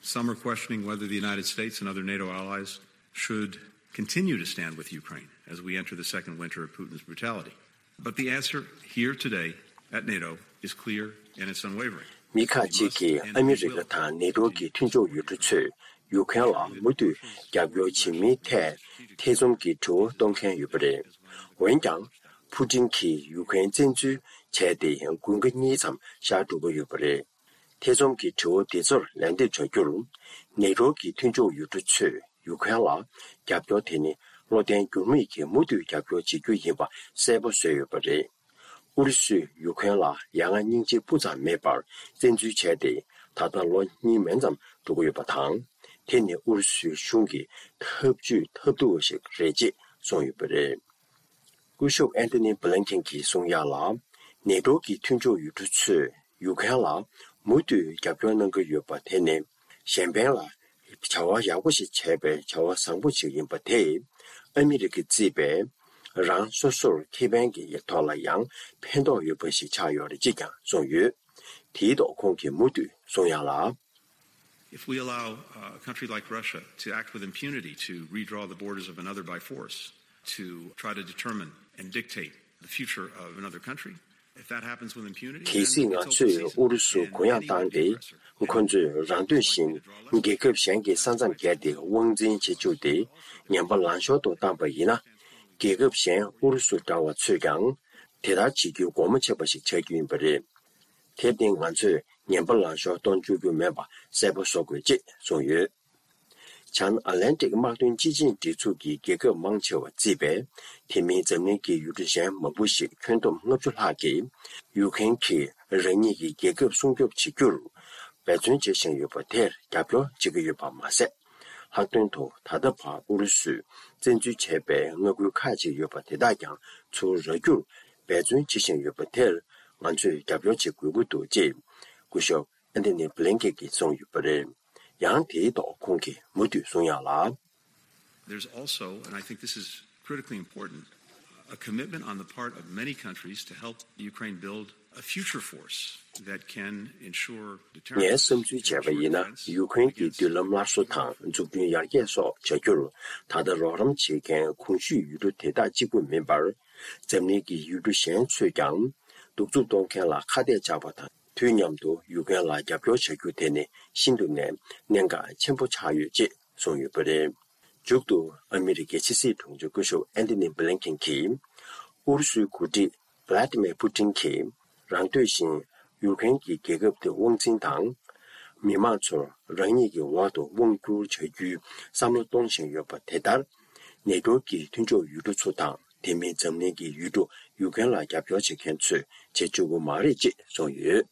Some are questioning whether the United States and other NATO allies should continue to stand with Ukraine as we enter the second winter of Putin's brutality. But the answer here today at NATO is clear and it's unwavering. མི་ཁག་ཅིག་གིས་ཨ་མི་རི་ཀ་དང་ནེ་ཏོ་གི་མཐུན་ཕྱོགས་ཡུལ་གྲུ་ཚོས་ཡུ་ཁྲེན་ལ་མུ་མཐུད་རྒྱབ་སྐྱོར་བྱེད་མིན་ཐད་ཐེ་ཚོམ་གྱི་དྲི་བ་གཏོང་མཁན་ཡོད་པ་རེད། འོན་ཀྱང་། ཕུ་ཀྲིན་གྱིས་ཡུ་ཁྲེན་བཙན་འཛུལ་བྱས་ཏེ་དགུན་ཁ་གཉིས་ཙམ་ཤར་འགྲོ་གི་ཡོད་པ་རེད། ཐེ་ཚོམ་གྱི་དྲི་བ་འདི་ཚོར་ལན་འདེབས་བྱ་རྒྱུར། ནེ་ཏོ་གི་མཐུན་ཕྱོགས་ཡུལ་གྲུ་ཚོས་ཡུ་ཁྲེན་ལ་རྒྱབ་སྐྱོར་དེ་ནི་བློ་བརྟན་འགྱུར་མེད་ཀྱིས་མུ་མཐུད་རྒྱབ་སྐྱོར་བྱེད་རྒྱུ་ཡིན་པ་གསལ་པོ་བཟོས་ཡོད་པ་རེད། ཨུ་རུ་སུས་ཡུ་ཁྲེན་ལ་ཡ་ང་སྙིང་རྗེ་སྤུ་ཙམ་མེད་པར་བཙན་འཛུལ་བྱས་ཏེ་ད་ལྟ་ལོ་གཉིས་མན་ཙམ་འགྲོ་གི་ཡོད་པ་དང་། དེ་ནི་ཨུ་རུ་སུའི་གཞུང་གི་ཐབས་ཇུས་ཐབས་སྡུག་པ་ཞིག་རེད་ཅེས་གསུངས་ཡོད་པ་རེད། སྐུ་ཞབས་ཨན་ཐོ་ནི་བྷི་ལིན་ཀེན་གྱིས་གསུངས་ཡག་ལ། ནེ་ཏོ་གི་མཐུན་ཕྱོགས་ཡུལ་གྲུ་ཚོས་ཡུ་ཁྲེན་ལ་མུ་མཐུད་རྒྱབ་སྐྱོར་གནང་གི་ཡོད་པ་དེ་ནི་གཞན་ཕན་ལ་བྱ་བ་ཡག་པོ་ཞིག་བྱས་པའི་བྱ་བ་བཟང་པོ་ཞིག་ཡིན་པ་དེས་ཨ་མི་རི་ཀས་བརྩིས་པའི་རང་སོ་སོར་ཁེ་ཕན་གྱི་ཐོག་ལ་ཡང་ཕན་ཐོགས་ཡོད་པ་ཞིག་ཆགས་ཡོད་རེད་ཅེས་ཀྱང་གསུངས་ཡོད། དེའི་ཐོག་ཁོང་གིས་མུ་མཐུད་གསུངས་ཡག་ལ། If we allow uh, a country like Russia to act with impunity to redraw the borders of another by force, to try to determine and dictate the future of another country, གལ་སྲིད་ང་ཚོས་ཨུ་རུ་སུར་གུ་ཡངས་བཏང་སྟེ། ཁོ་ཚོས་རང་འདོད་བཞིན་རྒྱལ་ཁབ་གཞན་གྱི་ས་མཚམས་བརྒལ་ཏེ་དབང་འཛིན་བྱེད་བཅུག་སྟེ། ངན་པ་ལང་ཤོར་དུ་བཏང་པ་ཡིན་ན། རྒྱལ་ཁབ་གཞན་ཨུ་རུ་སུ་འདྲ་བ་ཚོས་ཀྱང་དེ་ལྟར་བྱེད་རྒྱུའི་སྒོ་མོ་ཕྱེ་བ་ཞིག་ཆགས་རྒྱུ་ཡིན་པ་རེད། དེར་བརྟེན་ང་ཚོས་ངན་པ་ལང་ཤོར་གཏོང་བཅུག་རྒྱུ་མེད་པ་གསལ་པོ་བཟོ་དགོས་ཅེས་གསུངས་ཡོད། བྱང་ཨ་ལན་ཏིག་དམག་དོན་སྤྱི་ཆིངས་སྒྲིག་འཛུགས་ཀྱི་རྒྱལ་ཁབ་མང་ཆེ་བ་བརྩིས་པའི་དེ་མིན་འཛམ་གླིང་གི་ཡུལ་གྲུ་གཞན་མང་པོ་ཞིག་ཁྱོན་བསྡོམས་ལྔ་བཅུ་ལྷག་གིས་ཡུ་ཁེན་གྱིས་རང་ཉིད་ཀྱི་རྒྱལ་ཁབ་སྲུང་སྐྱོབ་བྱེད་རྒྱུར་འབད་བརྩོན་བྱེད་བཞིན་ཡོད་པ་དེར་རྒྱབ་སྐྱོར་བྱེད་ཀྱི་ཡོད་པ་མ་ཟད། ལྷག་དོན་དུ་ད་ལྟ་བར་ཨུ་རུ་སུས་བཙན་འཛུལ་བྱས་པའི་མངའ་ཁུལ་ཁག་ཅིག་ཡོད་པ་དེ་དག་ཀྱང་ཚུར་རག་རྒྱུར་འབད་བརྩོན་བྱེད་བཞིན་ཡོད་པ་དེར་ང་ཚོས་རྒྱབ་སྐྱོར་བྱེད་དགོས་ཀྱི་འདུག་ཅེས་སྐུ་ཞབས་ཨན་ཐོ་ནི་བྷི་ལིན་ཀེན་གྱིས་གསུངས་ཡོད་པ་རེད། ཡང་དེའི་ཐོག་ཁོང་གིས་མུ་མཐུད་གསུངས་ཡག་ལ། There's also, and I think this is critically important, a commitment on the part of many countries to help Ukraine build a future force that can ensure deterrence, ངས་བསམ་ཚུལ་བྱས་པ་ཡིན་ན། ཡུ་ཁུ་རེན་གྱི་མདུན་ལམ་སླར་གསོ་དང་འཛུགས་སྐྲུན་ཡར་རྒྱས་སོགས་བྱ་རྒྱུར་ད་ལྟ་རོགས་རམ་བྱེད་མཁན་གོང་ཞུས་ཡུལ་གྲུ་དེ་དག་གཅིག་པུ་མིན་པར། འཛམ་གླིང་གི་ཡུལ་གྲུ་གཞན་ཚོས་ཀྱང་གདུག་རྩུབ་གཏོང་མཁན་ལ་ཁ་གཏད་བཅག་པ་དང་། དུས་མཉམ་དུ་ཡུ་ཀེ་རེན་ལ་རྒྱབ་སྐྱོར་བྱ་རྒྱུ་དེ་ནི་ཤིན་ཏུ་ནས་གནད་འགག་ཆེན་པོ་ཆགས་ཡོད་ཅེས་གསུངས་ཡོད་པ་རེད། མཇུག་ཏུ་ཨ་མི་རི་ཀའི་ཕྱི་སྲིད་དྲུང་ཆེ་སྐུ་ཞབས་ཨན་ཐོ་ནི་བྷི་ལིན་ཀེན་གྱིས། ཨུ་རུ་སུའི་འགོ་ཁྲིད་ཝླ་ཏི་མེར་ཕུ་ཏིན་གྱིས་རང་འདོད་བཞིན་ཡུ་ཀེ་རེན་གྱི་རྒྱལ་ཁབ་དེ་དབང་འཛིན་དང་། མི་མང་ཚོར་རང་ཉིད་ཀྱི་འོག་ཏུ་དབང་བསྒྱུར་བྱ་རྒྱུའི་བསམ་བློ་གཏོང་བཞིན་ཡོད་པ་དེ་ལྟར། ནེ་ཊོ་གི་མཐུན་ཕྱོགས་ཡུལ་གྲུ་ཚོ་དང་། དེ་མིན་འཛམ་གླིང་གི་ཡུལ་གྲུ་ཡུ་ཀེ་རེན་ལ་རྒྱབ་སྐྱོར་བྱེད་མཁན་ཚོས་བྱེད་བཅུག་གི་མ་རེད་ཅེས་གསུངས་ཡོད།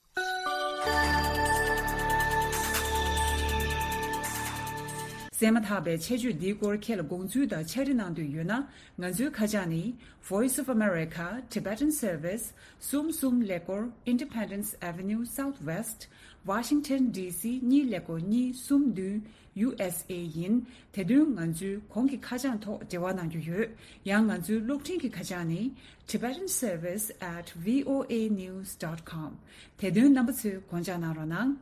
གསན་མ་ཐག་པའི་ཆེད་བརྗོད་འདིའི་སྐོར་ཁྱེད་ལ་དགོངས་ཚུལ་དང་ཕྱག་བྲིས་གནང་འདོད་ཡོད་ན། ང་ཚོའི་ཁ་བྱང་ནི། Voice of America Tibetan Service གསུམ་གསུམ་ཀླད་ཀོར། Independence Avenue Southwest Washington D C གཉིས་ཀླད་ཀོར་གཉིས་གསུམ་བདུན། U S A ཡིན། དེ་དོན་ང་ཚོའི་གོང་གི་ཁ་བྱང་ཐོག་འབྲེལ་བ་གནང་རྒྱུ་ཡོད། ཡང་ང་ཚོའི་གློག་འཕྲིན་གྱི་ཁ་བྱང་ནི། Tibetan Service at V O A news dot com དེ་དོན་རྣམ་པ་ཚོས་དགོངས་འཇགས་གནང་རོགས་གནང་།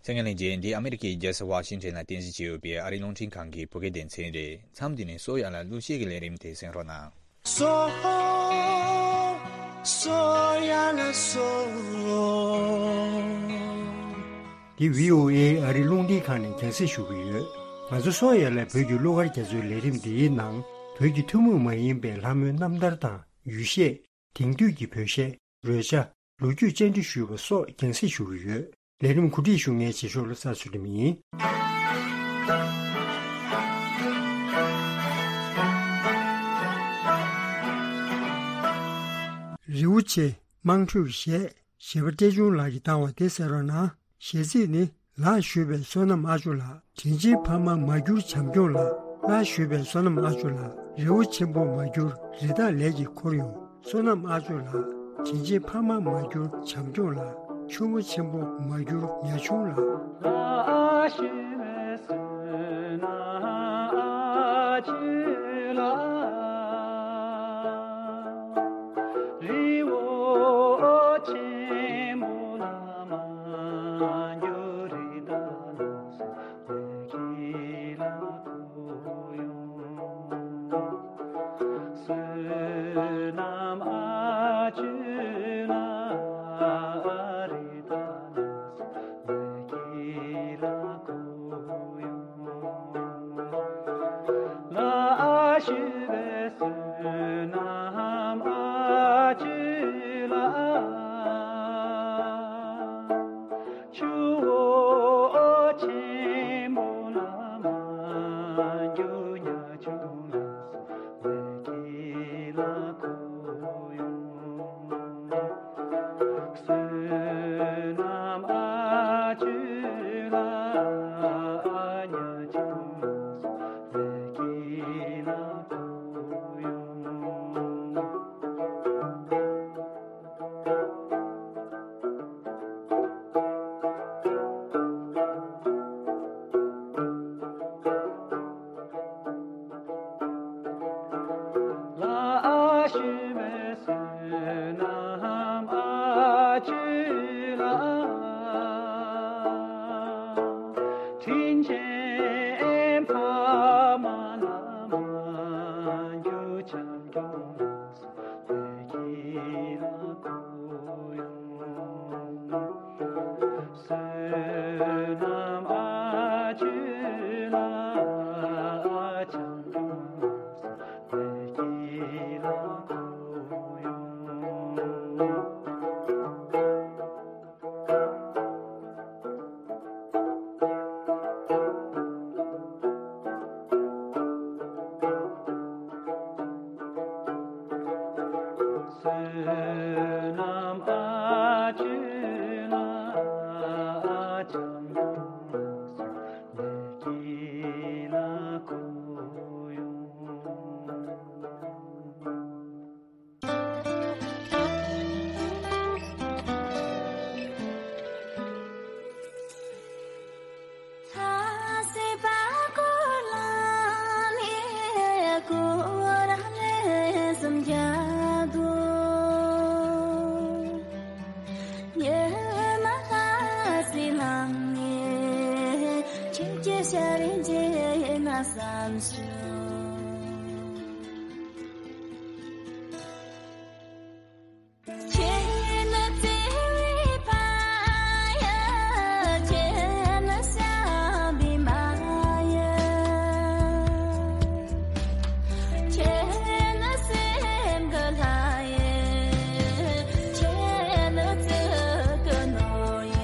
ཆེད་མངགས་ལྷན་རྒྱས། འདི་ཨ་མི་རི་ཀའི་རྒྱལ་ས་ཝ་ཤིང་ཊོན་ལ་རྟེན་གཞི་བྱས་ཡོད་པའི་ཨ་རིའི་རླུང་འཕྲིན་ཁང་གི་བོད་སྐད་སྡེ་ཚན་རེད། མཚམས་འདི་ནས་གསོ་ཡ་ལ་གླུ་གཞས་ཀྱི་ལས་རིམ་དེ་གསན་རོགས་གནང་། སོ། སོ་ཡ་ལ་སོ། འདི་V O A ཨ་རིའི་རླུང་འཕྲིན་ཁང་ནས་རྒྱང་སྲིང་ཞུ་གི་ཡོད། ང་ཚོ་སོ་ཡ་ལ་བོད་ཀྱི་གླུ་གར་རྒྱ་མཚོའི་ལས་རིམ་འདིའི་ནང་། བོད་ཀྱི་ཐུན་མོང་མ་ཡིན་པའི་ལྷ་མོའི་རྣམ་ཐར་དང་། ཡུལ་གཞས། དེང་དུས་ཀྱི་བོད་གཞས། རོལ་ཆ། ལོ་རྒྱུས་བཅར་འདྲི་ཞུས་པ་སོགས་རྒྱང་སྲིང་ཞུ་གི་ཡོད། ལས་རིམ་གོ་སྒྲིག་ཞུ་མཁན་རྗེས་ཤོག་བློ་བཟང་ཚུལ་ཁྲིམས་ཡིན། རི་བོ་ཆེ། དམངས་ཁྲོད་གཞས། གཞས་པ་བཀྲས་ཆུང་ལགས་ཀྱིས་བཏང་བ་དེ་གསན་རོགས་གནང་། གཞས་ཚིག་ནི། ལགས་ཞུས་པའི་བསོད་ནམས་ཨ་ཇོ་ལགས། དྲིན་ཆེན་ཕ་མ་མ་གྱུར་བྱམས་སྐྱོང་ལགས། ལགས་ཞུས་པའི་བསོད་ནམས་ཨ་ཇོ་ལགས། རི་བོ་ཆེན་པོ་མ་གྱུར་རི་དྭགས་ལས་ཀྱིས་འཁོར་ཡོང་། བསོད་ནམས་ཨ་ཇོ་ལགས། དྲིན་ཆེན་ཕ་མ་མ་གྱུར་བྱམས་སྐྱོང་ལགས། ཆུ་མོ་ཆེན་པོ་མ་གྱུར་ཉ་ཆུང་ལགས། ལགས་ཞུས་པའི་བསོད་ནམས་ཨ་ཇོ་ལགས། རི་བོ་ཆེན་པོ་ལ་མ་གྱུར་རི་དྭགས་ལ་སོགས་ཀྱི་ལ་འཁོར་ཡོང་། བསོད་ནམས་ཨ་ཇོ་ལགས། རི་དྭགས་ལ་སོགས་ཀྱི་ལ་འཁོར་ཡོང་། ལགས་ཞུས་པའི་བསོད་ནམས་ཨ་ཇོ་ལགས། ཆུ་བོ་ཆེན་པོ་ལ་མ་གྱུར་ཉ་ཆུང་ལ་སོགས་ཀྱི་ལ་འཁོར་ཡོང་། བསོད་ནམས་ཨ་ཇོ་ལགས། ཉ་ཆུང་ལ་སོགས་ཀྱི་ལ་འཁོར་ཡོང་། ལགས་ཞུས་པའི་བསོད་ནམས་ཨ་ཇོ་ལགས། དྲིན་ཆེན་ཕ་མ་ལ་མ་གྱུར་བྱམས་སྐྱོང་ལ་སོགས་ཀྱི་ལ་ ཤར་རིང་རྗེས་ན་བསམ་བྱུང་། ཁྱེད་ནི་བརྩེ་བའི་ཕ་ཡ། ཁྱེད་ནི་བྱམས་པའི་མ་ཡ། ཁྱེད་ནི་སེམས་ཀྱི་ལྷ་ཡ། ཁྱེད་ནི་བརྩེ་གི་ནོར་ཡ།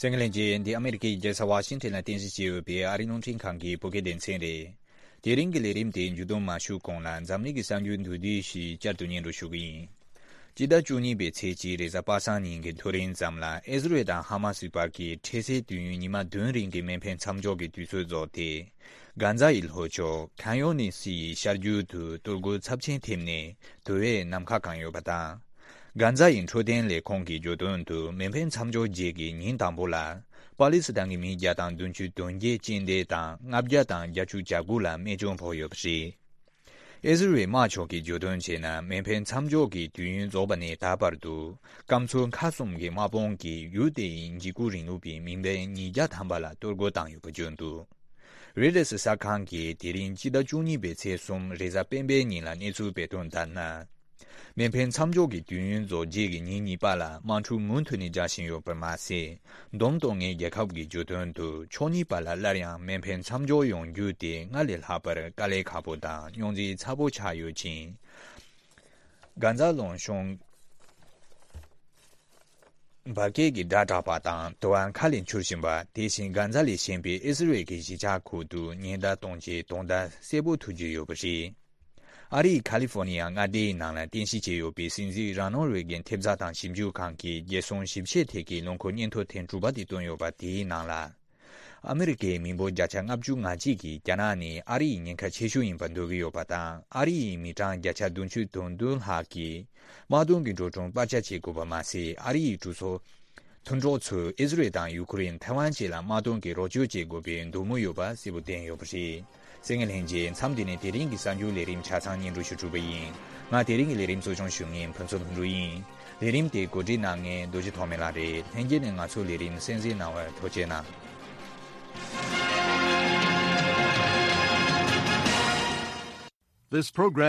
གསན་མཁན་ལྷན་རྒྱས། འདི་ཨ་མེ་རི་ཀའི་རྒྱལ་ས་ཝ་ཤིང་ཊོན་ལ་རྟེན་གཞི་བྱས་ཡོད་པའི་ཨ་རིའི་རླུང་འཕྲིན་ཁང་གི་བོད་སྐད་སྡེ་ཚན་རེད། དེ་རིང་གི་ལས་རིམ་དེ་མཇུག་བསྡོམས་མ་ཞུས་གོང་ལ་འཛམ་གླིང་གི་གསར་འགྱུར་མདོར་བསྡུས་ཤིག་བསྐྱར་དུ་སྙན་སྒྲོན་ཞུ་གི་ཡིན། སྤྱི་ཟླ་བཅུ་གཉིས་པའི་ཚེས་གཅིག་རེས་གཟའ་པ་སངས་ཉིན་གྱི་ཐོ་རེངས་ཙམ་ལ་ཨི་ཟི་རེལ་དང་ཧ་མ་སིའི་བར་གྱི་འཕྲལ་སེལ་དུས་ཡུན་ཉི་མ་བདུན་རིང་གི་མེ་འཕེན་མཚམས་འཇོག་གི་དུས་ཚོད་རྫོགས་ཏེ། གྷན་ཛ་ཡི་ལྷོ་ཕྱོགས་ཁན་ཡོ་ནི་སི་ཡི་ཤར་རྒྱུད་དུ་གཏོར་རྒོལ་ཚབས་ཆེན་ཐེབས་ནས་དུ་བས་ནམ་མཁའ་གང་ཡོད་པ་དང་། གྷན་ཛ་ཡི་འཕྲོད་བསྟེན་ལས་ཁུངས་ཀྱིས་བརྗོད་དོན་དུ་མེ་འཕེན་མཚམས་འཇོག་རྗེས་ཀྱི་ཉིན་དང་པོ་ལ་པ་ལི་སི་ཐན་གྱི་མི་བརྒྱ་དང་བདུན་ཅུ་དོན་བརྒྱད་རྐྱེན་འདས་དང་ལྔ་བརྒྱ་དང་བརྒྱད་ཅུ་གྱ་དགུ་ལ་རྨས་སྐྱོན་ཕོག་ཡོད་པ་རེད། ཨི་ཟི་རེལ་དམག་ཕྱོགས་ཀྱིས་བརྗོད་དོན་བྱས་ན་མེ་འཕེན་མཚམས་འཇོག་གི་དུས་ཡུན་རྫོགས་པ་ནས་ད་བར་དུ་སྐམ་མཚོ་མཁའ་གསུམ་གྱི་དམག་དཔུང་གིས་ཡུལ་དེ་ཡི་འཇིགས་སྐུལ་རིང་ལུགས་པའི་མི་འབོར་ཉིས་བརྒྱ་ཐམ་པ་ལ་གཏོར་རྒོལ་བཏང་ཡོད་པ་བརྗོད་འདུག་རོའི་ཊར་གསར་ཁང་གིས་དེ་རིང་སྤྱི་ཟླ་བཅུ་གཉིས་པའི་ཚེས་གསུམ་རེས་གཟའ་སྤེན་པའི་ཉིན་ལ་གནས་ཚུལ་སྤེལ་དོན་ལྟར་ན། མེ་འཕེན་མཚམས་འཇོག་གི་དུས་ཡུན་རྫོགས་རྗེས་ཀྱི་ཉིན་གཉིས་པ་ལ་དམག་འཁྲུག་མུ་མཐུད་ནས་རྒྱག་བཞིན་ཡོད་པར་མ་ཟད། བསྡོམས་གཏོང་མཁན་རྒྱལ་ཁབ་ཀྱིས་བརྗོད་དོན་དུ་ཕྱོགས་གཉིས་བར་ལ་སླར་ཡང་མེ་འཕེན་མཚམས་འཇོག་ཡོང་རྒྱུ་དེ་སྔར་ལས་ལྷག་པར་དཀའ་ལས་ཁག་པོ་དང་རྙོག་འཛིང་ཚ་པོ་ཆགས་ཡོད་ཅིང་། གྷན་ཛ་ལུང་གཤོང་འབར་གས་ཀྱི་སྒྲ་གྲགས་པ་དང་དུ་བ་མཁའ་ལས་འཕྱུར་བཞིན་པ། དེ་བཞིན་གྷན་ཛ་ལས་གཞན་པའི་ཨི་ཟི་རེལ་གྱི་གཞིས་ཆགས་ཁུལ་དུ་ཉེན་བརྡ་གཏོང་ཆེད་རྡུང་རྡེག་གསལ་པོ་ཐོས་རྒྱུ་ཡོད་པ་རེད། ཨ་རིའི་ཁ་ལི་ཧྥོ་ནི་ཡ་མངའ་སྡེའི་ནང་ལ་རྟེན་གཞི་བྱས་ཡོད་པའི་སྲིད་འཛིན་རོ་ནལ་རེ་གན་ཐེབས་རྩ་དང་ཞིབ་འཇུག་ཁང་གིས་རྒྱལ་སྲུང་ཞིབ་བཤེར་ཐད་ཀྱི་ལོ་འཁོར་སྙན་ཐོ་ཐེངས་དྲུག་པ་དེ་བཏོན་ཡོད་པ་དེའི་ནང་ལ། ཨ་མི་རི་ཀའི་མི་འབོར་བརྒྱ་ཆ་ལྔ་བཅུ་ང་གཅིག་གིས་རྒྱ་ནག་ནི་ཨ་རི་ཡི་ཉེན་ཁ་ཆེ་ཤོས་ཡིན་པར་འདོད་ཀྱི་ཡོད་པ་དང་། ཨ་རི་ཡི་མི་གྲངས་བརྒྱ་ཆ་བདུན་ཅུ་དོན་བདུན་ལྷག་གིས་དམག་དོན་གྱི་འགྲོ་གྲོན་སྤར་ཆ་བྱེད་དགོས་པ་མ་ཟད། ཨ་རི་ཡི་གྲོས་ཚོགས་མཐུན་གྲོགས་ཚོས་ཨི་ཟི་རེལ་དང་ཡུ་ཁུ་རེན། ཐའེ་ཝན་བཅས་ལ་དམག་དོན་གྱི་རོགས་སྐྱོར་བྱེད་དགོས་པའི་འདོད་མོས་ཡོད་པ་གསལ་པོ་བསྟན་ཡོད་པ་རེད། གསན་མཁན་ལྷན་རྒྱས། མཚམས་འདི་ནས་དེ་རིང་གི་གསར་འགྱུར་ལས་རིམ་ཆ་ཚང་སྙན་སྒྲོན་ཞུ་གྲུབ་པ་ཡིན། ང་དེ་རིང་གི་ལས་རིམ་གཙོ་སྐྱོང་ཞུ་མཁན་ཕུན་ཚོགས་ལྷུན་གྲུབ་ཡིན། ལས་རིམ་དེ་གོ་སྒྲིག་གནང་མཁན་རྡོ་རྗེ་ཐོགས་མེད་ལགས་རེད། ལྷན་རྒྱས་ནས་ང་ཚོའི་ལས་རིམ་གསན་གཟིགས་གནང་བར་ཐུགས་རྗེ་གནང་། This program